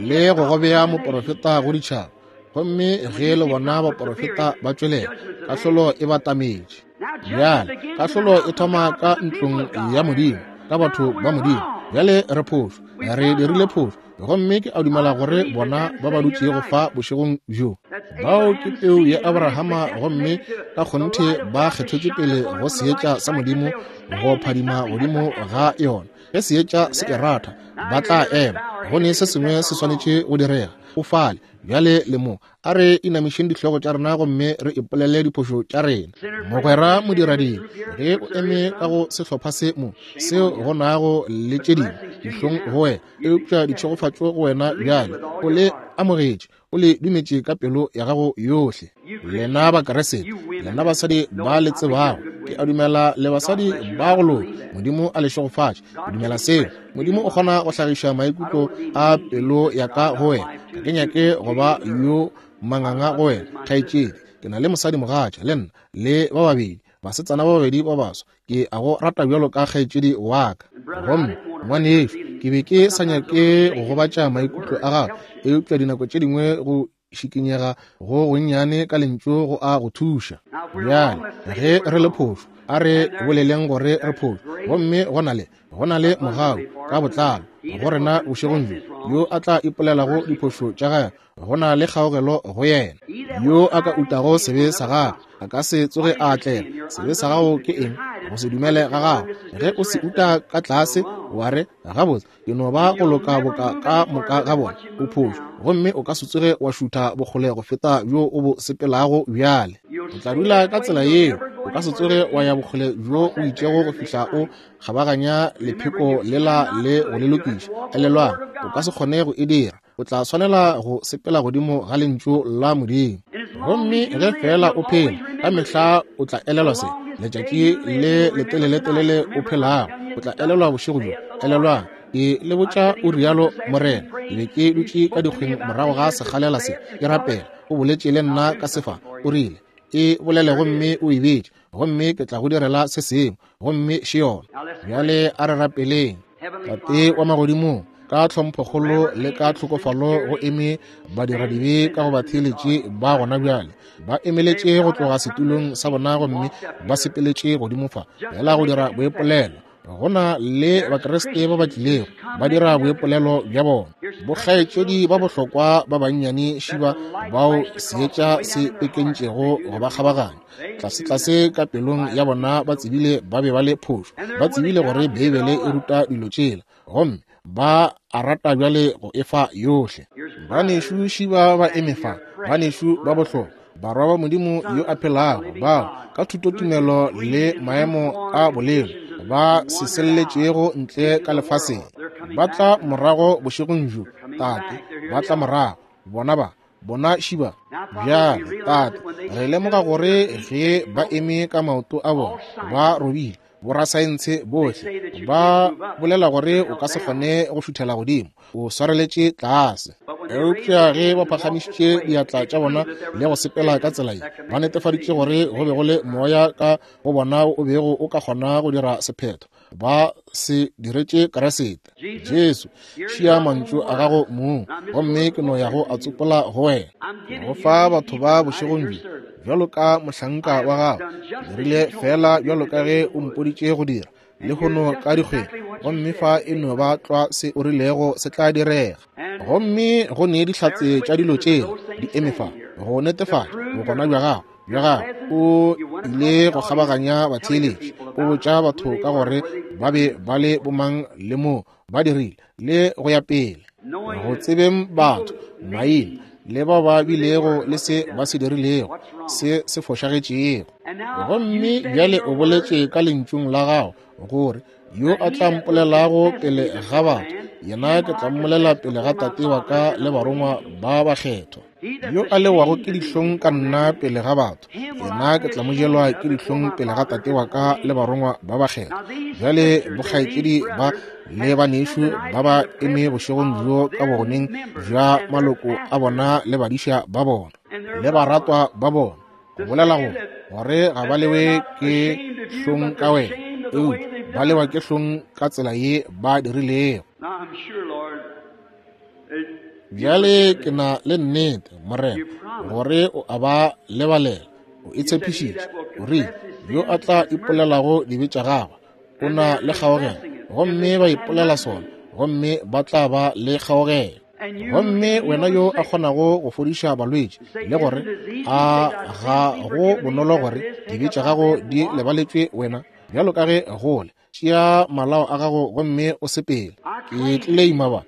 le go go bea moporofeta go ditšhaba. Gomme ge le bona baporofeta ba tšwelela, kahlolo e batametše. Bjale kahlolo e thoma ka ntlong ya Modimo. ka batho ba Modimo. Bjale re phošo, re dirile phošo, gomme ke a dumela gore bona ba ba dutšego fa bošegong bjo, bao ke peu ya Abrahama, gomme ka kgonthe ba kgethetšwe pele go seetša sa Modimo go phadima godimo ga yona. Ge seetša se e ratha, ba tla ema. Go ne se sengwe se swanetše go direga. O fale bjale le mo. A re inamišeng dihlogo tša rena gomme re ipolele diphošo tša rena. Mogwera modiradibe, ge o eme ka go sehlopha se mo, seo go nago le tše dingwe, dihlong go wena, eupša ditšhegofatšo go wena bjale. O le amogetše, o le dumetše ka pelo ya gago yohle. Lena Bakeresete, lena basadi ba le tsebago, ke a dumela le basadi ba go loka, Modimo a le šegofatše. Ke dumela seo. Modimo o kgona go hlagiša maikutlo a pelo ya ka go wena. Ga ke nyake go ba yo manganga go wena, kgaetšedi. Ke na le mosadi mogatša, le nna, le ba babedi, basetsana ba babedi ba baswa. Ke a go rata bjalo ka kgaetšedi wa ka. Gomme, ngwanešu, ke be ke sa nyake go gobatša maikutlo a gago, eupša dinako tše dingwe go šikinyega go gonnyane ka lentšu go a go thuša. Bjale, ge re le phošo, a re boleleng gore re phošo. Gomme go na le mogau ka botlalo go rena bošegong bjo, yo a tla ipolelago diphošo tša gagwe, go na le kgaogelo go yena. Yo a ka utago sebe sa gagwe, a ka se tsoge a atlega. Sebe sa gago ke eng? Go se dumele ga gago. Ge o se uta ka tlase, wa re, gabotse, ke no ba go loka boka ka moka ga bona, o phošo, gomme o ka se tsoge wa šutha bokgole go feta bjo o bo sepelago bjale. O tla dula ka tsela yeo, o ka se tsoge wa ya bokgole bjo o itšego go fihla o kgabaganya lepheko lela le go le lokiša. Elelwang, o ka se kgone go e dira. O tla swanela go sepela godimo ga lentšu la Modimo. Gomme ge feela o phela, ka mehla o tla elelwa se. Letšatši le leteleletelele o phelago, o tla elelwa bošego bjo. Elelwang, ke le botša o rialo Morena. Ke be ke dutše ka dikgweng morago ga sekgalela se, ke rapela. O boletše le nna ka sefa, o rile, E bolele gomme o e bitše, gomme ke tla go direla se sengwe, gomme še yona. Bjale a re rapeleng. Tate wa magodimong, ka tlhomphokgolo le ka tlhokofalo go eme badiradibe ka go batheeletše ba gona bjale, ba emeletše go tloga setulong sa bona gomme ba sepeletše godimo fa fela go dira boipolelo. Go na le Bakriste ba ba tlilego ba dira boipolelo bja bona. Bokgaetšedi ba bohlokwa ba bannyane šiba bao seetša se pekentšego go ba kgabaganya tlase-tlase ka pelong ya bona, ba tsebile ba be ba le phošo, ba tsebile gore Beibele e ruta dilo tšela, gomme ba a rata bjale go efa yohle. Banešu šiba ba eme fa, banešu ba bohlokwa, barwa ba Modimo yo a phelago, bao ka thutotumelo le maemo a bolelo ba se selletšego ntle ka lefaseng, ba tla morago bošegong bjo, Tate, ba tla morago, bona ba, bona šiba. Bjale, Tate, re lemoga gore ge ba eme ka maoto a bona, ba robile. Borasaense bohle ba bolela gore o ka se kgone go šuthela godimo, o swareletše tlase. Eupša ge ba phagamišitše diatla tša bona le go sepela ka tsela ye, ba netefaditše gore go be go le moya ka go bona o bego o ka kgona go dira sephetho. Ba se diretše Kriste. Jesu, šia mantšu a gago mong, gomme ke no ya go a tsopola go wena. Go fa batho ba bošegong bjo, bjalo ka mohlanka wa gago, ke dirile feela bjalo ka ge o mpoditše go dira, lehono ka dikgweng, gomme fa e no ba tlwa se o rilego se tla direga. Gomme go ne dihlatse tša dilo tšela di eme fa go netefatša bogona bja gago, bja gago. O ile go kgabaganya batheeletši, o botša batho ka gore ba be ba le bomang le moo ba dirile, le go ya pele, go tsebeng batho maina le bao ba bilego le se ba se dirilego se se fošagetšego. Gomme bjale o boletše ka lentšung la gago gore yo a tla mpolelago pele ga batho, yena ke tla mmolela pele ga Tate wa ka le barongwa ba bakgethwa. Yo a lewago ke dihlong ka nna pele ga batho, yena ke tla mo jelwa ke dihlong pele ga Tate wa ka le barongwa ba bakgethwa. Bjale bokgaetšedi ba le banešu ba ba eme bošegong bjo ka bogoneng bja maloko a bona le badiša ba bona le baratwa ba bona, go bolela go gore ga ba lewe ke hlong ka wena, eupša ba lewa ke hlong ka tsela ye ba dirilego. Bjale ke na le nnete, Morena, gore o a ba lebalela. O e tshepišitše, o rile, yo a tla ipolelago dibe tša gagwe o na le kgaogelo, gomme ba ipolela sona, gomme ba tla ba le kgaogelo. Gomme wena yo a kgonago go fodiša balwetši, le gore a ga go bonolo gore dibe tša gago di lebaletšwe wena, bjalo ka ge gole, tšea malao a gago gomme o sepele. Ke tleleima ba,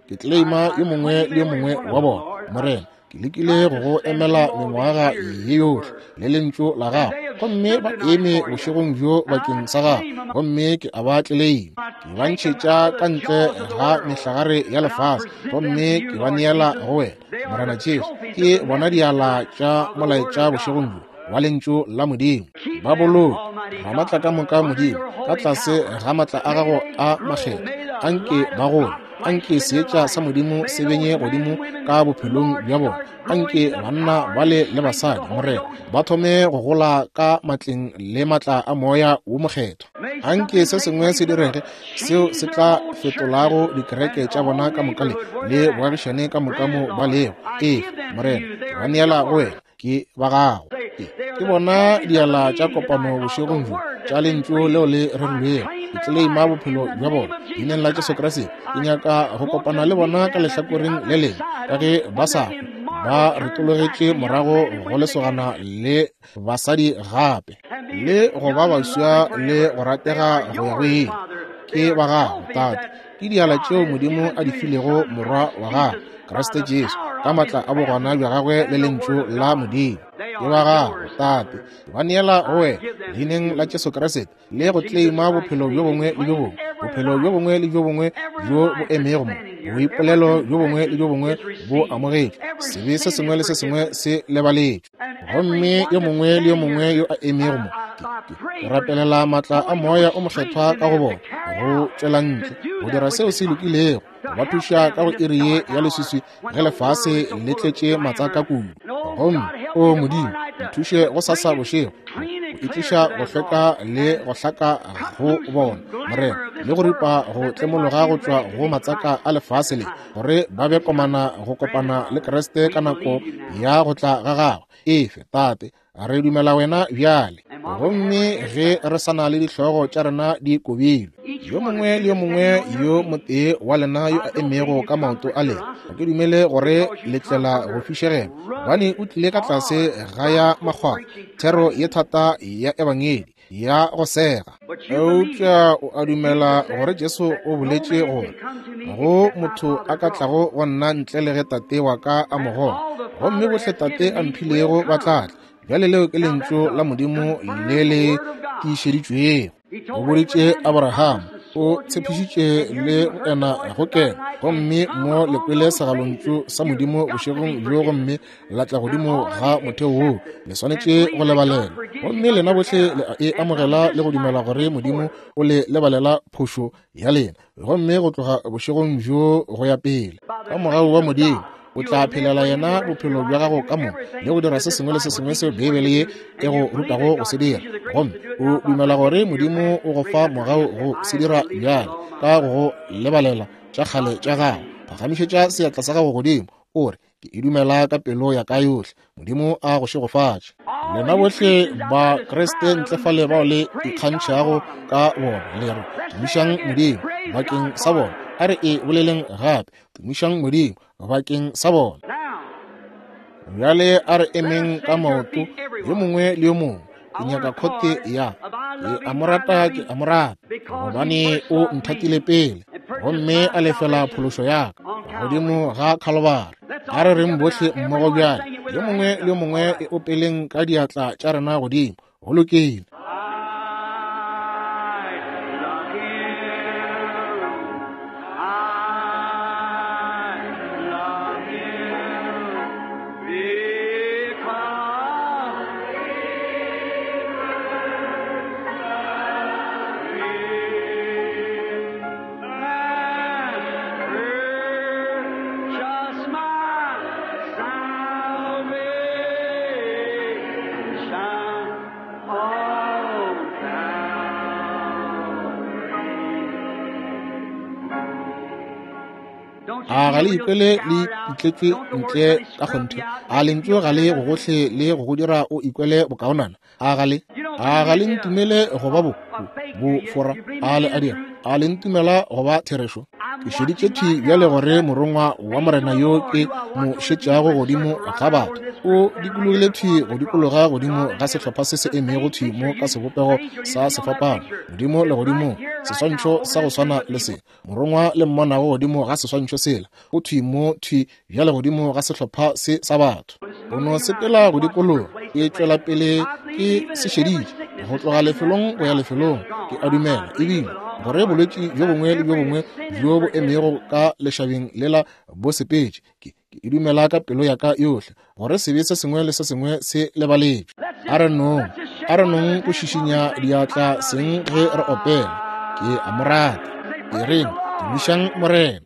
ke tleleima yo mongwe le yo mongwe wa bona, Morena. Ke lekile go go emela mengwaga ye yohle le lentšu la gago, gomme ba eme bošegong bjo bakeng sa gago, gomme ke a ba tleleima. Ke ba ntšhetša ka ntle ga mehlagare ya lefase, gomme ke ba neela go wena, Morena Jesu. Ke bona diala tša molaetša bošegong bjo wa lentšu la Modimo. Ba boloke Ramaatla ka moka Modimo, ka tlase ga maatla a gago a makgethwa. Anke ba gole, anke seetša sa Modimo se benye godimo ka bophelong bja bona. Anke banna bale le basadi, Morena, ba thome go gola ka matleng le matla a Moya wo Mokgethwa. Anke se sengwe se direge seo se tla fetolago dikereke tša bona ka moka le boagišane ka moka mo ba lego. Ee, Morena, ke ba neela go wena, ke ba gago. Ke bona diala tša kopano bošegong bjo tša lentšu leo le rerilwego. Ke tleleima bophelo bja bona leineng la Jesu Kriste. Ke nyaka go kopana le bona ka lehlakoreng le lengwe, ka ge ba sa ba retologetše morago go lesogana le basadi gape, le go ba baswa le go ratega go ya go ile. Ke ba gago, Tate. Ke diala tšeo Modimo a di filego Morwa wa gagwe, Kriste Jesu, ka matla a bogona bja gagwe le lentšu la Modimo. Ke ba gago, Tate. Ke ba neela go wena leineng la Jesu Kriste, le go tleleima bophelo bjo bongwe le bjo bongwe, bophelo bjo bongwe le bjo bongwe bjo bo emego mo, boipolelo bjo bongwe le bjo bongwe bo amogetšwe, sebe se sengwe le se sengwe se lebaletšwe. Gomme yo mongwe le yo mongwe yo a emego mo, ke rapelela matla a Moya o Mokgethwa ka go bona, go tšwela ntle, go dira seo se lokilego, go ba thuša ka go iri ye ya leswiswi ge lefase le tletše matsaka kudu. Gomme, o Modimo, nthuše go sasa bošego go itliša go hlweka le go hlaka go bona, Morena, le go ripa go tlemologa go tšwa go matsaka a lefase le, gore ba be komana go kopana le Kriste ka nako ya go tla ga gagwe. Efe, Tate, re dumela wena bjale. Gomme ge re sa na le dihlogo tša rena di kobilwe, yo mongwe le yo mongwe yo motee wa lena yo a emego ka maoto a lena, ga ke dumele gore le tlela go fišegela, gobane o tlile ka tlase ga ya makgwakgwa, thero ye thata ya ebangedi ya go sega. Eupša o a dumela gore Jesu o boletše gore go motho a ka tlago go nna ntle le ge Tate wa ka a mo goga, gomme bohle Tate a mphilego ba tla tla. Bjale leo ke lentšu la Modimo le le tiišeditšwego. O boditše Abraham, o tshepišitše le go ena go kena, gomme mo le kwele segalontšu sa Modimo bošegong bjo, gomme la tla godimo ga motheo woo. Le swanetše go lebalela, gomme lena bohle le a e amogela le go dumela gore Modimo o le lebalela phošo ya lena, gomme go tloga bošegong bjo go ya pele, ka mogau wa Modimo, o tla phelela yena bophelo bja gago ka moka le go dira se sengwe le se sengwe seo Beibele ye e go rutago go se dira, gomme o dumela gore Modimo o go fa mogau go se dira bjale ka go go lebalela tša kgale tša gago. Phagamišetša seatla sa gago godimo, o re, Ke e dumela ka pelo ya ka yohle. Modimo a go šegofatše. Lena bohle ba Kriste ntle fale bao le ikgantšhago ka bona, le re, Tumišang Modimo bakeng sa bona. A re e boleleng gape, tumišang Modimo bakeng sa bona. Bjale a re emeng ka maoto, yo mongwe le yo mongwe. Ke nyaka khote ya ke a mo rata, ke a mo rata, gobane o nthatile pele, gomme a lefela phološo ya ka godimo ga Khalobari. A re reng bohle mmogo bjale, yo mongwe le yo mongwe e opeleng ka diatla tša rena godimo. Go lokile. A ga le ikwele le pitletšwe ntle ka kgonthe? A lentšu ga le go gohle le go go dira o ikwele bokaonana? A ga le? A ga le ntumele go ba bo, bo, bofora? A le a dira? A le ntumela go ba therešo? Ke šeditše thwi bjale gore Morongwa wa Morena yo ke mo šetšago godimo ga batho o dikologile thwi go dikologa godimo ga sehlopha se se emego thwi mo ka sebopego sa sefapano, godimo legodimong, seswantšho sa go swana le se. Morongwa le mmonago godimo ga seswantšho sela o thwi mo thwi bjale godimo ga sehlopha se sa batho. O no sepela go dikologa, ke tšwela pele ke se šeditše go tloga lefelong go ya lefelong. Ke a dumela ebile gore bolwetši bjo bongwe le bjo bongwe bjo bo emego ka lešabeng lela bo sepetše. Ke e dumela ka pelo ya ka yohle gore sebe se sengwe le se sengwe se lebaletšwe. A re nong, a re nong go šišinya diatla seng ge re opela. Ke a mo rata. E reng, tumišang Morena.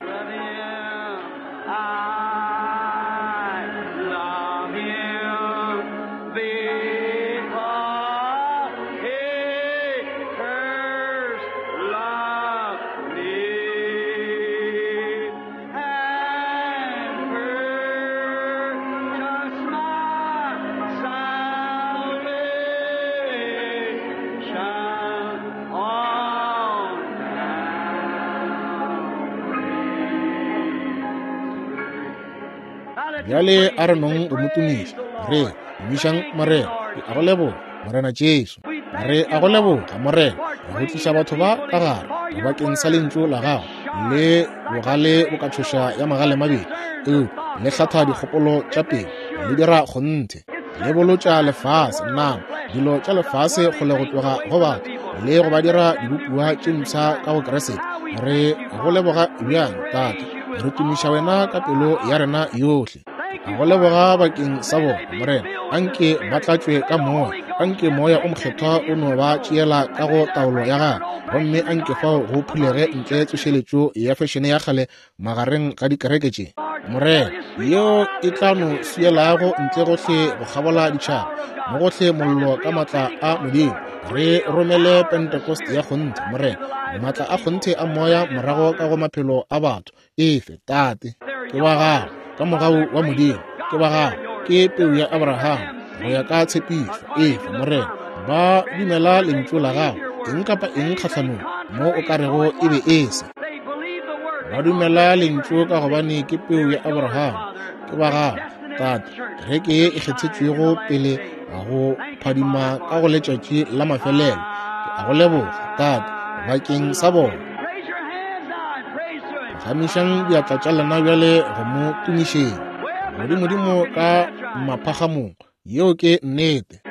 Bjale a re nong go mo tumiša, re tumišang Morena. Ke a go leboga, Morena Jesu. Re a go leboga, Morena, go tliša batho ba ka gare bakeng sa lentšu la gago le bogale bo ka tšhoša ya magale mabedi, eupša le hlatha dikgopolo tša pelo, le dira kgonthe, le bolotša lefase, nama, dilo tša lefase kgole go tloga go batho, le go ba dira dibopiwa tše mpsha ka go Kriste. Re go leboga bjang, Tate. Re tumiša wena ka pelo ya rena yohle. Go leboga bakeng sa bona, Morena. Anke ba tlatšwe ka Moya. Anke Moya o Mokgethwa o no ba tšeela ka go taolo ya Gagwe. Gomme anke fao go phulege ntle tsošeletšo ya fešene ya kgale magareng ga dikereke tše, Morena, yeo e tla no swielago ntle gohle go kgabola ditšhaba, mo gohle mollo ka maatla a Modimo. Re romele Pentecost ya kgonthe, Morena, maatla a kgonthe a Moya morago ka go maphelo a batho. Efe, Tate. Ke wa Gago, ka mogau wa Modimo. Ke wa Gago. Ke peu ya Abraham, go ya ka tshepišo. Efe, Morena. Ba dumela Lentšu la Gago, eng kapa eng kgahlanong, mo o ka rego e be e se. Ba dumela Lentšu ka gobane ke peu ya Abraham. Ke ba Gago, Tate. Kereke ye e kgethetšwego pele go phadima ka go letšatši la mafelelo. Ke a go leboga, Tate, bakeng sa bona. Phagamišang diatla tša lena bjale go mo tumišeng. Godimodimo ka maphagamong. Yeo ke nnete.